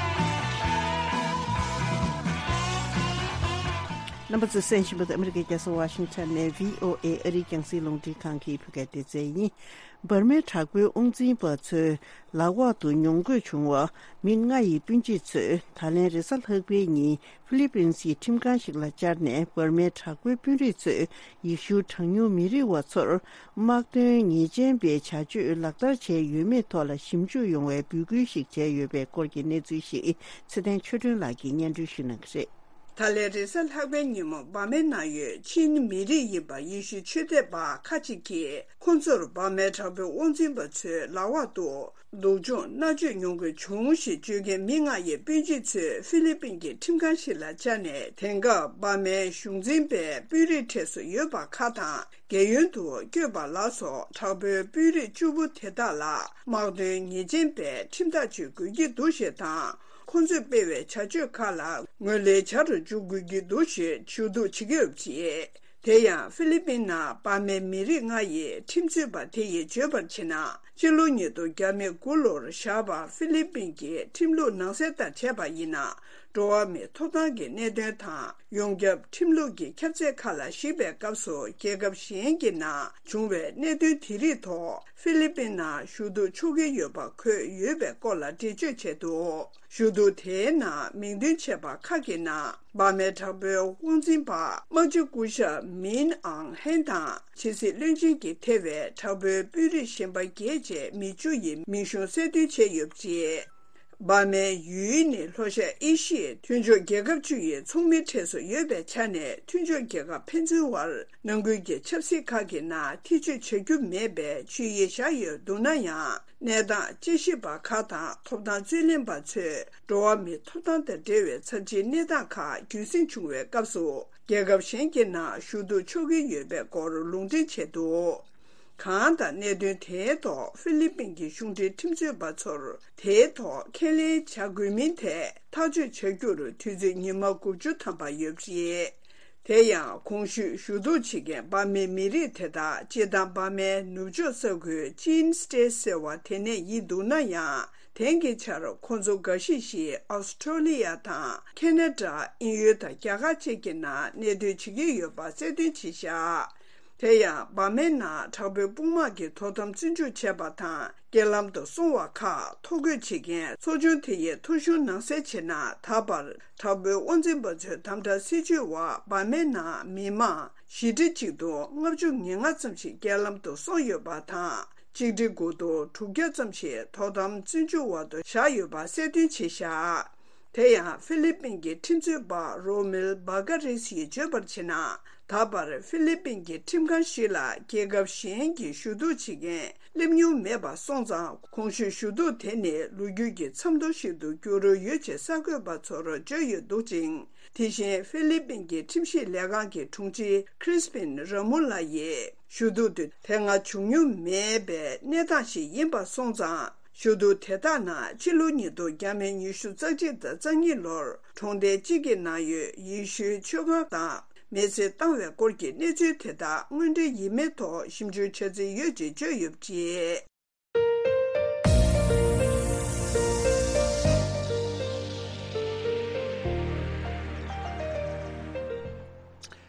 རྣམ་པ་ཚོས་གསན་བཞིན་པ་དེ་ཨ་མི་རི་ཀའི་རྒྱལ་ས་ཝ་ཤིང་ཊོན་ནས་བྷི་ཨོ་ཨེ་ཨ་རིའི་རྒྱང་སྲིང་རླུང་འཕྲིན་ཁང་གི་བོད་སྐད་སྡེ་ཚན་ཡིན། འབར་མའི་དྲག་པོའི་དབང་འཛིན་པ་ཚོའི་ལག་འོག་ཏུ་ཉོ་དགོས་བྱུང་བ་མི་ལྔ་ཡི་སྤུན་མཆེད་ཚོས་ད་ལན་རེས་གཟའ་ལྷག་པའི་ཉིན་ཧྥི་ལི་པིན་སི་ཁྲིམས་ཁང་ཞིག་ལ་བཅར་ནས། འབར་མའི་དྲག་པོའི་དཔོན་རིགས་ཚོས་ཡེ་ཤུའི་གྲངས་ཉུང་མི་རིགས་བ་ཚོར་དམག་དོན་ཉེས་ཅན་པའི་བྱ་སྤྱོད་ལག་བསྟར་བྱས་ཡོད་མེད་ཐོག་ལ་ཞིབ་འཇུག་ཡོང་བའི་འབོད་སྐུལ་ཞིག་བྱས་ཡོད་པའི་སྐོར་གྱི་གནས་ཚུལ་ཞིག་ཚེ་བརྟན་ཆོས་སྒྲོན་ལགས་ཀྱིས་སྙན་སྒྲོན་ཞུ་གནང་གི་རེད། ད་ལན་རེས་གཟའ་ལྷག་པའི་ཉིན་མོ་འབར་མའི་ནང་ཡོད་ཆིན་མི་རིགས་ཡིན་པ་ཡེ་ཤུའི་ཆོས་དད་པ་ཁག་ཅིག་གིས་ཁོ་ཚོར་འབར་མའི་དྲག་པོའི་དབང་འཛིན་པ་ཚོའི་ལག་འོག་ཏུ་སྡུག་སྦྱོང་མནར་གཅོད་མྱོང་དགོས་བྱུང་ཞེས་བརྗོད་མཁན་མི་ལྔ་ཡི་སྤུན་མཆེད་ཚོས་ཧྥི་ལི་པིན་གྱི་ཁྲིམས་ཁང་ཞིག་ལ་བཅར་ནས། དེང་སྐབས་འབར་མའི་གཞུང་འཛིན་པའི་དཔོན་རིགས་གྲས་སུ་ཡོད་པ་ཁག་དང་། རྒས་ཡོལ་དུ་བསྐྱོད་པ་ལ་སོགས་དྲག་པོའི་དཔོན་རིགས་བཅུ་པོ་དེ་དག་ལ་དམག་དོན་ཉེས་ཅན་པའི་ཁྲིམས་ཐག་གཅོད་དགོས་ཀྱི་འདུག་ཞེས་དང་། ཁོང་ཚོས་སྤེལ་བའི་བྱ་སྤྱོད་ཁག་ལ་ངོས་ལེན་བྱ་རུ་འཇུག་དགོས་ཀྱི་འདུག་ཞེས་ཞུ་གཏུག་བྱེད་ཀྱི་ཡོད་པ་རེད། དེ་ཡང་ཧྥི་ལི་པིན་ནང་འབར་མའི་མི་རིགས་ལྔ་ཡི་ཁྲིམས་རྩོད་པ་དེ་ཡིས་བརྗོད་པར་བྱས་ན། སྤྱི་ལོ་ཉིས་སྟོང་བརྒྱ་མེད་དགུ་ལོར་བཞག་པ་ཧྥི་ལི་པིན་གྱི་ཁྲིམས་ལུགས་ནང་གསལ་ལྟར་བྱས་པ་ཡིན་ན། འགྲོ་བ་མིའི་ཐོབ་ཐང་གི་གནད་དོན་དང་ཡོངས་ཁྱབ་ཁྲིམས་ལུགས་ཀྱི་ཁྱབ་ཚད་ཁག་ལ་གཞིགས་པའི་སྐབས་སུ། རྒྱལ་ཁབ་གཞན་གྱི་ནང་བྱུང་བའི་གནད་དོན་དེ་རིགས་ཐོག་ཧྥི་ལི་པིན་ནང་ཞུ་གཏུག་ཆོག་གི་ཡོད་པ་འཁོད་ཡོད་པའི་སྐོར་ལ་འགྲེལ་བརྗོད་བྱས་འདུག་ཞུ་གཏུག་དེའི་ནང་མིང་འདོན་བྱས་པ་ཁག་གི་ནང་། འབར་མའི་དྲག་པོའི་དབང་འཛིན་པ་དམག་སྤྱི་སྐུ་ཞབས་མིན་ཨང་ཧན་དང་། ཕྱི་སྲིད་བློན་ཆེན་གྱིས་ཐེ་བའི་དྲག་པོའི་དཔོན་རིགས་གཞན་པ་བརྒྱད་བཅས་མི་བཅུ་ཡི་མིང་གཞུང་གསལ་སྟོན་བྱས་ཡོད་པ་རེད། འབར་མའི་ཡུལ་ནི་ལྷོ་ཤར་ཨེ་ཤི་ཡའི་མཐུན་ཕྱོགས་རྒྱལ་ཁབ་བཅུ་ཡི་ཚོགས་མིའི་གྲས་སུ་ཡོད་པའི་ཆ་ནས། མཐུན་ཕྱོགས་རྒྱལ་ཁབ་ཕན་ཚུན་དབར་ནང་ཁུལ་གྱི་ཆབ་སྲིད་ཁག་གི་ནང་ཐེ་བྱུས་བྱ་རྒྱུ་མེད་པའི་ཆོད་ཡིག་བཞག་ཡོད་འདུག་ན་ཡང་། གནས་སྟངས་དཔྱད་ཞིབ་པ་ཁག་དང་ཐོབ་ཐང་རྩོད་ལེན་པ་ཚོས་འགྲོ་བ་མིའི་ཐོབ་ཐང་དང་འབྲེལ་བའི་ཚབས་ཆེའི་གནས་སྟངས་ཁག་རྒྱུན་སྲིང་བྱུང་བའི་སྐབས་སུ། རྒྱལ་ཁབ་གཞན་གྱི་ནང་ཞུ་གཏུག་ཆོག་གི་ཡོད་པའི་སྐོར་ལུང་འདྲེན་བྱས་འདུག་གང་ལྟར། གནད་དོན་དེའི་ཐོག་ཧྥི་ལི་པིན་གྱི་གཞུང་འབྲེལ་ཁྲིམས་རྩོད་པ་ཚོར་དེའི་ཐོག་ཁས་ལེན་བྱ་དགོས་མིན་ཐད་ཐག་གཅོད་བྱ་རྒྱུར་དུས་ཚོད་ཉི་མ་དགུ་བཅུ་ཐམ་པ་ཡོད་པ་རེད། དེ་ཡང་གོང་ཞུས་ཞུ་གཏུག་བྱེད་མཁན་འབར་མའི་མི་རིགས་དེ་དག་སྤྱིར་བཏང་འབར་མའི་ནུབ་ཕྱོགས་ས་ཁུལ་ཅིན་སི་ཏེ་ཟེར་བ་དེ་ནས་ཡིན་འདུག་ན་ཡང་། དེང་གི་ཆར་ཁོང་ཚོ་འགའ་ཞིག་ཞིག་ཨོ་སི་ཁྲོ་ལི་ཡ་དང་ཁེ་ན་ཌ། དབྱིན་ཡུལ་དང་རྒྱ་གར་བཅས་ཀྱི་ནང་གནས་སྡོད་བྱེད་ཀྱི་ཡོད་པ་གསལ་སྟོན་བྱས་བཞག་དེ་ཡང་འབར་མའི་ནང་དྲག་པོའི་དཔུང་དམག་གིས་དོ་དམ་བཙོན་འཇུག་བྱས་པ་དང་། རྐྱེན་ལམ་དུ་སོང་བ་ཁག་ཐོ་འགོད་བྱེད་མཁན་ཚོགས་ཆུང་དེ་ཡི་ཐོ་གཞུང་ནང་གསལ་བྱས་ན། ད་བར་དྲག་པོའི་དབང་འཛིན་པ་ཚོའི་དམ་དྲག་སྲིད་བྱུས་འོག་འབར་མའི་ནང་མི་མང་བཞི་ཁྲི་གཅིག་སྟོང་ལྔ་བཅུ་ང་ལྔ་ཙམ་ཞིག་རྐྱེན་ལམ་དུ་སོང་ཡོད་པ་དང་། གཅིག་ཁྲི་དགུ་སྟོང་དྲུག་བརྒྱ་ཙམ་ཞིག་དོ་དམ་བཙོན་འཇུག་འོག་ཏུ་བཞག་ཡོད་པ་གསལ་སྟོན་བྱས་བཞག་དེ་ཡང་ཧྥི་ལི་པིན་གྱི་ཁྲིམས་རྩོད་པ་རོ་མིལ་བྷ་ག་རིས་ཡིས་བརྗོད་པར་བྱས་ན། ད་བར་ཧྥི་ལི་པིན་གྱི་ཁྲིམས་ཁང་ཞིག་ལ་རྒྱལ་ཁབ་གཞན་གྱི་ཞུ་གཏུག་བྱེད་མཁན་སླེབས་མྱོང་མེད་པ་སོང་ཙང་། གོང་ཞུས་ཞུ་གཏུག་དེ་ནི་ལོ་རྒྱུས་ཀྱི་མཚམས་ཐོ་ཞིག་ཏུ་འགྱུར་འོས་ཡོད་ཅེས་གསར་འགོད་པ་ཚོར་བརྗོད་ཡོད་འདུག་ཅིང་། དེ་བཞིན་ཧྥི་ལི་པིན་གྱི་ཁྲིམས་ཞིབ་ལས་ཁང་གི་དྲུང་ཆེ་ཁྲིས་པིན་ར་མུ་ལ་ཡིས། ཞུ་གཏུག་དེ་དེ་སྔ་བྱུང་མྱོང་མེད་པའི་གནས་སྟངས་ཤིག་ཡིན་པ་སོང་ཙང་། ཞུ་གཏུག་དེ་དག་ནང་ཕྱི་ལོ་ཉིས་སྟོང་བརྒྱ་མེད་ཉི་ཤུ་རྩ་གཅིག་དང་རྩ་གཉིས་ལོར་གྲོང་རྡལ་གཅིག་གི་ནང་ཡོད་ཡེ་ཤུའི་ཆོས་ཁང་དང་མེལ་ཚེ་བཏང་བའི་སྐོར་གྱི་གནས་ཚུལ་དེ་དག་དངོས་འབྲེལ་ཡིན་མིན་ཐོག་ཞིབ་འཇུག་བྱ་རྩིས་ཡོད་ཅེས་བརྗོད་ཡོད་པ་རེད།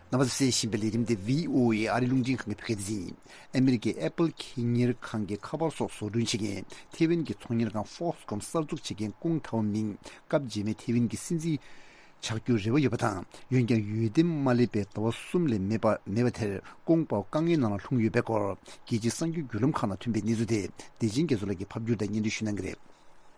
རྣམ་པ་ཚོས་གསན་བཞིན་པའི་ལས་རིམ་དེ་བྷི་ཨོ་ཨེ་ཨ་རི་རླུང་འཕྲིན་ཁང་གི་བོད་སྐད་སྡེ་ཚན་ཡིན། ཨ་མི་རི་ཀའི་ཨེ་པལ་ཁེ་གཉེར་ཁང་གི་ཁ་པར་སོགས་བཟོ་སྐྲུན་བྱེད་མཁན་ཐེ་ཝན་གྱི་ཚོང་གཉེར་ཁང་Foxconn་གསར་འཛུགས་བྱེད་མཁན་ཀུང་ཐའོ་མིང་སྐབས་རྗེས་མའི་ཐེ་ཝན་གྱི་སྲིད་འཛིན་ཆགས་རྒྱུར་རེ་བ་ཡོད་པ་དང་། འོན་ཀྱང་ཡུལ་དེ་མ་སླེབས་པའི་ཟླ་བ་གསུམ་ལས་མེད་པ་མེད་པ་དེར་ཀུང་ཐའོ་དཀའ་ངལ་ནང་ལ་ལྷུང་ཡོད་པའི་སྐོར་རྒྱལ་སྤྱིའི་གསར་འགྱུར་བརྒྱུད་ལམ་ཁག་ནང་ཐོན་པའི་གནས་ཚུལ་དེ་བདེ་ཆེན་རྒྱ་མཚོ་ལགས་ཀྱིས་ཕབ་བསྒྱུར་དང་སྙན་སྒྲོན་ཞུ་གནང་གི་རེད།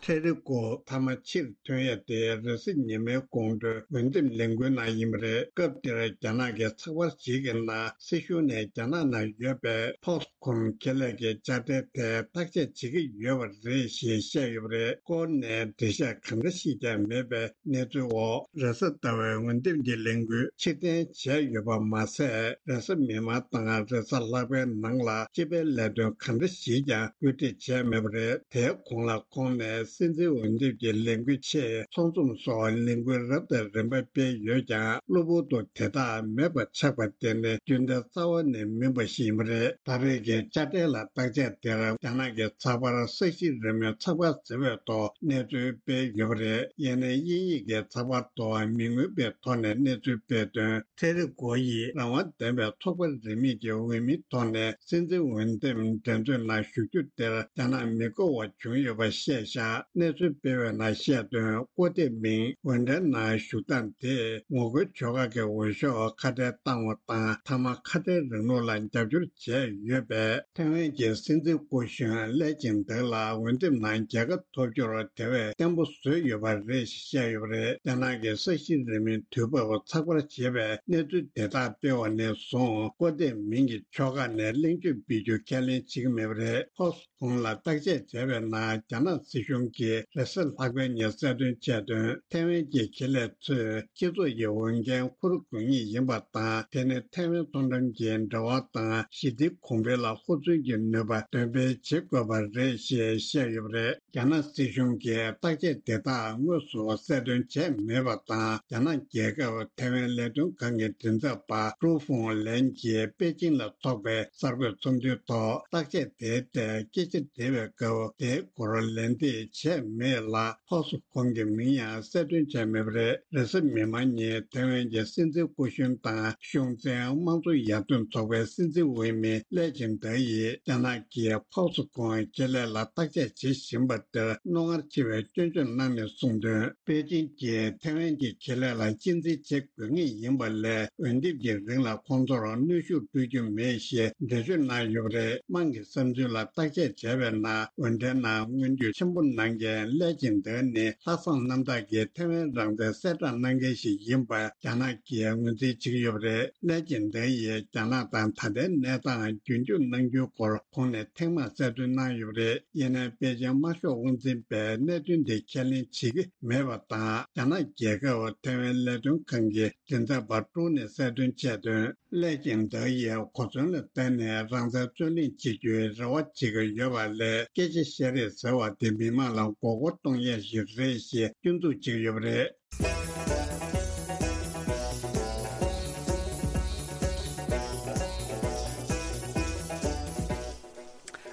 ཐེ་རི་ཀོ་མཐའ་མ་ཕྱིར་ཐོན་ཡ་དེ་རེས་གཟའ་ཉི་མའི་དགོང་དྲོའི་འོས་འདེམས་ལས་འགུལ་ནང་ཡིན་པ་རེད། སྐབས་དེར་རྒྱ་ནག་གི་ཚགས་པར་ཞིག་གི་ནང་སྲིད་གཞུང་ནས་རྒྱ་ནག་ནང་ཡོད་པའི་Foxconn་ཁེ་ལས་ཀྱི་དཔྱ་ཁྲལ་དེ་བརྟག་དཔྱད་བྱེད་ཀྱི་ཡོད་པ་རེད་ཞེས་བཤད་ཡོད་པ་རེད། སྐོར་ནས་འགྲེལ་བཤད་གང་འདྲ་ཞིག་ཀྱང་མེད་པའི་གནས་ཚུལ་འོག་རེས་གཟའ་ཟླ་བའི་འོས་འདེམས་ཀྱི་ལས་འགུལ་ཕྱིར་འཐེན་བྱས་ཡོད་པ་མ་ཟད། རེས་གཟའ་མིག་དམར་དང་རེས་གཟའ་ལྷག་པའི་ནང་ལ་སྤྱི་པའི་ལས་དོན་གང་འདྲ་ཞིག་ཀྱང་བཀོད་སྒྲིག་བྱས་མེད་པ་རེད། དེའི་གོང་ལ་ཁོང་ནས་སྲིད་འཛིན་འོས་འདེམས་ཀྱི་ལས་འགུལ་ཆེད་ཚོགས་འཛོམས་སོགས་ལས་འགུལ་རབ་དང་རིམ་པ་སྤེལ་ཡོད་ཀྱང་། གློ་བུར་དུ་དེ་དག་མེད་པ་ཆགས་པ་དེ་ནི་རྒྱུན་ལྡན་རྩ་བ་ནས་མིན་པ་ཞིག་ཡིན་པ་རེད། ད་རེས་ཀྱི་དཔྱ་ཁྲལ་ལ་བརྟག་དཔྱད་དེར་རྒྱ་ནག་གི་ཚགས་པར་གསར་ཤོས་རིང་མོའི་ཚགས་པར་ཟེར་བའི་ཐོག་གནས་ཚུལ་སྤེལ་ཡོད་པ་རེད། ཡིན་ནའི་དབྱིན་ཡིག་གི་ཚགས་པར་ཐོག་མི་མངོན་པའི་ཐོག་ནས་གནས་ཚུལ་སྤེལ་དོན། ཐེ་རི་ཀོ་ཡིས་རང་དབང་ལྡན་པའི་ཚོགས་པ་རིས་མེད་ཀྱི་འོས་མིའི་ཐོག་ནས་སྲིད་འཛིན་འོས་འདེམས་འགྲན་རྩོད་ནང་ཞུགས་རྒྱུ་དེར་རྒྱ་ནག་མི་དགའ་བ་བྱུང་ཡོད་པ་བཤད་བཞག་གནས་ཚུལ་སྤེལ་བའི་ནང་བཤད་དོན། ཀོ་ཏེ་མིང་ཝེ་ཌན་ནང་བཞུགས་སྟངས་དེས་ངོ་རྒོལ་ཕྱོགས་ཁག་གི་འོས་ཤོག་ཁ་བྲལ་བཏང་བ་དང་། མཐའ་མ་ཁ་བྲལ་རིང་ལུགས་ལ་རྒྱབ་སྐྱོར་བྱས་ཡོད་པས། ཐའེ་ཝན་གྱི་སྲིད་འཛིན་སྐུ་གཞོན་ལེ་ཅིང་ཏེ་ལ་འོས་འདེམས་ནང་རྒྱལ་ཁ་ཐོབ་རྒྱུར་དེ་བས་བརྟན་པོ་བཟོས་ཡོད་པ་རེད་ཞེས་བཤད་ཡོད་པ་རེད། རྒྱ་ནག་གི་ས་གཞི་རིང་མོའི་དུས་བབ་ཚགས་པར་ཞེས་པས་གནས་ཚུལ་དེ་དག་སྤེལ་བ་ནས་བཟུང་ཀོ་ཏེ་མིང་གི་ཕྱོགས་ཁག་ནས་གླེང་བརྗོད་སྤེལ་རྒྱུ་ཁས་ལེན་བྱེད་ཀྱི་མེད་པ་རེད། ཕོགས་སུ་ཁོང་ལ་བརྟག་དཔྱད་བྱས་པའི་ནང་རྒྱ་ནག་སྲིད་གཞུང་གིས་རེས་གཟའ་ལྷག་པའི་ཉིན་གསལ་སྟོན་བྱས་དོན། ཐའེ་ཝན་གྱི་ཁེ་ལས་ཚོས་སྤྱི་ཚོགས་ཀྱི་འོས་འགན་འཁུར་དགོས་ངེས་ཡིན་པ་དང་། དེ་ནི་ཐའེ་ཝན་མཐོ་འགྲམ་གྱི་འབྲེལ་བ་དང་ཞི་བདེ་གོང་འཕེལ་ལ་ཧུར་བརྩོན་གྱི་ནུས་པ་འདོན་སྤེལ་བྱེད་དགོས་པ་རེད་ཞེས་བཤད་ཡོད་པ་རེད། རྒྱ་ནག་སྲིད་གཞུང་གིས་བརྟག་དཔྱད་དེ་དག་དངོས་སུ་གསལ་སྟོན་བྱས་མེད་པ་དང་། རྒྱ་ནག་རྒྱལ་ཁབ་ཐའེ་ཝན་ལས་དོན་ཁང་གི་མགྲིན་ཚབ་པ་ཀྲུའུ་ཧྥུང་ལན་གྱིས་པེ་ཅིང་ལ་འཚོགས་པའི་གསར་འགོད་ཚོགས་འདུའི་ཐོག་བརྟག་དཔྱད་དེའི་ཐད་སྐད་ཆ་དྲིས་པའི་སྐབས། དེའི་སྐོར་ལན་འདེབས་བྱས་མེད་ལ། ཕོགས་སུ་ཁོང་གི་མིང་ཡང་གསལ་སྟོན་བྱས་མེད་པ་རེད། རེས་གཟའ་མིག་དམར་ཉིན་ཐའེ་ཝན་གྱི་སྲིད་འཛིན་སྐུ་གཞོན་དང་གཞུང་འཛིན་དམངས་གཙོ་ཡར་ཐོན་ཚོགས་པའི་སྲིད་འཛིན་འོས་མི་ལེ་ཅིང་ཏེ་ཡིས་རྒྱ་ནག་གིས་ཕོགས་སུ་ཁོང་ཁེ་ལས་ལ་བརྟག་དཔྱད་བྱེད་བཞིན་པ་དེར་རྣོ་ངར་ཆེ་བའི་སྐྱོན་བརྗོད་གནང་ནས་གསུངས་དོན། པེ་ཅིང་གིས་ཐའེ་ཝན་གྱི་ཁེ་ལས་ལ་གཅེས་འཛིན་བྱེད་དགོས་ངེས་ཡིན་པ་ལས། འོས་འདེམས་ཀྱི་རིང་ལ་ཁོང་ཚོར་གནོན་ཤུགས་སྤྲོད་རྒྱུ་མེད་ཞེས་འགྲེལ་བརྗོད་གནང་ཡོད་པ་རེད། དམངས་ཀྱི་བསམ་ཚུལ་ལ་བརྟག་དཔྱད་བྱས་པའི་ནང་། འོས་འགྲན་ནང་མངོན་འགྱུར་ཆེན་པོ་གནང་མཁན་ལེ་ཅིང་ཏེ་ནི་ལྷག་བསམ་རྣམ་དག་གིས་ཐའེ་ཝན་རང་བཙན་གསལ་བསྒྲགས་གནང་མཁན་ཞིག་ཡིན་པ་རྒྱ་ནག་གིས་ངོས་འཛིན་བྱེད་ཀྱི་ཡོད་པ་རེད། ལེ་ཅིང་ཏེ་ཡིས་རྒྱ་ནག་དང་ད་ལྟའི་གནས་སྟངས་རྒྱུན་འཁྱོངས་གནང་རྒྱུའི་སྐོར་གོང་ནས་ཐེངས་མང་གསལ་སྟོན་གནང་ཡོད་པ་རེད། ཡིན་ནའི་པེ་ཅིང་དམར་ཤོག་དབང་འཛིན་པས་གནད་དོན་འདི་ཁས་ལེན་བྱེད་ཀྱི་མེད་པ་དང་། རྒྱ་ནག་རྒྱལ་ཁབ་ཐའེ་ཝན་ལས་དོན་ཁང་གི་མགྲིན་ཚབ་པ་ཀྲུའུ་ནས་གསལ་སྟོན་བྱས་དོན། ལེ་ཅིང་ཏེ་ཡིས་གོ་མཚོན་ལ་བརྟེན་ནས་རང་བཙན་རྩོད་ལེན་བྱེད་རྒྱུའི་རེ་བ་བྱེད་ཀྱི་ཡོད་པ་ལས། སྐད་ཆ་བཤད་རེས་ཟེར་བ་དེ་མི་མང་ལ་མགོ་སྐོར་གཏོང་ཡས་ཤིག་རེད་ཞེས་སྐྱོན་འཛུགས་བྱེད་ཀྱི་ཡོད་པ་རེད།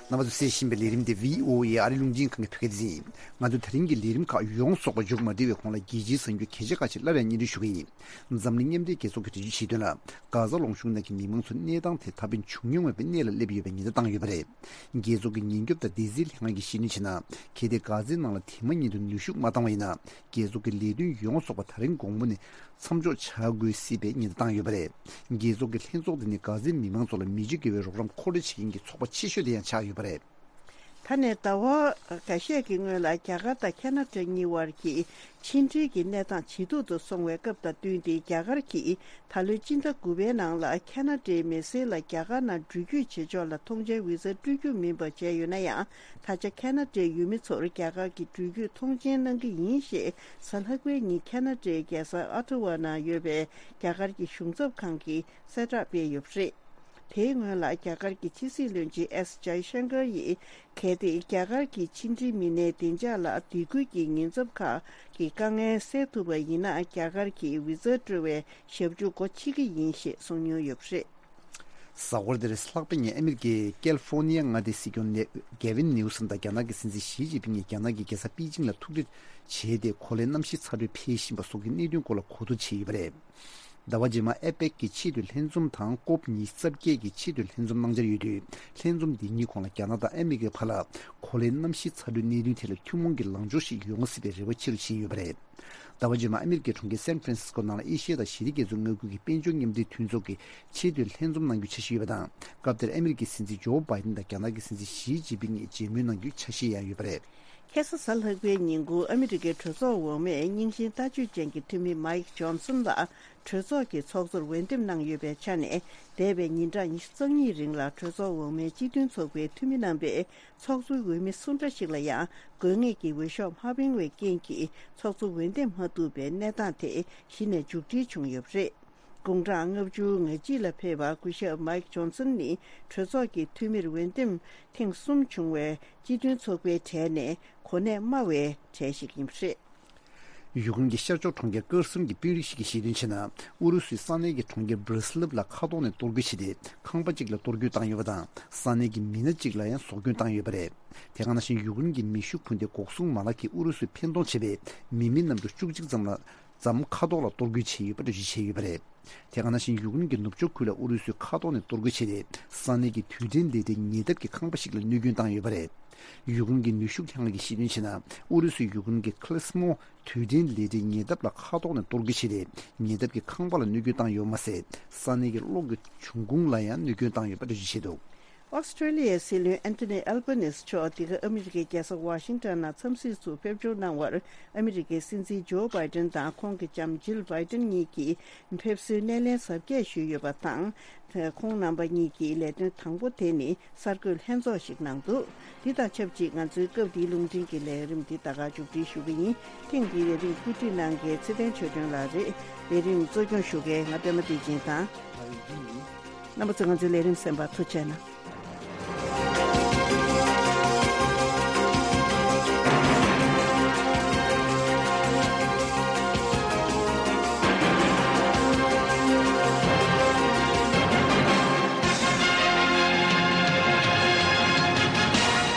རྣམ་པ་ཚོས་གསན་བཞིན་པའི་ལས་རིམ་དེ་བྷི་ཨོ་ཨེ་ཨ་རིའི་རླུང་འཕྲིན་ཁང་གི་བོད་སྐད་སྡེ་ཚན་ཡིན། ང་ཚོས་ད་རིང་གི་ལས་རིམ་ཁག་ཡོངས་རྫོགས་པ་མཇུག་མ་བསྡུས་པའི་གོང་ལ་རྒྱལ་སྤྱིའི་གསར་འགྱུར་གལ་ཆེ་ཁག་ཅིག་སླར་ཡང་སྙན་སྒྲོན་ཞུ་གི་ཡིན། འཛམ་གླིང་མཉམ་འབྲེལ་རྒྱལ་ཚོགས་ཀྱིས་འགྲེལ་བརྗོད་བྱས་དོན་ལ། གྷ་ཟ་ལུང་གཤོང་ནང་གི་མི་མང་ཚོ་གནས་སྟངས་དེ་ད་ཕན་བྱུང་མྱོང་མེད་པའི་གནས་ལ་སླེབས་ཡོད་པའི་ཉེན་བརྡ་བཏང་ཡོད་པ་རེད། རྒྱལ་ཚོགས་ཀྱི་ཉེན་སྐྱོབ་དང་སྡེ་སྲིད་ལྷན་ཁང་གིས་བཤད་དོན་བྱས་ན། གལ་ཏེ་གྷ་ཟའི་ནང་ལ་དེ་མ་ཉིད་དུ་ནུས་ཤུགས་མ་བཏང་བ་ཡིན་ན། རྒྱལ་ཚོགས་ཀྱི་ལས་དོན་ཡོངས་རྫོགས་པ་ད་རིང་དགོང་མོ་ནས་མཚམས་འཇོག་བྱ་དགོས་སྲིད་པའི་ཉེན་བརྡ་བཏང་ཡོད་པ་རེད། རྒྱལ་ཚོགས་ཀྱི་ལྷན་ཚོགས་དེ་ནི་གྷ་ཟའི་མི་མང་ཚོ་ལ་མི་རྗེ་དགེ་བའི་རོགས་རམ་མཁོ་སྤྲོད་བྱེད་མཁན་གྱི་ཚོགས་པ་ཆེ་ཤོས་དེ་ཡང་ཆགས་ཡོད་པ་རེད། ད་ནས་ཟླ་བ་འགའ་ཤས་ཀྱི་སྔོན་ལ་རྒྱ་གར་དང་ཁ་ན་ཌ་གཉིས་བར་གྱི་ཕྱི་འབྲེལ་གྱི་གནས་སྟངས་ཇེ་སྡུག་ཏུ་སོང་བའི་སྐབས་དང་བསྟུན་ཏེ། རྒྱ་གར་གྱིས་ད་ལོའི་སྤྱི་ཟླ་དགུ་པའི་ནང་ལ་ཁ་ན་ཌའི་མི་སེར་ལ་རྒྱ་གར་ནང་འགྲུལ་སྐྱོད་བྱེད་ཕྱོགས་ལ་ཐོངས་མཆན་བི་ཟ་སྤྲོད་རྒྱུ་མིན་པ་བྱས་ཡོད་ན་ཡང་། ད་ཆ་ཁ་ན་ཌའི་ཡུལ་མི་ཚོར་རྒྱ་གར་གྱི་འགྲུལ་སྐྱོད་ཐོངས་མཆན་གནང་གི་ཡིན་ཞེས་གཟའ་ལྷག་པའི་ཉིན་ཁ་ན་ཌའི་རྒྱལ་ས་ཨ་ཐ་ཝ་ནང་ཡོད་པའི་རྒྱ་གར་གྱི་གཞུང་ཚབ་ཁང་གིས་གསལ་བསྒྲགས་སྤེལ་ཡོད་པ་རེད། དེའི་སྔོན་ལ་རྒྱ་གར་གྱི་ཕྱི་སྲིད་བློན་ཆེན་ཨེསི་ཇའི་ཤང་ཀར་ཡིས། གལ་ཏེ་རྒྱ་གར་གྱི་ཕྱི་འབྲེལ་མི་སྣའི་བདེ་འཇགས་ལ་སྡིགས་སྐུལ་གྱི་ཉེན་ཚབས་ཁག་གི་དཀའ་ངལ་སེལ་ཐུབ་པ་ཡིན་ན། རྒྱ་གར་གྱིས་བི་ཛ་སྤྲོད་པའི་ཞབས་ཞུ་སྒོ་ཕྱེ་གི་ཡིན་ཞེས་གསུངས་མྱོང་ཡོད་པ་རེད། གཟའ་འཁོར་འདིར་ལྷག་པའི་ཉིན་ཨ་མེ་རི་ཀའི་ཀལ་ཧྥོ་ནི་ཡ་མངའ་སྡེའི་སྲིད་སྐྱོང་ནེ་གེ་ཝིན་ནིའུ་སམ་དང་རྒྱ་ནག་གི་སྲིད་འཛིན་ཞི་ཅིན་ཕིང་གིས་རྒྱ་ནག་གི་རྒྱལ་ས་པེ་ཅིང་ལ་ཐུག་འཕྲད་བྱས་ཏེ། གོ་ལའི་གནམ་གཤིས་ཚ་དྲོད་འཕེལ་བཞིན་པ་སོགས་ཀྱི་གནད་དོན་སྐོར་ལ་གོ་བསྡུར་བྱས་ཡོད་པ་རེད། ཟླ་བ་རྗེས་མར་ཨེ་པེག་གི་ཆེས་མཐོའི་ལྷན་འཛོམས་དང་ཀོབ་ཉི་ཤུ་རྩ་བརྒྱད་ཀྱི་ཆེས་མཐོའི་ལྷན་འཛོམས་གནང་འཆར་ཡོད་དུས། ལྷན་འཛོམས་འདི་གཉིས་གོང་ལ་རྒྱ་ནག་དང་ཨ་མེ་རི་ཀའི་བར་ལ་གོ་ལའི་གནམ་གཤིས་ཚ་དྲོད་གནད་དོན་ཐད་ལ་ཐུན་མོང་གི་ལངས་ཕྱོགས་ཤིག་ཡོང་སྲིད་པའི་རེ་བ་ཆེ་རུ་ཕྱིན་ཡོད་པ་རེད། ཟླ་བ་རྗེས་མར་ཨ་མེ་རི་ཀའི་གྲོང་ཁྱེར་སན་ཧྥ་རན་སིས་ཀོ་ནང་ལ་ཨེ་ཤི་ཡ་དང་ཞི་བདེ་རྒྱ་མཚོའི་མངའ་ཁུལ་གྱི་དཔལ་འབྱོར་མཉམ་འབྲེལ་མཐུན་ཚོགས་ཀྱི་ཆེས་མཐོའི་ལྷན་འཛོམས་གནང་རྒྱུའི་འཆར་གཞི་ཡོད་པ་དང་། སྐབས་དེར་ཨ་མེ་རི་ཀའི་སྲིད་འཛིན་ཇོ་བྷའི་ཏིན་དང་རྒྱ་ནག་གི་སྲིད་འཛིན་ཞི་ཅིན་ཕིང་གཉིས་མཇལ་མོལ་གནང་རྒྱུའི་འཆར་གཞི་ཡང་ཡོད་པ་རེད། ཁ་སང་གཟའ་ལྷག་པའི་ཉིན་གུང་ཨ་མི་རི་ཀའི་གྲོས་ཚོགས་འོག་མས་རྙིང་ཞེན་ལྟ་སྤྱོད་ཅན་གྱི་འཐུས་མི་མཱིག་ཇོན་སན་ལ་གྲོས་ཚོགས་ཀྱི་ཚོགས་གཙོར་འོས་འདེམས་གནང་ཡོད་པའི་ཆ་ནས། འདས་པའི་ཉིན་གྲངས་ཉི་ཤུ་རྩ་གཉིས་རིང་ལ་གྲོས་ཚོགས་འོག་མའི་སྤྱི་མཐུན་ཚོགས་པའི་འཐུས་མི་རྣམ་པས་ཚོགས་གཙོའི་འོས་མི་སུ་འདྲ་ཞིག་ལ་ཡང་དགོས་ངེས་ཀྱི་འོས་ཤོག་མ་འཕེན་པའི་རྐྱེན་གྱིས། ཚོགས་གཙོ་འོས་འདེམས་མ་ཐུབ་པའི་གནས་སྟངས་དེ་གཞི་ནས་མཇུག་སྒྲིལ་བྱུང་ཡོད་པ་རེད། དགུང་གྲངས་ལྔ་བཅུ་ང་གཅིག་ལ་ཕེབས་པ་སྐུ་ཞབས་མཱིག་ཇོན་སན་ནི་གྲོས་ཚོགས་ཀྱི་འཐུས་མིར་འོས་འདེམས་ཐེངས་གསུམ་བྱུང་བའི་སྤྱི་མཐུན་ཚོགས་པའི་གྲས་ནས་གོ་གནས་དམའ་བའི་གྲས་ཤིག་ཡིན་པ་རེད། ཡུཀ་རེན་གྱི་ཤར་ཕྱོགས་གྲོང་ཁྱེར་ཀེར་སོན་གྱི་དཔོན་རིགས་ཤིག་གིས་བཤད་དོན་བྱས་ན། ཨུ་རུ་སུས་ས་གནས་ཀྱི་གྲོང་ཁྱེར་སྦི་རི་སི་ལབ་ལ་མཁའ་ཐོག་ནས་གཏོར་རྒོལ་བྱས་ཏེ། ཁང་པ་གཅིག་ལ་གཏོར་རྒོལ་བཏང་ཡོད་པ་དང་། ས་གནས་ཀྱི་མི་སྣ་གཅིག་ལ་ཡང་ཟོག་སྐྱོན་བཏང་ཡོད་པ་རེད། དེ་ག་ནང་བཞིན་ཡུཀ་རེན་གྱི་མེ་ཤུགས་འཕུར་མདེལ་འགོག་སྲུང་མ་ལག་གིས་ཨུ་རུ་སུས་འཕེན་གཏོང་བྱས་པའི་མི་མེད་གནམ་གྲུ་བཅུ་གཅིག་ཙམ་ལ། ཙམ་མཁའ་ཐོག་ལ་གཏོར་རྒོལ་བྱས་ཡོད་པ་འགྲེལ་བརྗོད་བྱས་ཡོད་པ་རེད། དེ་ག་ནང་བཞིན་ཡུཀ་རེན་གྱི་ནུབ་ཕྱོགས་ཁུལ་ལ་ཨུ་རུ་སུའི་མཁའ་ཐོག་ནས་གཏོར་རྒོལ་བྱས་ཏེ། ས་གནས་ཀྱི་དུས་དྲན་ལས་གྲྭའི་ཉེ་འདབས་ཀྱི་ཁང་པ་ཞིག་ལ་གནོད་སྐྱོན་བཏང་ཡོད་པ་རེད། ཡུཀ་རེན་གྱི་ནུས་ཤུགས་ལྷན་ཁང་གིས་གཞི་བཏོན་བྱས་ན། ཨུ་རུ་སུས་ཡུཀ་རེན་གྱི་ཁི་ལེ་སི་མོ་དུས་དྲན་ལས་གྲྭའི་ཉེ་འདབས་ལ་མཁའ་ཐོག་ནས་གཏོར་རྒོལ་བྱས་ཏེ། ཉེ་འདབས་ཀྱི་ཁང་པ་ལ་གནོད་སྐྱོན་བཏང་ཡོད་མ་ཟད། ས་གནས་ཀྱི་གློག་གི་འབྱུང་ཁུངས་ལ་ཡང་གནོད་སྐྱོན་བཏང་ཡོད་པ་འགྲེལ་བརྗོད་བྱས་འདུག། ཨོ་སི་ཀྲེ་ལི་ཡའི་སྲིད་བློན་ཨན་ཐོ་ནི་ཨལ་བྷ་ནིས་མཆོག་འདི་ག་ཨ་མི་རི་ཀའི་རྒྱལ་ས་ཝ་ཤིང་ཏོན་ནང་འཚམས་གཟིགས་སུ་ཕེབས་འབྱོར་གནང་བར། ཨ་མི་རི་ཀའི་སྲིད་འཛིན་ཇོ་བྷའི་ཏན་དང་ཁོང་གི་ལྕམ་ཇིལ་བྷའི་ཏན་གཉིས་ཀྱིས་ཕེབས་བསུའི་སྣེ་ལེན་གཟབ་རྒྱས་ཞུས་ཡོད་པ་དང་། ཁོང་རྣམ་པ་གཉིས་ཀྱིས་ལས་དོན་དང་པོ་དེ་ནི་གསར་འགོད་ལྷན་ཚོགས་ཤིག་གནང་འདུག། འདི་དང་ཆབས་ཅིག་ང་ཚོའི་སྐབས་འདིའི་རླུང་འཕྲིན་གྱི་ལས་རིམ་འདི་ད་ག་མཇུག་སྒྲིལ་ཞུ་གི་ཡིན། ཐེངས་འདིའི་ལས་རིམ་བཀོད་སྒྲིག་གནང་མཁན་ཚེ་བརྟན་ཆོས་སྒྲོན་ལགས་རེད། ལས་རིམ་གཙོ་སྐྱོང་ཞུ་མཁན་ང་པད་མ་བདེ་ཆེན་དང་། རྣམ་པ་ཚོས་ང་ཚོའི་ལས་རིམ་གསན་པར་ཐུགས་རྗེ་གནང་།